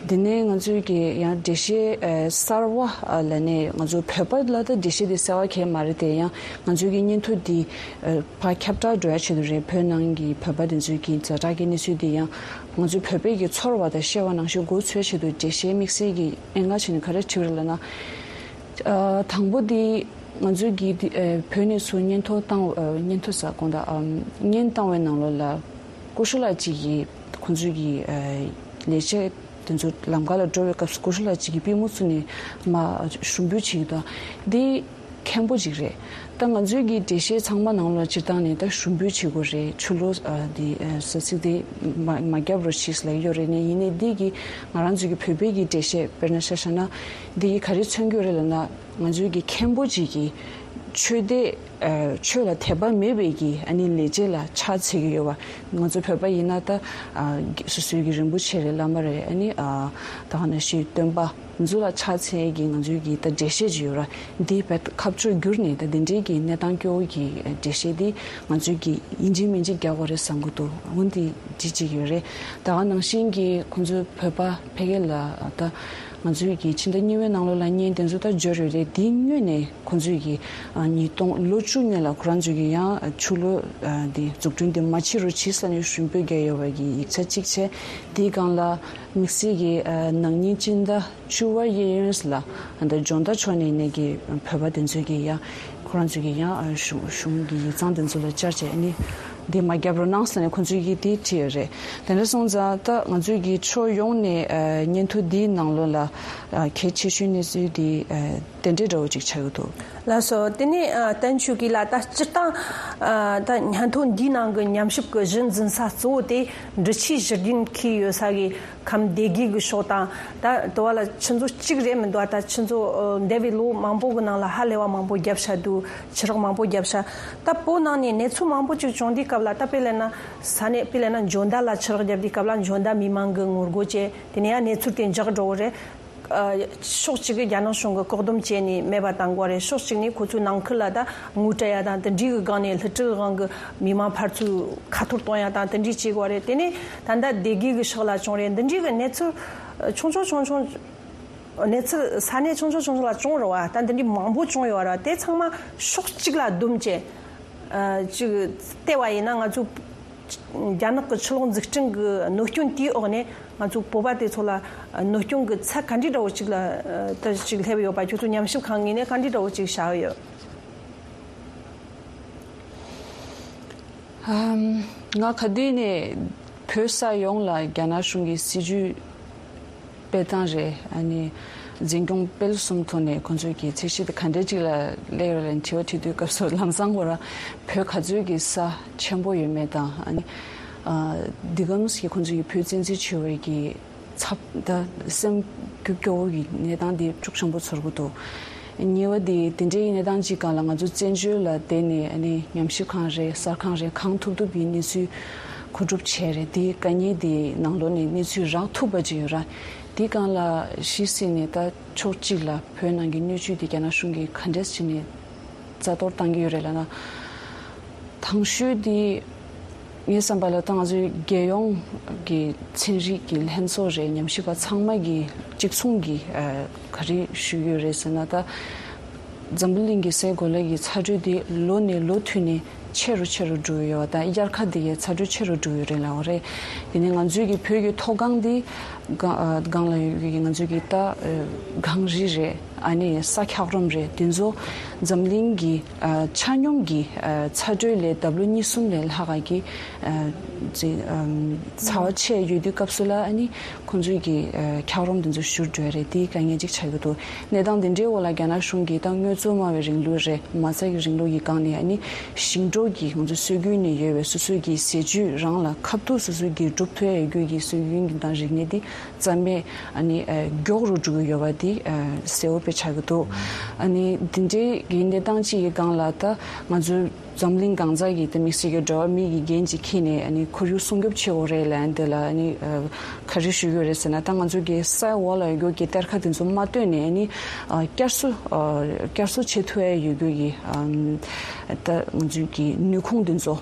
དེ་ནས་ང་ཚོས་ཀྱི་ཡང་འགྲེལ་བཤད་ཨ་གསར་བ་ཨ་ལ་ནས་ང་ཚོ་བོད་པ་ལ་ད་འགྲེལ་བཤད་དེ་གསལ་བ་གས་མ་རེད་དེ། ཡང་ང་ཚོས་ཀྱི་སྙན་ཐོ་འདི་ཨ་ཕར་ཁྱབ་བསྒྲགས་འགྲོ་ཡ་ཆེད་དུ་རེད། བོད་ནང་གི་བོད་པ་དེ་ཚོས་ཀྱི་ཛ་དྲག་གི་གནས་ཚུལ་འདི་ཡང་ང་ཚོའི་བོད་པའི་གི་ཚོར་བ་དང་བཤད་པ་ནང་བཞིན་མགོ་ཚོས་ཆེད་དུ་འགྲེལ་བཤད་དམིགས་བསལ་གྱི་ཨེ་ང་བྱས་ནས་ག་རེ་བྲིས་པ་རེད་ལབ་ན། ཨ་དང་པོ་འདི་ང་ཚོས་ཀྱི་འདི་ཨ་བོད་ནས་ཚུར་སྙན་ཐོ་བཏང་ཨ་སྙན་ཐོ་ཟེར་དགོངས་དག་ཨམ་སྙན་བཏང་བའི་ནང་ལོགས་ལ་ཀུ་ཤུ་ལགས་གཅིག་གིས་ཁོང་ཚོའི་གི་ཨ་ལས་བྱེད་དེ་ཚོ་ལམ་ཁ་ལ་འགྲོ་བའི་སྐབས་སུ་ཀུ་ཤུ་ལགས་གཅིག་གིས་པུས་མོ་བཙུགས་ནས་མར་ཞུ་འབོད་བྱེད་ཀྱི་འདུག་འདི་མཁན་པོ་ཅིག་རེད། ད་ང་ཚོའི་གི་འགྲེལ་བཤད་ཚང་མ་ནང་ལ་སྤྱིར་བཏང་ནས་ད་ཞུ་འབོད་བྱེད་དགོས་རེད། ཆུ་ལོག་ཨ་འདི་ཨ་ས་ཚིགས་དེ་མ་མ་བརྒྱབ་རོགས་ཞེས་ལབ་ཡོད་རེད། ནས་ཡིན་ནའི་འདི་གི་ང་རང་ཚོའི་གི་བོད་པའི་གི་འགྲེལ་བཤད་དཔེར་ན་ཆ་བཞག་ན་འདི་གི་ག་རེ་མཚོན་གྱི་ཡོད་རེད་ལབ་ན། ང་ཚོའི་གི་མཁན་པོ་ཅིག་གིས་ཆོས་དད་ཨ་ཆོས་ལ་དད་པ་མེད་པའི་གི་ཨ་ནི་ལས་བྱེད་ལ་ཕྱག་འཚལ་གྱི་ཡོད་པ། ང་ཚོ་བོད་པ་ཡིན་ན་ད་ཨ་སོ་སོའི་གི་རིན་པོ་ཆེ་རེད། བླ་མ་རེད། ཨ་ནི་ཨ་ད་ག་ནང་བཞིན་སྟོན་པ་ཚོ་ལ་ཕྱག་འཚལ་གྱི་ང་ཚོའི་གི་ད་འགྲེལ་བཤད་ཅིག་ཡོད་ར། འདི་བས་ཁ་ཕྱོགས་བསྒྱུར་ནས་ད་འདི་འདྲའི་གི་གནས་སྟངས་སྐྱོ་བོ་གི་འགྲེལ་བཤད་འདི་ང་ཚོའི་གི་ཡིན་གཅིག་མིན་གཅིག་རྒྱག་དགོས་རེད་བསམ་གྱི་འདུག་འོན་ཏེ་ཅི་ཅིག་ཡོད་རེད། ད་ག་ནང་བཞིན་གྱི་ཁོང་ཚོའི་བོད་པ་ཕ་གི་ལ་ད་ང་ཚོའི་གི་ཕྱི་ཟླ་གཉིས་པའི་ནང་ལོགས་ལ་བརྙན་དེ་ཚོ་ད་འབྱོར་ཡོད་རེད། དེའི་སྔོན་ནས་ཁོང་ཚོས་ཀྱི་ཨ་ཉིས་སྟོང་ལོ་བཅུ་སྔོན་ལ་ཁོ་རང་ཚོས་ཀྱི་ཡང་ཆུ་ལོག་ཨ་དེ་འཛུགས་སྐྲུན་དེ་མ་བྱེད་རོགས་བྱེད་ས་ནས་ཞུ་འབོད་བརྒྱབ་ཡོད་པ་གི་ཡིག་ཆ་གཅིག་བྱས། དེའི་སྒང་ལ་དམིགས་བསལ་གྱི་ཨ་ནག་ཉིན་སྤྱི་ཟླ་བཅུ་པ་གཡས་གཡོན་ལ་ཨ་ད་ཇོ་མདའ་ཕྱོགས་ནས་ནས་ཀྱི་བོད་པ་དེ་ཚོས་ཀྱི་ཡང་ཁོ་རང་ཚོས་ཀྱི་ཡང་ཨ་གཞུང་གཞུང་གི་ཡིག་ཚང་དེ་ཚོ་ལ་བཅར་བྱས་ཨ་ནི་དེ་མ་བརྒྱབ་རོགས་གནང་ཟེར་ནས་ཁོ་ཚོས་ཀྱི་དེ་བྲིས་ཡོད་རེད། དེ་འདྲ་སོང་ཙང་ད་ང་ཚོས་ཀྱི་ཕྱོགས་ཡོངས་ནས་ཨ་སྙན་ཐོ་འདིའི་ནང་ལོགས་ལ་ཨ་གལ་ཆེ་ཤོས་གནས་ཚུལ་དེ་ཨ་དེ་འདྲའི་འདྲ་བོ་ཅིག་ཆགས་ཡོད་འདུག་ལགས་སོ། དེ་ནས་ཨ་བསྟན་ཆོས་སྐྱིད་ལགས། ད་སྤྱིར་བཏང་ཨ་ད་སྙན་ཐོ་འདིའི་ནང་གི་ཉམས་ཞིབ་ཀྱི་གཞི་འཛིན་ས་གཙོ་བོ་དེ་འབྲི་ཆུའི་བཞུར་རྒྱུན་འཁེལ་ཡོད་ས་གི་ཁམས་སྡེ་དགེ་གི་ཕྱོགས་དང་། ད་དུ་བ་ལ་ཆུ་མཛོད་གཅིག་རེད་མི་འདུག་ད་ཆུ་མཛོད་ཨ་འདས་པའི་ལོ་མང་པོ་གི་ནང་ལ་ཧ་ལས་པ་མང་པོ་བརྒྱབ་ཤག་འདུག་ཆུ་རགས་མང་པོ་བརྒྱབ་ཤག་ད་བོད་ནང་ནས་གནས་ཚུལ་མང་པོ་ཅིག་བྱུང་དུས་སྐབས་ལ། ད་དཔེ་ལབ་ན་ས་གནས་དཔེ་ལབ་ན་འཇོ་མདའ་ལ་ཆུ་རགས་བརྒྱབ་དུས་སྐབས་ལ་འཇོ་མདའ་མི་མང་གི་ངོ་རྒོལ་བྱས། དེ་ནས་ཡང་གནས་ཚུལ་དེ་འཇགས་འགྲོ་བ་རེད། ཨ་ཕྱོགས་གཅིག་གིས་རྒྱ་ནག་གཞུང་གིས་བཀག་སྡོམ་བྱས་ནས་མེད་པ་བཏང་དགོས་རེད། ཕྱོགས་གཅིག་ནས་ཁོ་ཚོའི་ནང་ཁུལ་ལ་ད་ངོ་སྤྲད་ཡ་དང་། དེ་འདྲའི་གི་སྒང་ནས་བསླུ་བྲིད་གི་སྒང་གི་མི་མང་ཕར་ཚུར་ཁ་ཐོར་གཏོང་ཡ་དང་། དེ་འདྲའི་བྱེད་དགོས་རེད། དེ་ནས་ད་ལྟ་སྡེ་དགེ་གི་ཕྱོགས་ལ་བྱུང་རེད། འདི་འདྲའི་གི་གནས་ཚུལ་ཆུང་ཆུང་ཆུང་ཆུང་། གནས་ཚུལ་ས་གནས་ཆུང་ཆུང་ཆུང་ཆུང་ལ་བྱུང་རེད་བ། ད་འདི་འདྲའི་མང་པོ་བྱུང་ཡོད་ར། དེ་ཚང་མ་ཕྱོགས་གཅིག་ལ་བསྡོམས་བྱས་ཨ་ཅིག་བལྟས་པ་ཡིན་ན། ང་ཚོ་རྒྱ་ནག་གི་ཆུ་ལོག་འཛུགས་སྐྲུན་གྱི་གནོད་སྐྱོན་དེའི་འོག་ནས་ང་ཚོ་བོད་པ་དེ་ཚོ་ལ་གནོད་སྐྱོན་གྱི་ཚད་ག་འདྲའི་འདྲ་བོ་ཅིག་ལ་ཨ་ད་ཅིག་སླེབས་ཡོད་པ། ཁྱོད་ཚོ་ཉམས་ཞིབ་ཁང་ངོས་ནས་ག་འདྲའི་འདྲ་བོ་ཅིག་བྱ་ཡོད། ཨམ། ང་ག་དུས་ནས་བོད་ས་ཡོངས་ལ་རྒྱ་ནག་གཞུང་གི་སྲིད་ཇུས་སྤེལ་སྟངས་རེད། ཨ་ནི་འཛིན་སྐྱོང་སྤེལ་གསུམ་ཐོག་ནས་ཁོང་ཚོས་ཀྱི་ཚད་གཞི་དེ་ག་འདྲ་ཅིག་ལ་སླེབས་ཡོད་རེད་ལབ་དྲི་བ་དྲི་དུས་སྐབས་སུ། ལམ་སང་ཁོ་རང་བོད་ག་ཚོད་ཀྱི་ས་ཆེན་པོ་ཡོད་མེད་དང་། ཨ་ནི་ཨ་འདི་ག་ནང་བཞིན་ཁོང་ཚོས་ཀྱི་བོད་བཙན་འཛུལ་བྱས་པའི་གི་ཚབ་ད་སེམས་སྐྱོ་སྐྱོ་བོ་གི་གནས་སྟངས་དེ་ཤུགས་ཆེན་པོ་ཚོར་གི་འདུག་གཉིས་པ་དེ་དེ་འདྲའི་གནས་སྟངས་ཅིག་སྒང་ལ་ང་ཚོ་བཙན་བྱོལ་ལ་བསྡད་ནས་ཨ་ནི་ཉམས་ཞིབ་ཁང་རེད། གསར་ཁང་རེད། གང་ཐུབ་ཐུབ་ཀྱི་གནས་ཚུལ་མཁོ་སྒྲུབ་བྱས་རེད། དེ་དཀའ་ངལ་དེ་ནང་ལོགས་ནས་གནས་ཚུལ་རག་ཐུབ་པ་ཅིག་ཡོད་ར། དེ་སྒང་ལ་གཞི་བཙུགས་ནས་ད་ཕྱོགས་གཅིག་ལ་བོད་ནང་གི་སྣོད་བཅུད་དེ་རྒྱ་ནག་གཞུང་གིས་ག་འདྲས་བྱས་ནས་རྩ་གཏོར་བཏང་གི་ཡོད་རེད་ལབ་ན། དང་ཤོས་དེ་ངའི་བསམ་པ་ལ་ད་ང་ཚོའི་རྒྱལ་ཡོངས་ཀྱི་ཚན་རིག་གི་ལྷན་ཚོགས་རེད། ཉམས་ཞིབ་པ་ཚང་མ་གི་གཅིག་མཚུངས་ཀྱི་ཨ་ག་རེ་ཞུ་གི་ཡོད་རེད་ཟེར་ན། ད་འཛམ་བུ་གླིང་གི་སའི་གོ་ལའི་གི་ཚ་དྲོད་དེ་ལོ་ནས་ལོ་མཐུད་ནས་ཆེ་རུ་ཆེ་རུ་འགྲོ་གི་ཡོད་པ་དང་། དབྱར་ཁ་དེ་གའི་ཚ་དྲོད་ཆེ་རུ་འགྲོ་གི་རེད་ལབ་པ་རེད། དེ་ནས་ང་ཚོའི་གི་བོད་ཀྱི་མཐོ་སྒང་འདི་སྒང་ཨ་སྒང་ལ་ཡོད་ཀྱི་ང་ཚོའི་གི་ད་ཨ་གངས་རི་རེད། ཨ་ནི་ས་འཁྱགས་རོམ་རེད། དེ་ཚོ་འཛམ་གླིང་གི་ཨ་ཆ་སྙོམས་ཀྱི་ཨ་ཚ་དྲོད་ལས་ལྡབ་ལོ་གཉིས་གསུམ་ལས་ལྷག་ག་གི་ཨ་ཅིག་ཨམ་ཚ་བ་ཆེ་ཡོད་དུས་སྐབས་སུ་ལ། ཨ་ནི་ཁོང་ཚོའི་གི་ཨ་འཁྱགས་རོམ་དེ་ཚོ་བཞུར་འགྲོ་ཡ་རེད། དེ་དཀའ་ངལ་ཅིག་ཆགས་ཀྱི་འདུག་གནས་སྟངས་དེ་འདྲའི་འོག་ལ་རྒྱ་ནག་གཞུང་གིས་ད་དངོས་གཙོ་སྨྲ་བའི་རིང་ལུགས་རེད། མ་རྩ་གི་རིང་ལུགས་ཀྱི་སྒང་ནས་ཨ་ནི་ཞིང་འབྲོག་གི་ང་ཚོ་སྲོལ་རྒྱུན་ནས་ཡོད་པའི་སོ་སོའི་གི་ཟས་བཅུད་རང་ལ་ཁ་ཐུག་སོ་སོའི་གི་སྒྲུབ་ཐུབ་ཡ་ཡོད་རྒྱུ་གི་སྲོལ་རྒྱུན་གྱི་དང་རིག་གནས་དེ་རྩ་མེད་ཨ་ནི་ཨ་མགྱོགས་རུ་འགྲོ་གི་ཡོད་པ་དེ་ཨ་གསལ་བོ་དཔེ་ཆགས་ཀྱི་འདུག་ཨ་ནི་འདི་འདྲའི་གི་གནས་སྟངས་ཅིག་གི་སྒང་ལ་ད་ང་ཚོའི་ འཛམ་གླིང་གང་ས་གི་དེ་དམིགས་བསལ་གྱི་འགྲོ་བ་མི་གི་འགན་ཅིག་འཁྱེར་ནས་ཨ་ནི་ཁོར་ཡུག་སྲུང་སྐྱོབ་བྱེད་དགོས་རེད་ལབ་ཡ་འདི་ལ་ཨ་ནི་ག་རེ་ཞུ་གི་ཡོད་རེད་ཟེར་ན། ད་ང་ཚོ་གི་ས་འོག་ལ་ཡོད་རྒྱུ་གི་གཏེར་ཁ་དེ་ཚོ་མ་བཏོན་ནས་ཨ་ནི་བསྐྱར་གསོ་བསྐྱར་གསོ་བྱེད་ཐུབ་ཡ་ཡོད་རྒྱུ་གི་ད་ང་ཚོ་གི་ནུས་ཁུངས་དེ་ཚོ་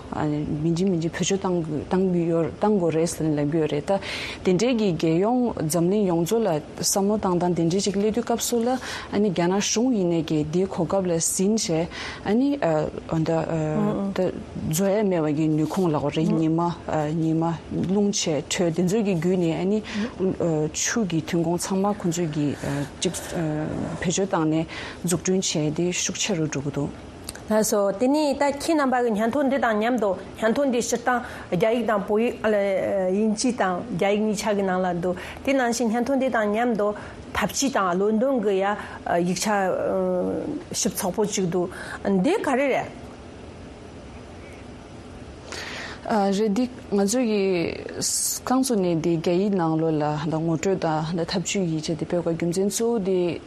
མི་འཇིག་མི་འཇིག་བེད་སྤྱོད་བཏང་བཏང་གི་ཡོད་བཏང་དགོས་རེད་ཟེར་ནས་ལབ་གི་ཡོད་རེད། ད་དེ་འདྲའི་གི་རྒྱལ་ཡོངས་འཛམ་གླིང་ཡོངས་རྫོགས་ལ་བསམ་བློ་བཏང་སྟངས་དེ་འདྲའི་ཅིག་སླེབས་དུས་སྐབས་སུ་ལ་ཨ་ནི་རྒྱ་ནག་གཞུང་ཡིན་ནས་ཀྱི་དེའི་གོ་སྐབས་ལ་ཟིན་བྱས་ཨ་ནི་ཨ་ཨ་འདི་ཨ་ད་བཟོ་ཡ་མེད་པ་གི་ནུས་ཁུངས་ལ་གོ་རེ་ཉི་མ་ཨ་ཉི་མ་རླུང་ཆེ་དྲོད་དེ་ཚོའི་གི་བརྒྱུད་ནས་ཨ་ནི་ཨ་ཆུ་གི་ཐོན་ཁུངས་ཚང་མ་ཁོ་ཚོས་གི་ཨ་ཅིག་ཨ་བེད་སྤྱོད་བཏང་ནས་འཛུགས་སྐྲུན་བྱས་ཏེ་ཤུགས་ཆེ་རུ་འགྲོ་གི་འདུག་ལགས་སོ། དེ་ནས་ད་ཁྱེད་རྣམ་པ་གི་སྙན་ཐོ་འདི་དང་མཉམ་དུ་སྙན་ཐོ་འདི་སྤྱིར་བཏང་རྒྱ་ཡིག་དང་བོད་ཡིག་ཨ་ལ་དབྱིན་ཇི་དང་རྒྱ་ཡིག་གཉིས་ཆ་གི་ནང་ལ་འདུག་དེ་ནང་བཞིན་སྙན་ཐོ་འདི་དང་མཉམ་དུ་འཐབ་ཇུས་དང་བློ་འདོན་གི་ཡ་ཡིག་ཆ་ཞིབ་ཚགས་པོ་གཅིག་འདུག་འདི་ག་རེ་རེད། ཨ་རེད། འདི་ང་ཚོ་གི་རྐང་བཙུགས་ནས་འདི་རྒྱ་ཡིག་ནང་ལོགས་ལ་ད་ངོ་སྤྲོད་དང་ད་འཐབ་ཇུས་ཡིག་ཆ་འདི་སྤེལ་དགོས་རྒྱུ་མཚན་གཙོ་བོ་འདི་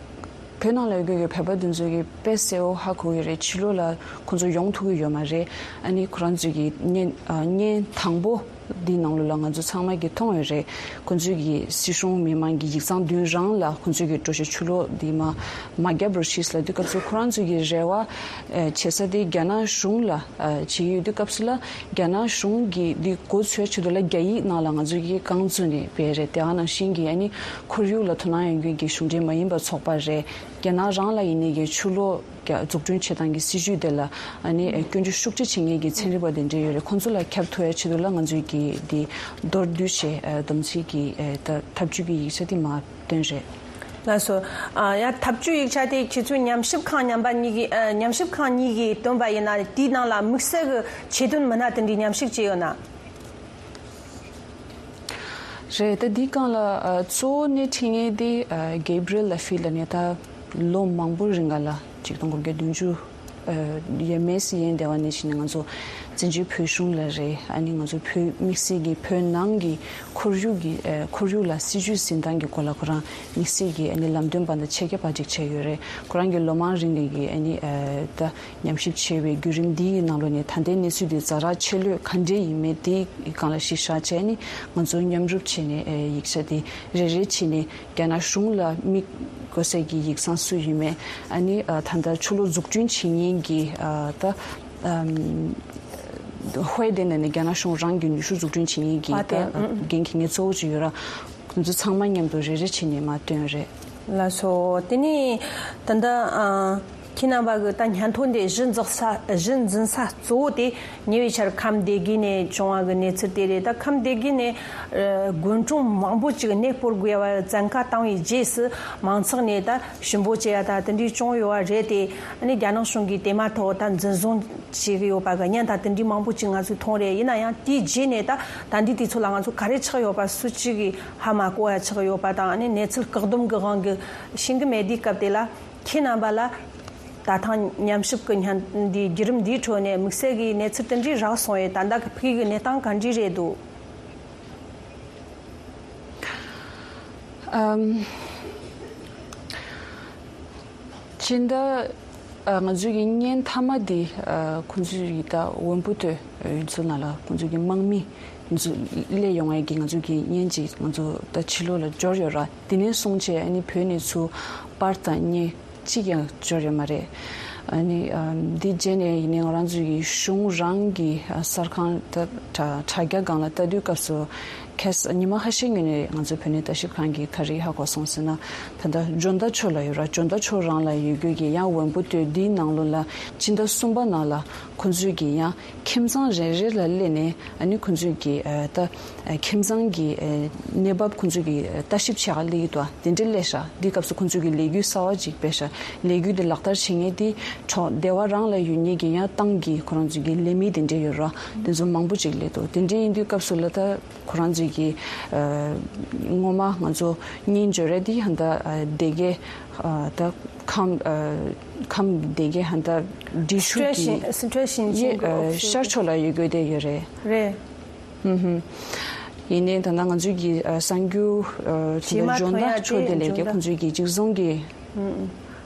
བོད་ནང་ལ་ཡོད་དགོས་ཀྱི་བོད་པ་འདི་ཚོ་གི་དཔེ་གསལ་བོ་ཧ་གོ་གི་རེད། ཕྱི་ལོགས་ལ་ཁོང་ཚོ་ཡོང་ཐུབ་ཀྱི་ཡོད་མ་རེད། ཨ་ནི་ཁོ་རང་ཚོ་གི་བརྙན་ཨ་བརྙན་དང་པོ་འདི་ནང་ལོགས་ལ་ང་ཚོ་ཚང་མ་གི་མཐོང་ཡོད་རེད། ཁོང་ཚོས་ཀྱི་སྲིད་གཞུང་མི་མང་གི་ཡིག་ཚང་མདུན་རང་ལ་ཁོང་ཚོས་ཀྱི་འགྲོ་ཞིག་ཆུ་ལོག་འདི་མ་མ་བརྒྱབ་རོགས་ཞེས་ལབ་དུས་སྐབས་སུ་ཁོ་རང་ཚོས་ཀྱི་རེ་བ་ཨེ་བྱེད་ས་དེ་རྒྱ་ནག་གཞུང་ལ་ཨེ་བྱེད་ཀྱི་ཡོད་དུས་སྐབས་སུ་ལ་རྒྱ་ནག་གཞུང་གི་འདི་མགོ་ཚོས་ཆེད་དུ་ལ་རྒྱ་ཡིག་ནང་ལ་ང་ཚོས་ཀྱི་རྐང་བཙུགས་ནས་སྤེལ་རེད། དེ་ཨ་ནང་བཞིན་གྱི་ཨ་ནི་ཁོར་ཡུག་ལ་དོ་སྣང་ཡོད་མཁན་གྱི་གཞུང་འབྲེལ་མ་ཡིན་པ་ཚོགས་པ་རེད། རྒྱ་ནག་རང་ལ་ཡིན་ནའི་གི་ཆུ་ལོག་རྒྱ་འཛུགས་སྐྲུན་བྱེད་སྟངས་ཀྱི་སྲིད་ཇུས་དེ་ལ་ཨ་ནི་སྐྱོན་བརྗོད་ཤུགས་ཆེ་བྱེད་མཁན་གྱི་ཚན་རིག་པ་དེ་འདྲ་ཡོད་རེད། ཁོང་ཚོ་ལ་ཁྱབ་ཐུབ་ཡ་ཆེད་དུ་ལ་ང་ཚོས་ཀྱི་འདི་མདོར་བསྡུས་བྱས་ཨ་བསྡོམས་ཚིག་གི་ཨ་ད་ཐབས་ཇུས་ཀྱི་ཡིག་ཆ་དེ་མར་བཏོན་རེད། ལགས་སོ། ཨ་ཡ་ཐབས་ཇུས་ཡིག་ཆ་དེ་ཁྱེད་ཚོའི་ཉམས་ཞིབ་ཁང་རྣམ་པ་གཉིས་ཀྱིས་ཨ་ཉམས་ཞིབ་ཁང་གཉིས་ཀྱིས་བཏོན་པ་ཡིན་ན་དེའི་ནང་ལ་དམིགས་བསལ་གྱི་ཆེད་དོན་མི་སྣ་དེ་འདྲའི་ཉམས་ཞིབ་བྱས་ཡོད་ན། རེད། ད་འདི་སྒང་ལ་ཨ་གཙོ་བོ་སྣེ་ཁྲིད་མཁན་དེ་ཨ་Gabriel Laffey་ལ་ནས་ད་ལོ་མང་པོ་རིང་ག་ལ་ཆིག་སྟོང་དགུ་བརྒྱ་བདུན་ཅུ་ཨ་ཡ་མེས་ཡན་དེ་བ་ནས་བྱས་ནས་ང་ཚོ་བཙན་བྱོལ་བོད་གཞུང་ལ་རེད། ཨ་ནི་ང་ཚོ་བོད་དམིགས་བསལ་གྱི་བོད་ནང་གི་ཁོར་ཡུག་གི་ཨ་ཁོར་ཡུག་ལ་སྲིད་ཇུས་འཛིན་སྟངས་ཀྱི་སྐོར་ལ་ཁོ་རང་དམིགས་བསལ་གྱི་ཨ་ནི་ལམ་སྟོན་པ་དང་ཆེད་མཁས་པ་ཅིག་བྱས་ཡོད་རེད། ཁོ་རང་གི་ལོ་མང་རིང་ལ་གི་ཨ་ནི་ཨ་ད་ཉམས་ཞིབ་བྱས་པའི་བརྒྱུད་རིམ་འདིའི་ནང་ལོགས་ནས་ད་ལྟའི་གནས་ཚུལ་འདི་ཛ་དྲག་ཆེ་ལོས་ག་འདྲས་ཡིན་མིན་དེའི་སྒང་ལ་གཞི་བཞག་བྱས་ནས་ང་ཚོ་མཉམ་རུབ་བྱས་ནས་ཨེ་ཡིག་ཆ་དེ་རེ་རེ་བྱས་ནས་རྒྱ་ནག་གཞུང་ལ་དམིགས་དགོས་སའི་གི་ཡིག་ཚང་སུ་ཡིན་མིན། ཨ་ནི་ཨ་ད་ལྟ་ཆུ་ལོག་འཛུགས་སྐྲུན་བྱེད་མཁན་གྱི་ཨ་ད་ཨམ་ཧོའེ་དེ་ནས་ནི་རྒྱ་ནག་གཞུང་རང་གི་ནུས་ཤུགས་འཛུགས་སྐྲུན་བྱེད་མཁན་གྱི་ད་ཨ་འགན་འཁྱེར་མཁན་གཙོ་བོ་ཅིག་ཡོད་ར། ཁོང་ཚོ་ཚང་མ་མཉམ་དུ་རེ་རེ་བྱས་ནས་མར་བཏོན་རེད། ལགས་སོ། དེ་ནས་ད་ལྟ་ཨ་ཁྱེད་རྣམ་པ་གི་ད་སྙན་ཐོ་འདི་གཞི་འཛིན་ས་གཞི་འཛིན་ས་གཙོ་བོ་དེ་ཉེ་བའི་ཆར་ཁམས་སྡེ་དགེ་ནས་བྱུང་བ་གི་གནས་ཚུལ་དེ་རེད། ད་ཁམས་སྡེ་དགེ་ནས་ཨ་དགོན་གྲོང་མང་པོ་ཅིག་གནས་སྤོར་དགོས་པ་བཙན་བཀའ་བཏང་བའི་རྗེས་སུ་མང་ཚོགས་ནས་ད་ཞུ་འབོད་བྱེད་ཡ་ད་དེ་འདྲའི་བྱུང་ཡོད་པ་རེད་དེ། ཨ་ནི་རྒྱ་ནག་གཞུང་གིས་དེ་མ་ཐག་ད་འཛིན་བཟུང་བྱེད་ཀྱི་ཡོད་པ་གི་བརྙན་དང་དེ་འདྲའི་མང་པོ་ཅིག་ང་ཚོས་མཐོང་རེད། ཡིན་ན་ཡང་དེའི་རྗེས་ནས་ད་ད་འདི་དུས་ཚོད་ལ་ང་ཚོ་ག་རེ་ཆགས་ཡོད་པ་སུ་གཅིག་གིས་ཧ་མ་གོ་བ་ཆགས་ཡོད་པ་དང་། ཨ་ནི་གནས་ཚུལ་བཀག་སྡོམ་གྱི་དབང་གིས་ཤེས་ཀྱི་མེད་དུས་སྐབས་དེ་ལ་ཁྱེད་རྣམ་པ་ལ་ད་ཐེངས་ཉམས་ཞིབ་ཀྱི་བརྙན་འདིའི་བརྒྱུད་རིམ་འདིའི་ཁྲོད་ནས་དམིགས་བསལ་གྱི་གནས་ཚུལ་དེ་འདྲའི་རག་སོང་བས། ད་ལྟ་གི་ཕ་གི་གནས་སྟངས་ག་འདྲ་རེད་འདུག་ཨམ། སྤྱི་ཟླ་ཨ་ང་ཚོའི་གི་བརྙན་མཐའ་མ་འདི་ཨ་ཁོང་ཚོའི་གི་ད་ཝན་པུ་ཏོ་ཡུལ་ཚོ་ནང་ལ་ཁོང་ཚོའི་གི་དམག་མི་ཚོ་སླེབས་ཡོང་བའི་གི་ང་ཚོའི་གི་བརྙན་ཅིག་ང་ཚོ་ད་ཕྱི་ལོགས་ལ་འབྱོར་ཡོད་ར། དེ་ནས་བཟུང་བྱས་ཨ་ནི་བོད་ནས་ཚུར་པར་དང་བརྙན་གཅིག་ཀྱང་འབྱོར་ཡོད་མ་རེད། ཨ་ནི་ཨ་འདི་རྗེས་ནས་ཡིན་ནའི་ང་རང་ཚོའི་གི་གཞུང་རང་གི་ཨ་གསར་ཁང་ད་དྲ་དྲ་རྒྱ་སྒང་ལ་ལྟ་དུས་སྐབས་སུ། ཁ་སང་ཉི་མ་ཁ་ཤས་སྔོན་ནས་ང་ཚོའི་བོད་གནས་ལྟ་ཞིབ་ཁང་གིས་ག་རེ་ཧ་གོ་སོང་ཟེར་ན། ད་ལྟ་ཇོ་མདའ་ཕྱོགས་ལ་ཡོད་ར། ཇོ་མདའ་ཕྱོགས་རང་ལ་ཡོད་རྒྱུ་གི་ཡང་ཝན་པུ་ཏོ་འདིའི་ནང་ལོགས་ལ་སྤྱི་ཟླ་གསུམ་པ་ནང་ལ་ཁོང་ཚོས་གི་ཡང་ཁྱིམ་ཚང་རེ་རེ་ལ་སླེབས་ནས་ཨ་ནི་ཁོང་ཚོས་གི་ཨ་ད་ཨ་ཁྱིམ་ཚང་གི་ཨ་གནས་བབ་ཁོང་ཚོས་གི་ཨ་ལྟ་ཞིབ་བྱེད་ག་སླེབས་ཀྱི་འདུག་དེ་འདྲ་སླེབས་ཤག་འདི་སྐབས་སུ་ཁོང་ཚོས་གི་ལས་འགུལ་གསར་བ་ཅིག་སྤེལ་ཤག་ལས་འགུལ་འདི་ལག་བསྟར་བྱེད་མཁན་དེ་གྲོགས་སྡེ་བ་རང་ལ་ཡོད་མཁན་གི་ཡང་ཏང་གི་ཁོ་རང་ཚོའི་གི་ལས་མི་དེ་འདྲ་ཡོད་ར། དེ་ཚོ་མང་པོ་ཅིག་སླེབས་འདུག་དེ་འདྲ་ཡིན་དུས་སྐབས་སུ་ལ་ད། ཁོ་རང་ཚོས་ཀྱི་ཨ་སྔོན་མ་ང་ཚོ་གཉེན་སྦྱོར་རེད་དེ་ཧན་ད་ཨ་སྡེ་དགེ་ཨ་ད་ཁམས་ཨ་ཁམས་སྡེ་དགེ་ཧན་ད་འབྲི་ཆུ་སི་ཁྲོན་གི་ཞིང་སི་ཁྲོན་ཞིང་ཆེན་གྱི་ཨ་འོག་ཤར་ཕྱོགས་ལ་ཡོད་དགོས་དེ་ཡོད་རེད། རེད། ཧུམ་ཧུམ། ཡིན་ནའི་ད་ལྟ་ང་ཚོས་ཀྱི་ཨ་གསར་འགྱུར་ཨ་ད་ལྟ་ཇོ་མདའ་ཕྱོགས་དེ་ལས་ཀྱི་ཁོང་ཚོས་ཀྱི་གཅིག་བཟུང་གི་ཧུམ་ཧུམ།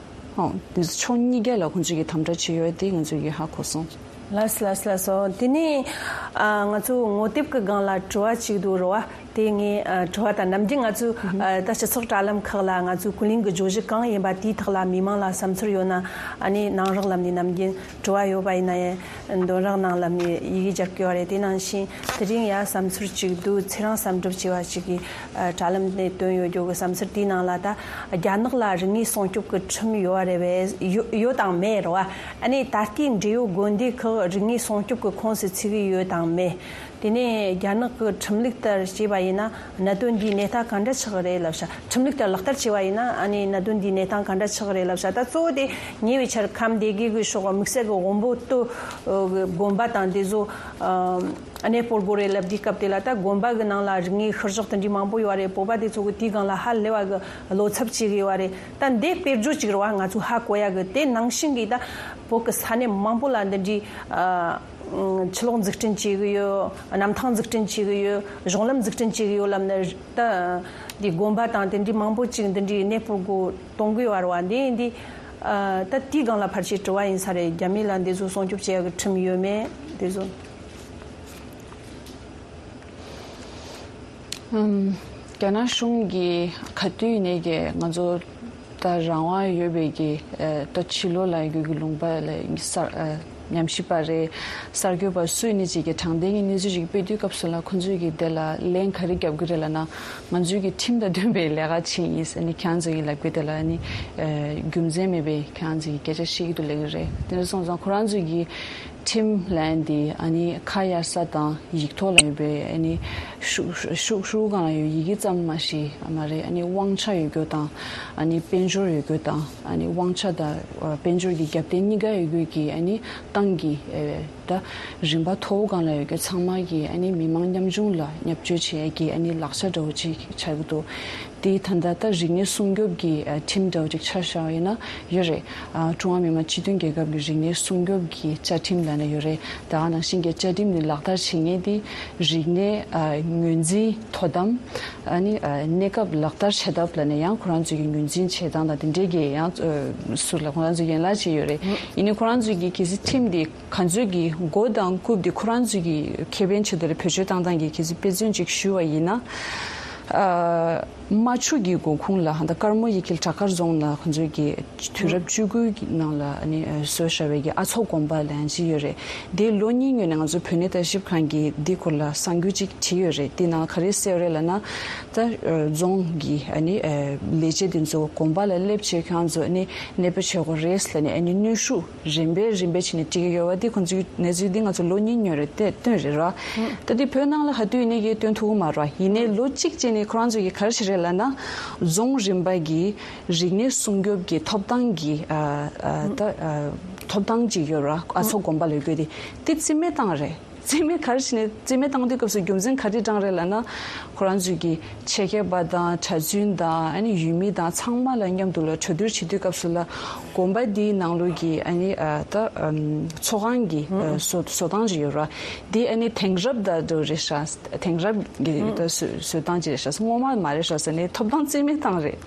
ཨོ་དེ་ཕྱོགས་གཉིས་ཀ་ལ་ཁོང་ཚོས་ཀྱི་དམ་དྲག་བྱས་ཡོད་དེ་ང་ཚོས་ཀྱི་ཧ་གོ་སོང་། ལགས་སོ་ལགས་སོ་ལགས་སོ། དེ་ནས་ཨ་ང་ཚོ་ངོ་དེབ་ཀྱི་སྒང་ལ་དྲི་བ་གཅིག་འདུག་རེད་བ། དེ་ངས་ཨ་དྲི་བ་དང་ནམ་རྒྱུན་ང་ཚོ་ཨ་ད་སྤྱི་ཚོགས་དྲ་ལམ་ཁག་ལ་ང་ཚོའི་ཀུན་གླེང་གི་བརྗོད་གཞི་གང་ཡིན་པ་དེའི་ཐོག་ལ་མི་མང་ལ་བསམ་ཚུལ་ཡོད་ན། ཨ་ནི་ནང་རོགས་ལམ་ནས་ནམ་རྒྱུན་དྲི་བ་ཡོད་པ་ཡིན་ན་ཡང་འདོན་རོགས་གནང་ལབ་ནས་ཡི་གེ་རྒྱབ་ཀྱི་ཡོད་རེད། དེ་ནང་བཞིན་དེ་རིང་ཡ་བསམ་ཚུལ་གཅིག་འདུག་ཚེ་རིང་བསམ་གྲུབ་ཅེས་པ་ཅིག་གིས་ཨ་དྲ་ལམ་ནས་བཏོན་ཡོད་རྒྱུ་གི་བསམ་ཚུལ་དེའི་ནང་ལ། ད་རྒྱ་ནག་ལ་རིག་གནས་སྲུང་སྐྱོབ་ཀྱི་ཁྲིམས་ཡོད་རེད་པས། ཡོད་ཡོད་དང་མེད་རེད་བ། ཨ་ནི་ད་ལྟའི་འབྲེལ་ཡོད་དགོན་སྡེ་ཁག་རིག་གནས་སྲུང་སྐྱོབ་ཀྱི་ཁོངས་སུ་ཚུད་ཀྱི་ཡོད་དང་མེད། དེ་ནས་རྒྱ་ནག་གི་ཁྲིམས་ལུགས་ལྟར་བྱས་པ་ཡིན་ན་གནད་དོན་འདིའི་གནས་སྟངས་ག་འདྲ་ཆགས་ཀྱི་རེད་ལབ་ཤག་ཁྲིམས་ལུགས་ལྟར་ལག་བསྟར་བྱས་པ་ཡིན་ན། ཨ་ནི་གནད་དོན་འདིའི་གནས་སྟངས་ག་འདྲ་ཆགས་ཀྱི་རེད་ལབ་ཤག་ད་གཙོ་བོ་དེ་ཉེ་བའི་ཆར་ཁམས་སྡེ་དགེ་གི་ཕྱོགས་དམིགས་བསལ་གྱི་ཝོན་པོ་ཏོ་གི་དགོན་པ་དང་དེ་ཚོ་ཨ་གནས་སྤོར་དགོས་རེད་ལབ་དུས་སྐབས་དེ་ལ། ད་དགོན་པ་གི་ནང་ལ་རིག་གནས་ཤུལ་བཞག་དེ་འདྲའི་མང་པོ་ཡོད་རེད། བོད་པ་དེ་ཚོ་གི་དེའི་སྒང་ལ་ཧ་ལས་པ་གི་བློ་འཚབ་བྱེད་ཀྱི་ཡོད་རེད། ད་འདི་དཔེར་བརྗོད་ཅིག་རེད་བ། ང་ཚོ་ཧ་གོ་ཡ་གི་དེ་ནང་བཞིན་གྱི་ད་བོད་གི་ས་གནས་མང་པོ་ལ་འདི་འདྲའི་ཨ། ཆུ་ལོག་འཛུགས་སྐྲུན་བྱེད་ཀྱི་ཡོད། གནམ་ཐང་འཛུགས་སྐྲུན་བྱེད་ཀྱི་ཡོད། གཞུང་ལམ་འཛུགས་སྐྲུན་བྱེད་ཀྱི་ཡོད་ལབ་ནས། ད་འདི་དགོན་པ་དང་དེ་འདྲའི་མང་པོ་ཅིག་འདི་འདྲའི་གནས་སྤོར་དགོས་གཏོང་གི་ཡོད་རེད་བ། འདི་འདི་ཨ་ད་དེའི་སྒང་ལ་ཕལ་ཆེར་དྲི་བ་ཡིན་ས་རེད། རྒྱ་མི་ལ་འདི་ཚོ་སྲུང་སྐྱོབ་བྱེད་ཡག་གི་ཁྲིམས་ཡོད་མེད་དེ་ཚོ། ཨམ། རྒྱ་ནག་གཞུང་གིས་ག་དུས་ནས་ཀྱི་ང་ཚོ་ད་རང་དབང་ཡོད་པའི་གི་ཨ་ད་ཕྱི་ལོགས་ལ་ཡོད་ཀྱི་ལུང་པ་ལ་གསར་ཨ་ཉམས་ཞིབ་པ་རེད། གསར་འགོད་པ་སུ་ཡིན་ནའི་ཅིག་གིས་དྲང་བདེན་གྱི་གནས་ཚུལ་ཅིག་སྤེལ་དུས་སྐབས་སུ་ལ། ཁོང་ཚོས་ཀྱིས་དེ་ལ་ལན་ག་རེ་རྒྱབ་ཀྱི་རེད་ལབ་ན། ང་ཚོས་ཀྱིས་ཁྲིམས་དང་མཐུན་པའི་ལས་ཀ་བྱེད་ཡིན་ཟེར་ནས་ཁྱེད་རང་ཚོ་གིས་ལབ་ཀྱི་དེ་ལ་ནི་ཨ་རྒྱུ་མཚན་མེད་པའི་ཁྱེད་རང་ཚོ་གིས་སྐད་ཆ་བཤད་ཀྱི་འདུག་ལབ་ཀྱི་རེད། དེ་འདྲ་སོང་ཙང་ཁོ་རང་ཚོས་ཀྱིས་ཁྲིམས་ལབ་ཡ་དེ་ཨ་ནི་ཁ་གཡར་ས་དང་ཡིག་ཐོག་ལ་ཡོད་པའི་ཨ་ནི་ཤོག་ཤོག་ཤོག་གུ་སྒང་ལ་ཡོད་ཡི་གེ་ཙམ་མ་ཞིག་མ་རེད། ཨ་ནི་དབང་ཆ་ཡོད་རྒྱུ་དང་ཨ་ནི་དཔལ་འབྱོར་ཡོད་རྒྱུ་དང་། ཨ་ནི་དབང་ཆ་དང་དཔལ་འབྱོར་གྱི་རྒྱབ་རྟེན་གཉིས་ཀ་ཡོད་རྒྱུ་གི་ཨ་ནི་ཏང་གི་ཨེ་ད་རིམ་པ་མཐོ་བོ་སྒང་ལ་ཡོད་རྒྱུ་ཚང་མ་གི་ཨ་ནི་མི་མང་ཉམ་ཆུང་ལ་བརྙས་བཅོས་བྱེད་ཡ་གི་ཨ་ནི་ལག་ཆ་འདྲ་བོ་ཅིག་ཆགས་ཀྱི་འདུག་དེ་ད་ལྟ་ད་རིག་གནས་སྲུང་སྐྱོབ་ཀྱི་ཨ་ཁྲིམས་འདྲ་བོ་ཅིག་ཆ་བཞག་པ་ཡིན་ན་ཡོད་རེད། ཨ་ཀྲུང་ཧྭ་མི་དམངས་སྤྱི་མཐུན་རྒྱལ་ཁབ་ཀྱི་རིག་གནས་སྲུང་སྐྱོབ་ཀྱི་བཅའ་ཁྲིམས་ལབ་ནས་ཡོད་རེད། ད་ག་ནང་བཞིན་གྱི་བཅའ་ཁྲིམས་འདི་ལག་བསྟར་བྱེད་མཁན་དེ་རིག་གནས་ཨ་ངོས་འཛིན་དོ་དམ། ཨ་ནི་ཨ་གནས་སྐབས་ལག་བསྟར་བྱེད་ཐབས་ལབ་ནས་ཡང་ཁོ་རང་ཚོའི་གི་ངོས་འཛིན་བྱེད་སྟངས་དང་དེ་འདྲའི་གི་ཡང་ཨ་ཟུར་ལ་ཁོ་རང་ཚོའི་ཡན་ལག་ཅིག་ཡོད་རེད། ཡིན་ནའི་ཁོ་རང་ཚོའི་གི་གལ་སྲིད་ཁྲིམས་འདི་ག་ཚོད་ཀྱི་མགོ་དང་རྐུབ་དེ་ཁོ་རང་ཚོའི་གི་ཁེ་ཕན་ཆེད་དུ་རེ་བེད་སྤྱོད་བཏང་སྟངས་ཀྱི་གལ་སྲིད་དཔེ་མཚོན་ཅིག་ཞུ་བ་ཡིན་ན། ཨ་རྨ་ཆུ་གི་མགོ་ཁུངས་ལ་ཧ་ད་ཀརྨོ་ཡི་གེ་བྲག་དཀར་རྫོང་ལ་ཁོ་ཚོའི་གི་དུས་རབས་བཅུ་དགུ་གི་ནང་ལ་ཨ་ནི་བཟོས་བཞག་པའི་གི་ཨ་མཚོ་དགོན་པ་ལབ་ཡ་ཅིག་ཡོད་རེད། དེ་ལོ་གཉིས་སྔོན་ནས་ང་ཚོ་བོད་གནས་ལྟ་ཞིབ་ཁང་གིས་འདི་སྐོར་ལ་གསར་འགྱུར་ཅིག་བྲིས་ཡོད་རེད། དེ་ནང་ག་རེ་གསལ་ཡོད་རེད་ལབ་ན། ད་རྫོང་གི་ཨ་ནི་ལས་བྱེད་དེ་ཚོ་དགོན་པ་ལ་སླེབས་བྱས་ཁྱེད་རང་ཚོ་ཨ་ནི་གནས་སྤོ་བྱེད་དགོས་རེད་ལབ་ནས་ཨ་ནི་གནོན་ཤུགས་རིམ་པས་རིམ་པས་བྱས་ནས་སྤྲད་ཀྱི་ཡོད་པ་དེ་ཁོང་ཚོའི་གནས་ཚུལ་འདི་ང་ཚོ་ལོ་གཉིས་སྔོན་རེད་དེ་བཏོན་རེད་ར། ད་འདི་བོད་ནང་ལ་ག་དུས་ཡིན་ནའི་གི་བཏོན་ཐུབ་ཀྱི་མ་རེད་བ། ཡིན་ནའི་ལོ་གཅིག་རྗེས་ནས་ཁོ་རང་ཚོ་གིས་ག་རེ་བྱས་རེད་ལབ་ན། རྫོང་རིམ་པ་གི་རིག་གནས་སྲུང་སྐྱོབ་ཀྱི་ཐོབ་ཐང་གི་ཨ་ཨ་ད་ཨ་ཐོབ་ཐང་ཅིག་ཡོད་ར། ཨ་མཚོ་དགོན་པ་ལ་ཡོད་རྒྱུ་དེ་དེ་རྩིས་མེད་བཏང་རེད། རྩིས་མེད་ག་རེ་བྱས་ནས་རྩིས་མེད་བཏང་དུས་སྐབས་སུ་རྒྱུ་མཚན་ག་རེ་དྲངས་རེད་ལབ་ན། ཁོ་རང་ཚོས་ཀྱི་ཆེད་མཁས་པ་དང་གྲྭ་བཙུན་དང་ཨ་ནི་ཡུལ་མི་དང་ཚང་མ་ལ་མཉམ་དུ་ལ་གྲོས་བསྡུར་བྱེད་དུས་སྐབས་སུ་ལ་དགོན་པ་འདིའི་ནང་ལོགས་ཀྱི་ཨ་ནི་ཨ་ད་ཨམ་ཚོགས་ཁང་གི་ཨ་བཟོ་བཟོ་སྟངས་ཅིག་ཡོད་ར། འདི་ཨ་ནི་དེང་རབས་དང་འདྲ་བོ་རེད་ཤག་དེང་རབས་ཀྱི་ད་བཟོ་བཟོ་སྟངས་ཅིག་རེད་ཤག་སྔོན་མ་མ་རེད་ཤག་ཟེར་ནས་ཐོབ་ཐང་རྩིས་མེད་བཏང་རེད།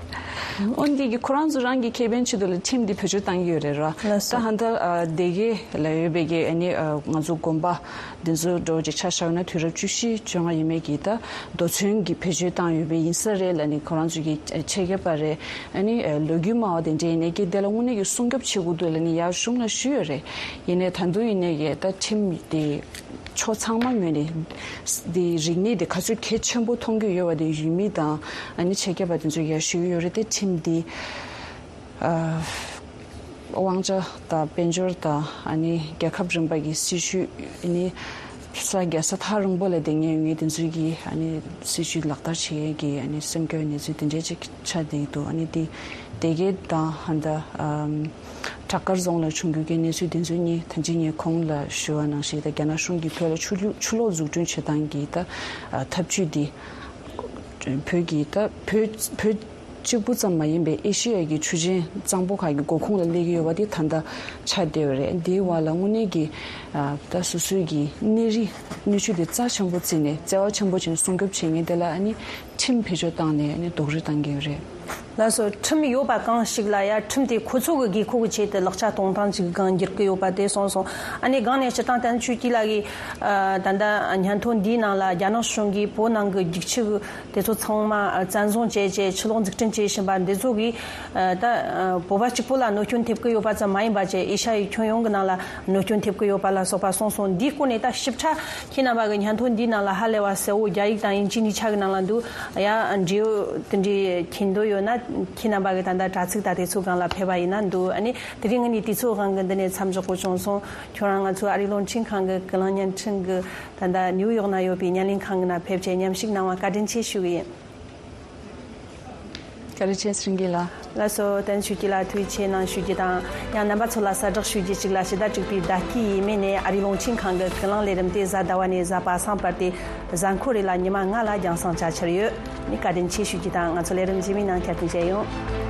འོན་ཏེ་གི་ཁོ་རང་ཚོ་རང་གི་ཁེ་ཕན་ཆེད་དུ་ལ་ཁྲིམས་འདི་བེད་སྤྱོད་བཏང་གི་ཡོད་རེད་ར། ལགས་སོ། ད་ཧ་ད་ཨ་སྡེ་དགེ་ལ་ཡོད་པའི་གི་ཨ་ནི་ཨ་ང་ཚོ་དགོན་པ་འདི་ཚོ་འདྲ་བོ་ཅིག་ཆ་བཞག་ན་དུས་རབས་བཅུ་བཞི་བཅོ་ལྔ་ཡས་མས་ཀྱི་ད་རྡོ་ཚོན་གྱི་བེད་སྤྱོད་བཏང་ཡོད་པའི་ཡིན་ས་རེད་ལབ་ནི་ཁོ་རང་ཚོ་གི་ཆེད་མཁས་པ་རེད། ཨ་ནི་ཨ་ལོ་རྒྱུས་སྨྲ་བ་དེ་འདྲ་ཡིན་ནའི་གི་དེ་ལ་དངོས་གནས་ཀྱི་སྲུང་སྐྱོབ་བྱེད་དགོས་འདུག་ལབ་ནི་ཡར་གཞུང་ལ་ཞུས་ཡོད་རེད། ཡིན་ནའི་ད་དུང་ཡིན་ནའི་གི་ད་ཁྲིམས་དེ་ཕྱོགས་ཚང་མ་ངོས་ནས་འདི་རིག་གནས་འདི་ག་ཚོད་གལ་ཆེན་པོ་མཐོང་གི་ཡོད་པ་དེ་ཡུལ་མི་དང་ཨ་ནི་ཆེད་མཁས་པ་དེ་ཚོས་ཡར་ཞུས་ཡོད་རེད་དེ། ཁྲིམས་འདི་ཨ་དབང་ཆ་དང་དཔལ་འབྱོར་དང་ཨ་ནི་རྒྱལ་ཁབ་རིམ་པ་གི་སྲིད་ཇུས། ཨ་ནི་ས་རྒྱལ་ས་ཐག་རིང་པོ་ལ་བསྡད་མཁན་ཡོད་མཁན་དེ་ཚོས་ཀྱི་ཨ་ནི་སྲིད་ཇུས་ལག་བསྟར་བྱེད་མཁན་གྱི་ཨ་ནི་སེམས་འགུལ་གནས་ཚུལ་དེ་འདྲས་ཅིག་ཆགས་བསྡད་ཀྱི་འདུག་ཨ་ནི་དེ་སྡེ་དགེ་དང་ཧ་ད་ཨམ་བྲག་དཀར་རྫོང་ལ་བྱུང་རྒྱུ་གི་གནས་ཚུལ་དེ་ཚོ་གཉིས་ད་ཅི་ངས་གོང་ལ་ཞུ་བ་ནང་བཞིན་ད་རྒྱ་ནག་གཞུང་གིས་བོད་ལ་ཆུ་ལུ་ཆུ་ལོག་འཛུགས་སྐྲུན་བྱེད་སྟངས་ཀྱི་ད་ཨ་ཐབས་ཇུས་འདི་བོད་ཀྱི་ད་བོད་བོད་གཅིག་པུ་ཙམ་མ་ཡིན་པའི་ཨེ་ཤི་ཡ་གི་ཆུ་ཆེན་གཙང་པོ་ཁག་གི་མགོ་ཁུངས་ལ་སླེབས་ཀྱི་ཡོད་པ་དེ་ད་ལྟ་ཆགས་བསྡད་ཡོད་རེད། འདིའི་བར་ལ་དངོས་གནས་ཀྱི་ཨ་ད་སོ་སོའི་གི་གནས་རི་གནས་ཆུ་དེ་རྩ་ཆེན་པོ་བརྩིས་ནས་བརྩེ་བ་ཆེན་པོ་བྱས་ནས་སྲུང་སྐྱོབ་བྱེད་མཁན་དེ་ལ་ཨ་ནི། ཁྲིམས་བེད་སྤྱོད་བཏང་ནས་ནི་རྡོག་རོལ་བཏང་གི་ཡོད་རེད། ལགས་སོ། ཁྲིམས་ཡོད་པ་གང་ཞིག་ལ་ཡ་ཁྲིམས་དེ་ཁོ་ཚོ་གི་དགོས་མཁོ་གི་ཆེད་དུ་ལག་ཆ་གཏོང་སྟངས་ཅིག་སྒང་འགྱུར་གི་ཡོད་པ་དེ་གསུངས་སོང་། ཨ་ནི་སྒང་ནས་སྤྱིར་བཏང་བསྟན་ཆོས་སྐྱིད་ལགས་ཀྱིས་ད་ལྟ་སྙན་ཐོ་འདིའི་ནང་ལ་རྒྱ་ནག་གཞུང་གིས་བོད་ནང་གི་རྒྱུག་ཆུ་དེ་ཚོ་ཚང་མ་བཙན་བཟུང་བྱས་བྱས་ཆུ་ལོག་འཛུགས་སྐྲུན་བྱེད་བཞིན་པ་འདི་ཚོ་གིས་ད་བོད་པ་གཅིག་པོ་ལ་གནོད་སྐྱོན་ཐེབས་ཀྱི་ཡོད་པ་ཙམ་མ་ཡིན་པ་བྱས་ཨེ་ཤ་ཡའི་ཁྱོན་ཡོངས་ཀྱི་ནང་ལ་གནོད་སྐྱོན་ཐེབས་ཀྱི་ཡོད་པ་ལ་སོགས་པ་གསུངས་སོང་། འདིའི་སྐོར་ནས་ད་ཞིབ་ཕྲ་ཁྱེད་རྣམ་པ་གི་སྙན་ཐོ་འདིའི་ནང་ལ་ཧ་ལས་པ་གསལ་བོ་རྒྱ་ཡིག་དང་དབྱིན་ཇི་གཉིས་ཆ་གི་ནང་ལ་འདུག། ཡ་འབྲེལ་ཡོད་དེ་འདྲའི་མཁྱེན་འདོད་ཡོད་ན་ཁྱེད་རྣམ་པ་གི་ད་ལྟ་དྲ་ཚིགས་དང་དེ་ཚོའི་སྒང་ལ་ཕེབས་པ་ཡིན་ན་འདུག། ཨ་ནི་དེ་རིང་ངས་ནི་དུས་ཚོད་དབང་གིས་འདི་ནས་མཚམས་འཇོག་དགོས་བྱུང་སོང་། ཁྱོད་རང་ང་ཚོའི་ཨ་རིའི་རླུང་འཕྲིན་ཁང་གི་ཀུན་གླེང་བརྙན་འཕྲིན་གྱི་ད་ལྟ་ནིའུ་ཡོག་ན་ཡོད་པའི་བརྙན་ལེན་ཁང་གི་ནང་ཕེབས་བྱས་མཉམ་ཞུགས་གནང་བ་བཀའ་དྲིན་ཆེ་ཞུ་གི་ཡིན། བཀའ་དྲིན་ཆེ་སྲིད་འགུལ་ལགས། ལགས་སོ། བསྟན་ཆོས་སྐྱིད་ལགས་ཐུགས་རྗེ་ཆེ་གནང་ཞུ་རྒྱུ་དང་། ཡང་རྣམ་པ་ཚོ་ལ་གསལ་བསྒྲགས་ཞུ་རྒྱུ་གཅིག་ལ་ཕྱི་ཟླ་དྲུག་པའི་ཟླ་དཀྱིལ་ཡས་མས་ནས་ཨ་རིའི་རླུང་འཕྲིན་ཁང་གི་ཀུན་གླེང་ལས་རིམ་དེ་གཟའ་ཟླ་བ་ནས་གཟའ་པ་སངས་བར་དུ་གཟའ་འཁོར་རེ་ལ་ཉི་མ་ལྔ་ལ་རྒྱང་སྲིང་བྱ་འཆར་ཡོད། ནི་བཀའ་དྲིན་ཆེ་ཞུ་རྒྱུ་དང་ང་ཚོ་ལས་རིམ་རྗེས་མའི་ནང་བསྐྱར་དུ་མཇལ་ཡོང་།